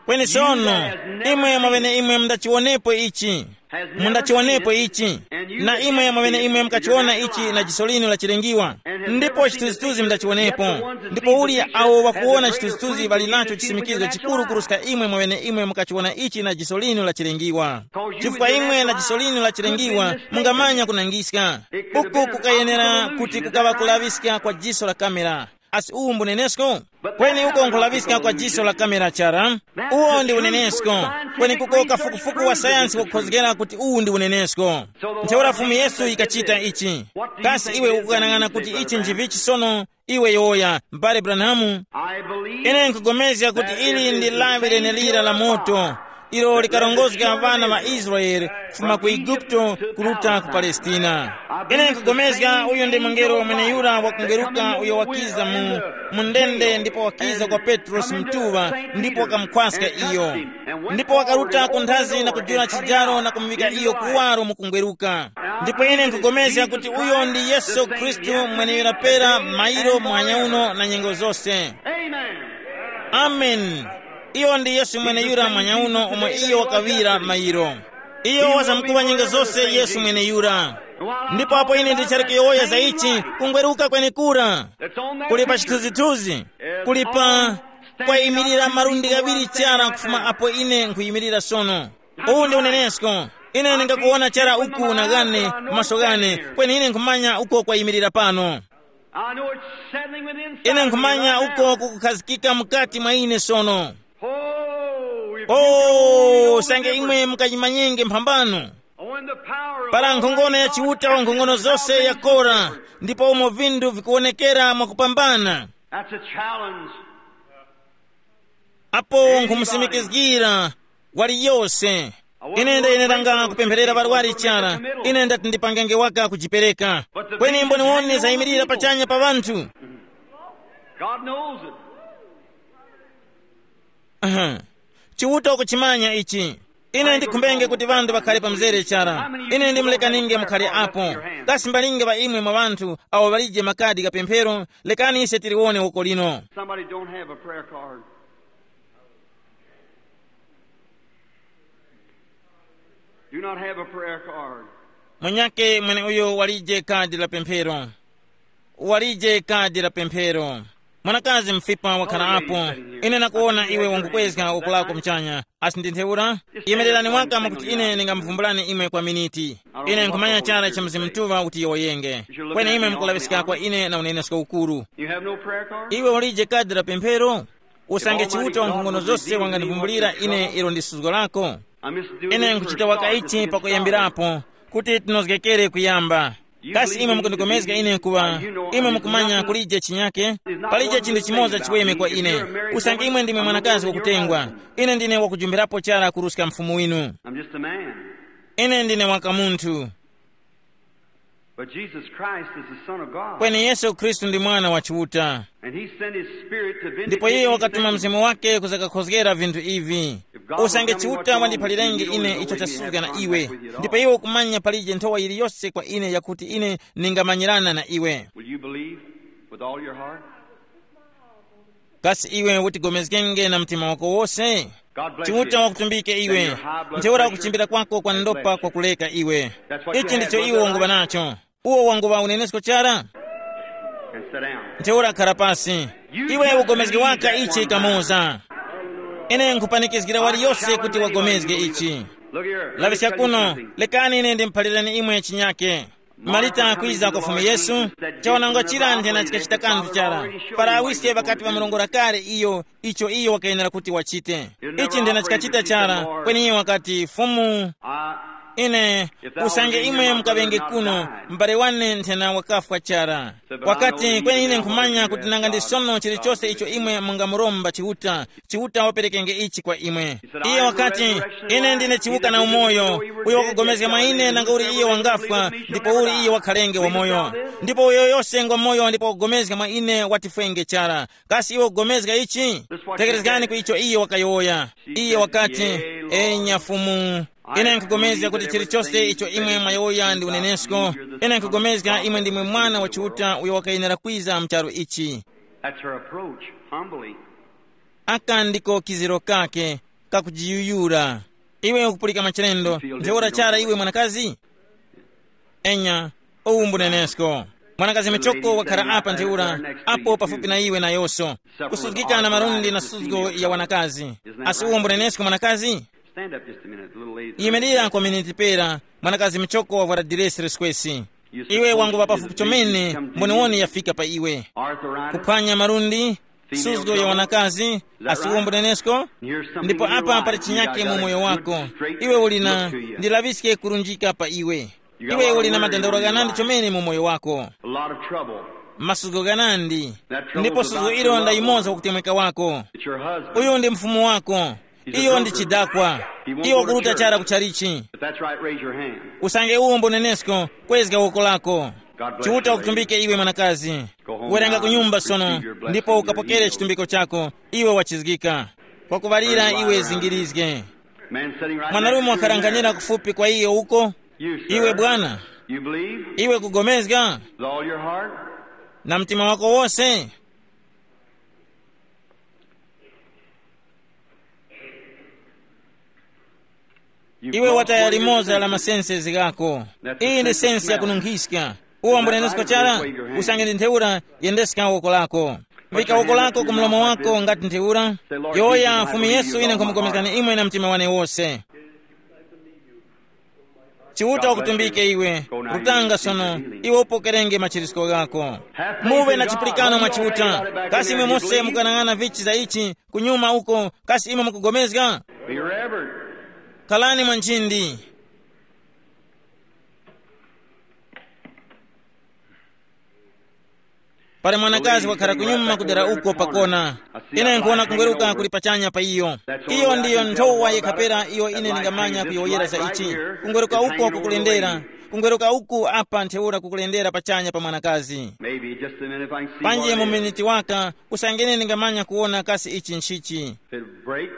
kweni sono, imwe mwaŵene imwe mundachiwonepo ichi. Mundachiwonepo ichi. Na imwe mwaŵene imwe mukachiwona ichi na jiso linu lachilengiwa. Ndipo chithunzithunzi mundachiwonepo. Ndipo uli awo wakuwona chithunzithunzi ŵali nacho chisimikizo chikuru kuruska imwe mwaŵene imwe mukachiwona ichi na jiso linu lachilengiwa. Chifukwa imwe na jiso linu lachilengiwa mungamanya kunangiska. Uku kukayenera kuti kukaŵa kulaŵiska kwa jiso la kamera. Asi uwu mbunenesko? Kweni uko nkulaŵiska kwa jiso la kamera chara. Uwo ndi unenesko. Kweni kuko kafukufuku wa sayansi wakukhozgera kuti uwu ndi unenesko. Ntheura Fumu Yesu yikachita ichi. Kasi iwe ukukanang'ana kuti ichi njivichi sono? Iwe yowoya, m'bale Branhamu. Ine nkugomezga kuti ili ndi lawi lenelira la moto, ilo likarongozga ŵana ŵa Israele kufuma ku Eguputo kuruta ku Palestina. Ine nkugomezga uyu ndi mungelo mweneyura wakungeruka uyo wakiza mu, mu ndende ndipo wakiza kwa Petrosi mtuŵa ndipo wakamukhwaska iyo. Ndipo wakaruta ku nthazi na kujula chijaro na kumuŵika iyo kuwaro mu kungweruka. Ndipo ine nkugomezga kuti uyo ndi Yesu Khristu mweneyura pera mairo muhanya uno na nyengo zose. Amen. Iyo ndi Yesu mweneyura mwanya uno omwe iyo wakaŵira mairo. Iyo wazamkuŵa nyengo zose Yesu mweneyura. Ndipo apo ine ndichali kuyowoya za ichi, kungweruka kwenekura kuli pa chithunzithunzi, kuli pa kwayimirira malundi ghaŵiri chara kufuma apo ine nkhuyimirira sono. Uwu ndi unenesko. Ine ndingakuwona chara uku na ghane maso ghane, kweni ine nkhumanya uko kwayimirira pano. I know it's settling within inside ine of me nkhumanya right uko now. Kukukhazikika mukati mwa ine sono. Oh, if you can only o know the sange difference. Imwe mukachimanyenge mphambano. Oh, in the power of para all nkhongono ya chiuta wa nkhongono zose yakora, ndipo umo vinthu vikuwonekera mwakupambana. That's a challenge. Apo nkumusimikizgira waliyose. Ine ndayeneranga kupempherera ŵarwari chara. Ine ndati ndipangenge waka kujipereka. Kweni mboniwoni zayimirira pachanya pa ŵanthu. God knows it. Aha. Chiuta ukuchimanya ichi. Ine ndikhumbenge kuti ŵanthu ŵakhale pamzere chara. Ine ndimulekaninge mukhale apo. Kasi mbalinge ŵa imwe mwa ŵanthu awo ŵalije makadi kapemphero? Lekani ise tiliwone uko lino. Somebody don't have a prayer card. Do not have a prayer card. Mwenyake mweneuyo walije kadi la pemphero. Walije kadi la pemphero. Mwanakazi mfipa wakhala apo. Ine nakuwona iwe wangukwezga uku lako mchanya. Asi ndi ntheura? Yemererani waka mwakuti ine ndingamuvumbulani imwe kwa miniti. Ine nkhumanya chara cha Mzimu Mutuŵa kuti yowoyenge. Kweni imwe mukulaŵiska kwa ine na unenesko ukuru. You have no prayer card? Iwe ulije kadi la pemphero? Usange Chiuta wa nkhongono zose wangandivumbulira ine ilo ndi suzgo lako. Ine nkuchita waka ichi pakuyambirapo kuti tinozgekere kuyamba. Kasi imwe mukundikomezga ine kuŵa imwe mukumanya kulije chinyake? Palije chinthu chimoza chiweme kwa ine. Usange imwe ndimwe mwanakazi wakutengwa, ine ndine wakujumbirapo chara kuruska mfumu winu. I'm just a man. Ine ndine waka munthu. But Jesus Christ is the Son of God. Kweni Yesu Khristu ndi Mwana wa Chiuta. And he sent his Spirit to vindicate ndipo iye these wakatuma things. Mzimu wake kuzakakhozgera vinthu ivi. Usange Chiuta wandiphalirenge ine icho chasuzga na iwe, ndipo iwe ukumanya palije nthowa yiliyose kwa ine yakuti ine ningamanyirana na iwe. Will you believe with all your heart? Kasi iwe utigomezgenge na mtima wako wose? Chiuta wakutumbike iwe. Ntheura kuchimbira kwako kwa ndopa kwakuleka iwe. Ichi ndicho iwe wanguŵa nacho. Uwo wanguŵa unenesko chara. And sit down. Ntheura khara pasi. Iwe ugomezge waka ichi kamoza. Ine nkhupanikizgira waliyose kuti wagomezge ichi. Look here. Laŵiska kuno. Lekani ine ndimuphalireni imwe chinyake. Marita akwiza kwa Fumu Yesu. Chawanangwa chira nthena chikachita kanthu chara. Para awiske ŵakati ŵamurongora kale iyo icho iyo wakayenera kuti wachite. Ichi nthena chikachita chara. Kweni iye wakati, Fumu, ine usange imwe mukaŵenge kuno, m'bale wane nthena wakafwa chara. Wakati, kweni ine nkhumanya kuti nanga ndi sono chilichose icho imwe mungamuromba Chiuta, Chiuta waperekenge ichi kwa imwe. Iye wakati, ine ndine chiwuka na umoyo. Uyo wakugomezga mwa ine nanga uli iye wangafwa, ndipo uli iye wakhalenge wamoyo. Ndipo uyo yose ngwa moyo ndipo wakugomezga mwa ine watifwenge chara. Kasi iwe ukugomezga ichi? Tekerezgani ku icho iye wakayowoya. Iye wakati, enya Fumu, Ine nkugomezga kuti chilichose icho imwe mwayowoya ndi unenesko. Ine nkugomezga imwe ndimwe mwana wa Chiuta uyo wakayenera kwiza mu charu ichi. That's her approach, humbly. Aka ndiko kiziro kake, kakujiyuyura. Iwe ukupulika machilendo, ntheura chara iwe mwanakazi? Enya, uwu mbunenesko. Mwanakazi michoko wakhala apa ntheura, apo pafupi na iwe nayoso. Kusuzgika na malundi na suzgo ya wanakazi. Asi uwo mbunenesko mwanakazi? Stand up just a minute, a little lazy. Yimirira kwa miniti pera, mwanakazi michoko wavwara diresi leskwesi. Iwe wanguŵa pafupi chomene, mboniwoni yafika pa iwe. Arthritis, kuphwanya malundi, suzgo ya wanakazi, asi uwo mbunenesko? Ndipo apa pali chinyake mu moyo wako. Iwe uli na, ndilaŵiske kurunjika pa iwe. Iwe uli na madandaulo ghanandi chomene mu moyo wako. A lot of trouble. Masuko ghanandi. Ndipo suko ilo ndayimoza kutemweka wako. It's your husband. Uyu ndi mfumu wako. Iyo ndi chidakwa. Iyo wakuruta chara kuchalichi. If that's right, raise your hand. Usange uwo mbonenesko, kwezga woko lako. Chiuta ukutumbike iwe mwanakazi. Kuwerenga kunyumba sono, ndipo ukapokere chitumbiko chako. Iwe wachizgika. Kwa kuŵalira iwe zingirizge. Man sitting right next to you. Mwanarume wakharanghanira kufupi kwa iyo uko. You, sir. Iwe bwana. You believe? Iwe kugomezga? With all your heart? Na mtima wako wose? Iwe wataya limoza la masenses ghako. Iyi ndi sensi yakununkhiska. Uwo mbunenesko chara? Usange ndi ntheura, yendeska woko lako. Vika woko lako ku mlomo wako ngati ntheura. Yowoya, Fumu Yesu, ine nkhumukomezgani imwe na mtima wane wose. Chiuta ukutumbike iwe. Rutanga sono, iwe upokerenge machirisko ghako. Muve na chipulikano mwa Chiuta. Kasi imwe mose mukanang'ana vichi za ichi kunyuma uko? Kasi imwe mukugomezga? Be reverent. Khalani mwa nchindi. Pali mwanakazi wakhara kunyuma kudera uko pakona. Ine nkuwona kungweruka kuli pachanya pa iyo. Iyo ndiyo nthowa yekhapera iyo ine ndingamanya kuyowoyera za ichi. Kungweruka uko kukulendera. Kungweruka uku apa ntheura kukulendera pachanya pa mwanakazi. Maybe just a minute if I can see. Panji what it mu is. Miniti waka, usangene ndingamanya kuwona kasi ichi nchichi. If it break,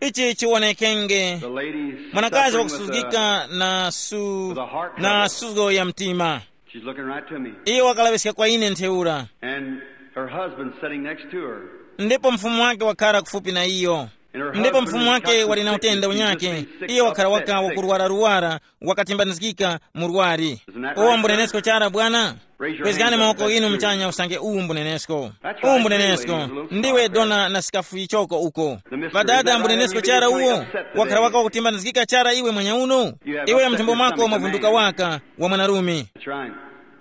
ichi chiwonekenge. The lady suffering with a, wakusuzgika na su with a heart na trouble. Suzo ya mtima. She's looking right to me. Iyo wakalaŵiska kwa ine ntheura. And her husband sitting next to her. Ndipo mfumu wake wakhala kufupi na iyo. And her ndipo husband mfumu has wake got wali na some utenda sickness. He's unyake just been sick, iyo wakhala upset, waka sick. Wakurwara-ruwara, wakatimbanizgika murwari. Isn't that right, sir? Uwo mbunenesko chara bwana? Raise your hands up if that's true. Kwezgani mawoko inu mchanya usange uwu mbunenesko. That's right, uwu mbunenesko. Anyway, you little ndiwe star dona na sikafu ichoko uko. The mister, is that right, wadada mbunenesko chara uwo? Wakhala waka wakutimbanizgika chara iwe mwanya uno. Iwe mthumbo mwako mwavunduka waka wa mwanarume. That's right.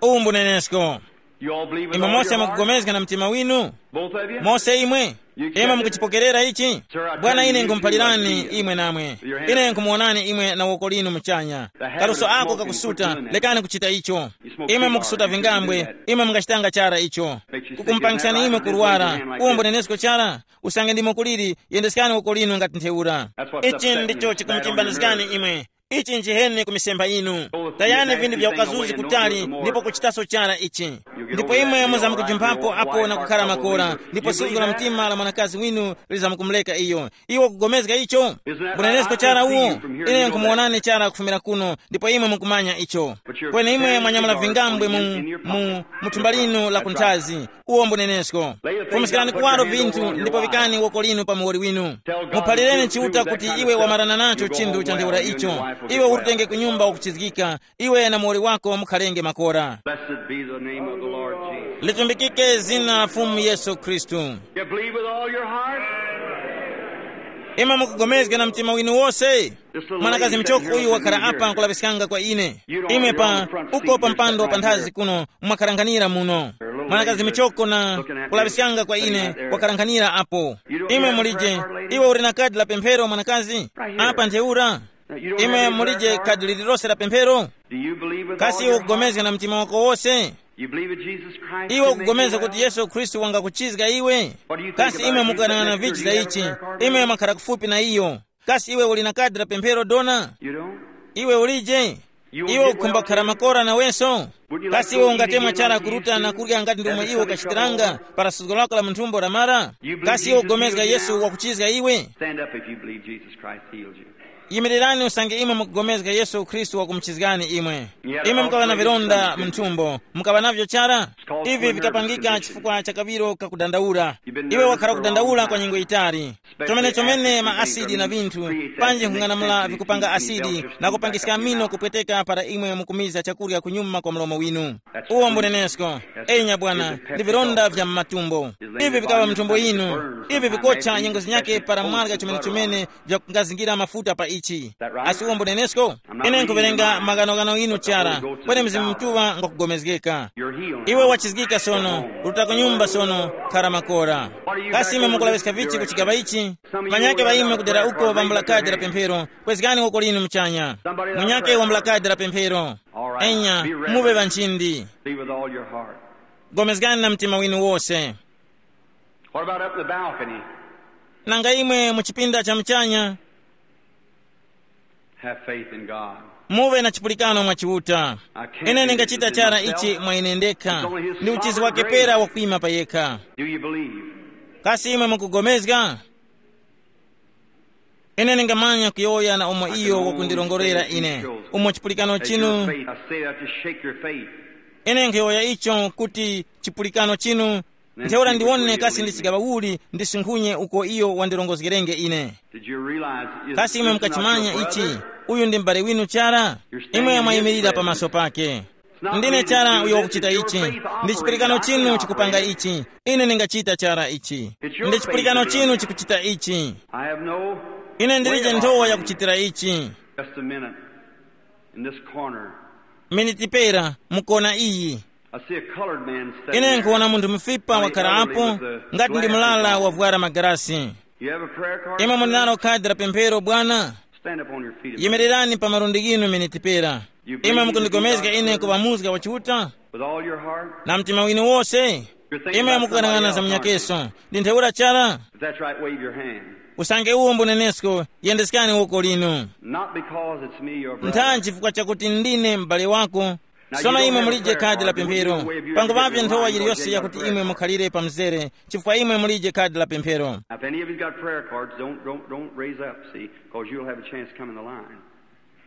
Uwu mbunenesko. You all believe with all your heart? Imwe mose mukugomezga na mtima winu? Both of you? Mose imwe? Imwe mukuchipokerera ichi? Bwana, ine nkhumuphalirani imwe namwe. Ine nkhumuwonani imwe na woko linu muchanya. Kaluso ako kakusuta, lekani kuchita icho. Imwe mukusuta vingambwe, imwe mungachitanga chara icho. Kukumupangisani imwe kurwara, uwo mbunenesko chara? Usange ndimo kuliri, yendeskani woko linu ngati ntheura. Ichi ndicho chikumutimbanizgani imwe. Ichi nchiheni ku misempha yinu. Tayani vinthu vya ukazuzi kutali ndipo kuchitaso chara ichi. Ndipo imwe muzamkujumphapo apo na kukhala makora, ndipo suzgo la mtima la mwanakazi winu lizamkumuleka iyo. Iwe ukugomezga icho? Mbunenesko chara uwo? Ine nkumuwonani chara kufumira kuno, ndipo imwe mukumanya icho. Kweni imwe mwanyamula vingambwe mu, mu, mu thumba linu la kunthazi. Uwo mbunenesko. Fumiskirani kuwaro vinthu ndipo vikani woko linu pa muwoli winu. Muphalireni Chiuta kuti iwe wamarana nacho chinthu cha ntheura icho. Iwe urutenge ku nyumba wakuchizgika, iwe na muwoli wako mukhalenge makora. Blessed be the name of the Lord Jesus. Litumbikike zina la Fumu Yesu Khristu. You believe with all your heart? Imwe mukugomezga na mtima winu wose? Mwanakazi mchoko uyu wakhala apa nkulaŵiskanga kwa ine. Imwe pa uko pa mpando wa panthazi kuno mwakharanghanira muno. Mwanakazi michoko na kulaŵiskanga kwa ine wakharanghanira apo. Imwe mulije, iwe uli na kadi la pemphero mwanakazi? Apa ntheura. Imwe mulije kadi lililose la pemphero? Kasi iwe ukugomezga na mtima wako wose? Iwe ukugomezga kuti Yesu Khristu wangakuchizga iwe? Kasi imwe mukanang'ana vichi za ichi? Imwe mwakhara kufupi na iyo. Kasi iwe uli na kadi la pemphero dona? Iwe ulije? Iwe ukhumba kukhara makora naweso? Kasi iwe ungatemwa chara kuruta na kurya ngati ndomwe iwe ukachitiranga para suzgo lako la munthumbo lamara? Kasi iwe ugomezga Yesu wakuchizga iwe? Stand up if you believe Jesus Christ healed you. Yimirirani usange imwe mukugomezga Yesu Khristu wakumuchizgani imwe. Imwe mukaŵa na vilonda mu nthumbo, mukaŵa navyo chara? Ivi vikapangika chifukwa cha kaŵiro kakudandaula. Iwe wakhala kudandaula kwa nyengo yitali. Chomene chomene ma asidi na vinthu, panji nkhung'anamula vikupanga asidi na kupangiska mino kupweteka para imwe mukumiza chakurya kunyuma kwa mlomo winu. Uwo mbunenesko. Enya bwana, ndi vilonda vya mmatumbo. Ivi vikawa mthumbo yinu. Ivi vikocha nyengo zinyake para mwarya chomene chomene vyakungazingira mafuta pa ichi. Asi uwo mbunenesko? Ine nkuverenga maganogano inu chara. Kweni Mzimu Mutuŵa ngwakugomezgeka. Iwe wachizgika sono. Ruta ku nyumba sono. Khara makora. Kasi imwe mukulaŵiska vichi ku chigaŵa ichi? Manyake ŵaime kudera uko vambula kadi la pemphero. Kwezgani woko linu muchanya. Munyake wambula kadi la pemphero. Enya, muve ŵanchindi. Be with all your heart. Gomezgani na mtima winu wose. What about up in the balcony? Nanga imwe mu chipinda cha muchanya? Have faith in God. Muve na chipulikano mwa Chiuta. I can't Ine do ndingachita this in chara myself. Ichi mwa ine ndekha. It's only his ndi uchizi sovereign wake grace. Pera wakuima pa yekha. Do you believe? Kasi imwe mukugomezga? Ine ndingamanya kuyowoya na umo iyo wakundilongolera ine. Umo chipulikano chinu. I say that to shake your faith. Ine nkhuyowoya icho kuti chipulikano chinu. Ntheura ndiwone kasi ndi chigaŵa uli ndisinkhunye uko iyo wandilongozgerenge ine. Did you realize it? Kasi imwe mukachimanya ichi? Uyu ndi m'bale winu chara. Imwe mwayimirira pamaso pake. Ndine chara uyo wakuchita ichi. Ndi chipulikano chinu chikupanga ichi. Ine ndingachita chara ichi. Ndi chipulikano chinu chikuchita ichi. I have no. Ine ndilije nthowa yakuchitira ichi. Just a minute. In this corner. Miniti pera mukona iyi. I see a colored man standing. Ine nkuwona munthu mufipa wakhala apo, ngati ndi mulala wavwara magarasi. You have a prayer card? Imwe muli nalo khadi la pemphero bwana? Stand up on your feet a minute. Yimirirani pa malundi ghinu miniti pera. Imwe mukundigomezga ine kuŵa muzga wa Chiuta? With all your heart? Na mtima winu wose. Imwe mukukanang'ana za munyakeso. Ndi ntheura chara? If that's right, wave your hand. Usange uwo mbunenesko, yendeskani woko linu. Not because it's me, your brother. Ntha chifukwa chakuti ndine m'bale wako. Sono imwe mulije khadi la pemphero. Pango pavye nthowa yiliyose yakuti imwe mukhalire pa mzere, chifukwa imwe mulije khadi la pemphero. Now, if any of you got prayer cards, don't, don't, don't raise up, see, because you'll have a chance to come in the line.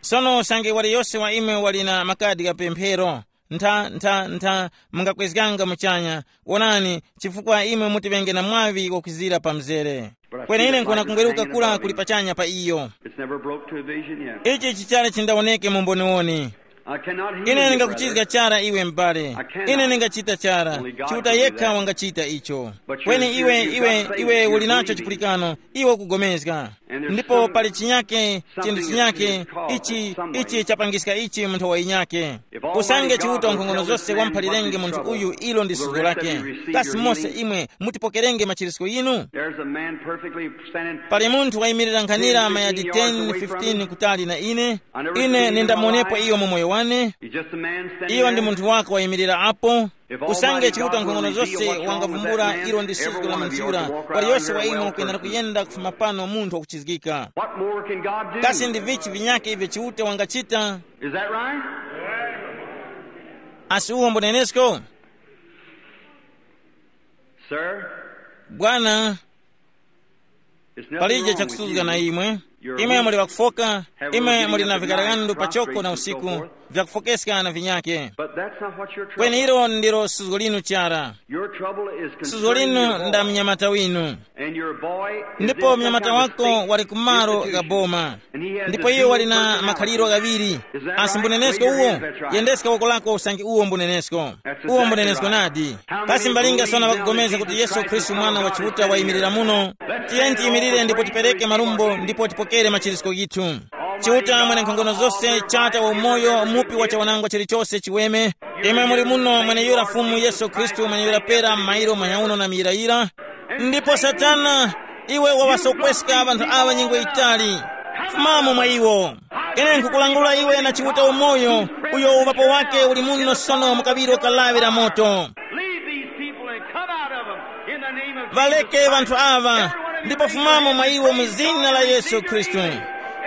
Sono usange waliyose wa imwe wali na makadi gha pemphero, ntha ntha ntha, mungakwezganga muchanya. Wonani, chifukwa imwe mutiŵenge na mwaŵi wakwizira pa mzere. Kweni ine nkuwona kungweruka kura kuli pachanya pa iyo. It's never broke to a vision yet. Ichi chichali chindawoneke mu mboniwoni. I cannot heal you, brother. Ine ndingakuchizga chara iwe m'bale. Ine ndingachita chara. Chiuta yekha wangachita icho. Kweni iwe iwe iwe uli nacho chipulikano. Iwe ukugomezga. Ndipo pali chinyake, chinthu chinyake ichi ichi chapangiska ichi munthu wa inyake. Usange Chiuta wankhongono zose wamphalirenge munthu uyu, ilo ndi suzgo lake. Kasi mose imwe mutipokerenge machirisko yinu? There's a man perfectly standing. Pali munthu wayimirira nkhanira mayadi ten fifteen kutali na ine. Ine nindamuonepo iyo mu moyo wane. He's just a man standing. Iyo ndi munthu wake wayimirira apo. Usange Chiuta wankhongono zose wangavumbula, ilo ndi suzgo la munthu yura. Waliyose wa imwe ukwenera kuyenda kufuma pano munthu wakuchizgika. What more can God do? Kasi ndi vichi vinyake ivyo Chiuta wangachita? Is that right? Asi uwo mbunenesko? Sir, bwana, it's nothing palije wrong with chakusuzga you. Na imwe. Imwe muli wakufoka. Imwe muli na vikaragandu pachoko na usiku, vyakufokeska na vinyake. But that's not what your trouble. Kweni ilo ndilo suzgo linu chara. Your trouble is concerning your boy. Suzgo linu nda mnyamata winu. And your boy is ndipo in some mnyamata kind of wako state wali kumalo institution. Ga boma. Ndipo iwo wali na makhaliro ghaŵiri. Asi mbunenesko uwo? Yendeska woko lako usange uwo mbunenesko. Uwo mbunenesko nadi. Kasi mbalinga sona ŵakugomeza kuti Yesu Khristu mwana wa Chiuta wayimirira muno? Tiyeni tiyimirire ndipo tipereke marumbo ndipo tipokere machirisko ghithu. Chiuta mwene nkhongono zose, Chata wa umoyo, mupi wa chawanangwa chilichose chiweme, imwe muli muno mweneyura Fumu Yesu Khristu mweneyura pera m'mairo manyauno na miyirayira. Ndipo Satana, iwe waŵasokweska ŵanthu aŵa nyengo yitali. Fumamo mwa iwo. Ine nkhukulangula iwe na Chiuta umoyo, uyo uŵapo wake uli muno sono mu kaŵiro ka lawi la moto. Leave these people and come out of them in the name of Jesus Christ. Ŵaleke ŵanthu aŵa, ndipo fumamo mwa iwo mu zina la Yesu Khristu.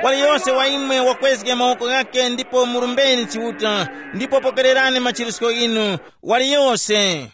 Waliyose wa imwe wakwezge mawoko ghake ndipo murumbeni Chiuta, ndipo pokererani machirisko inu. Waliyose.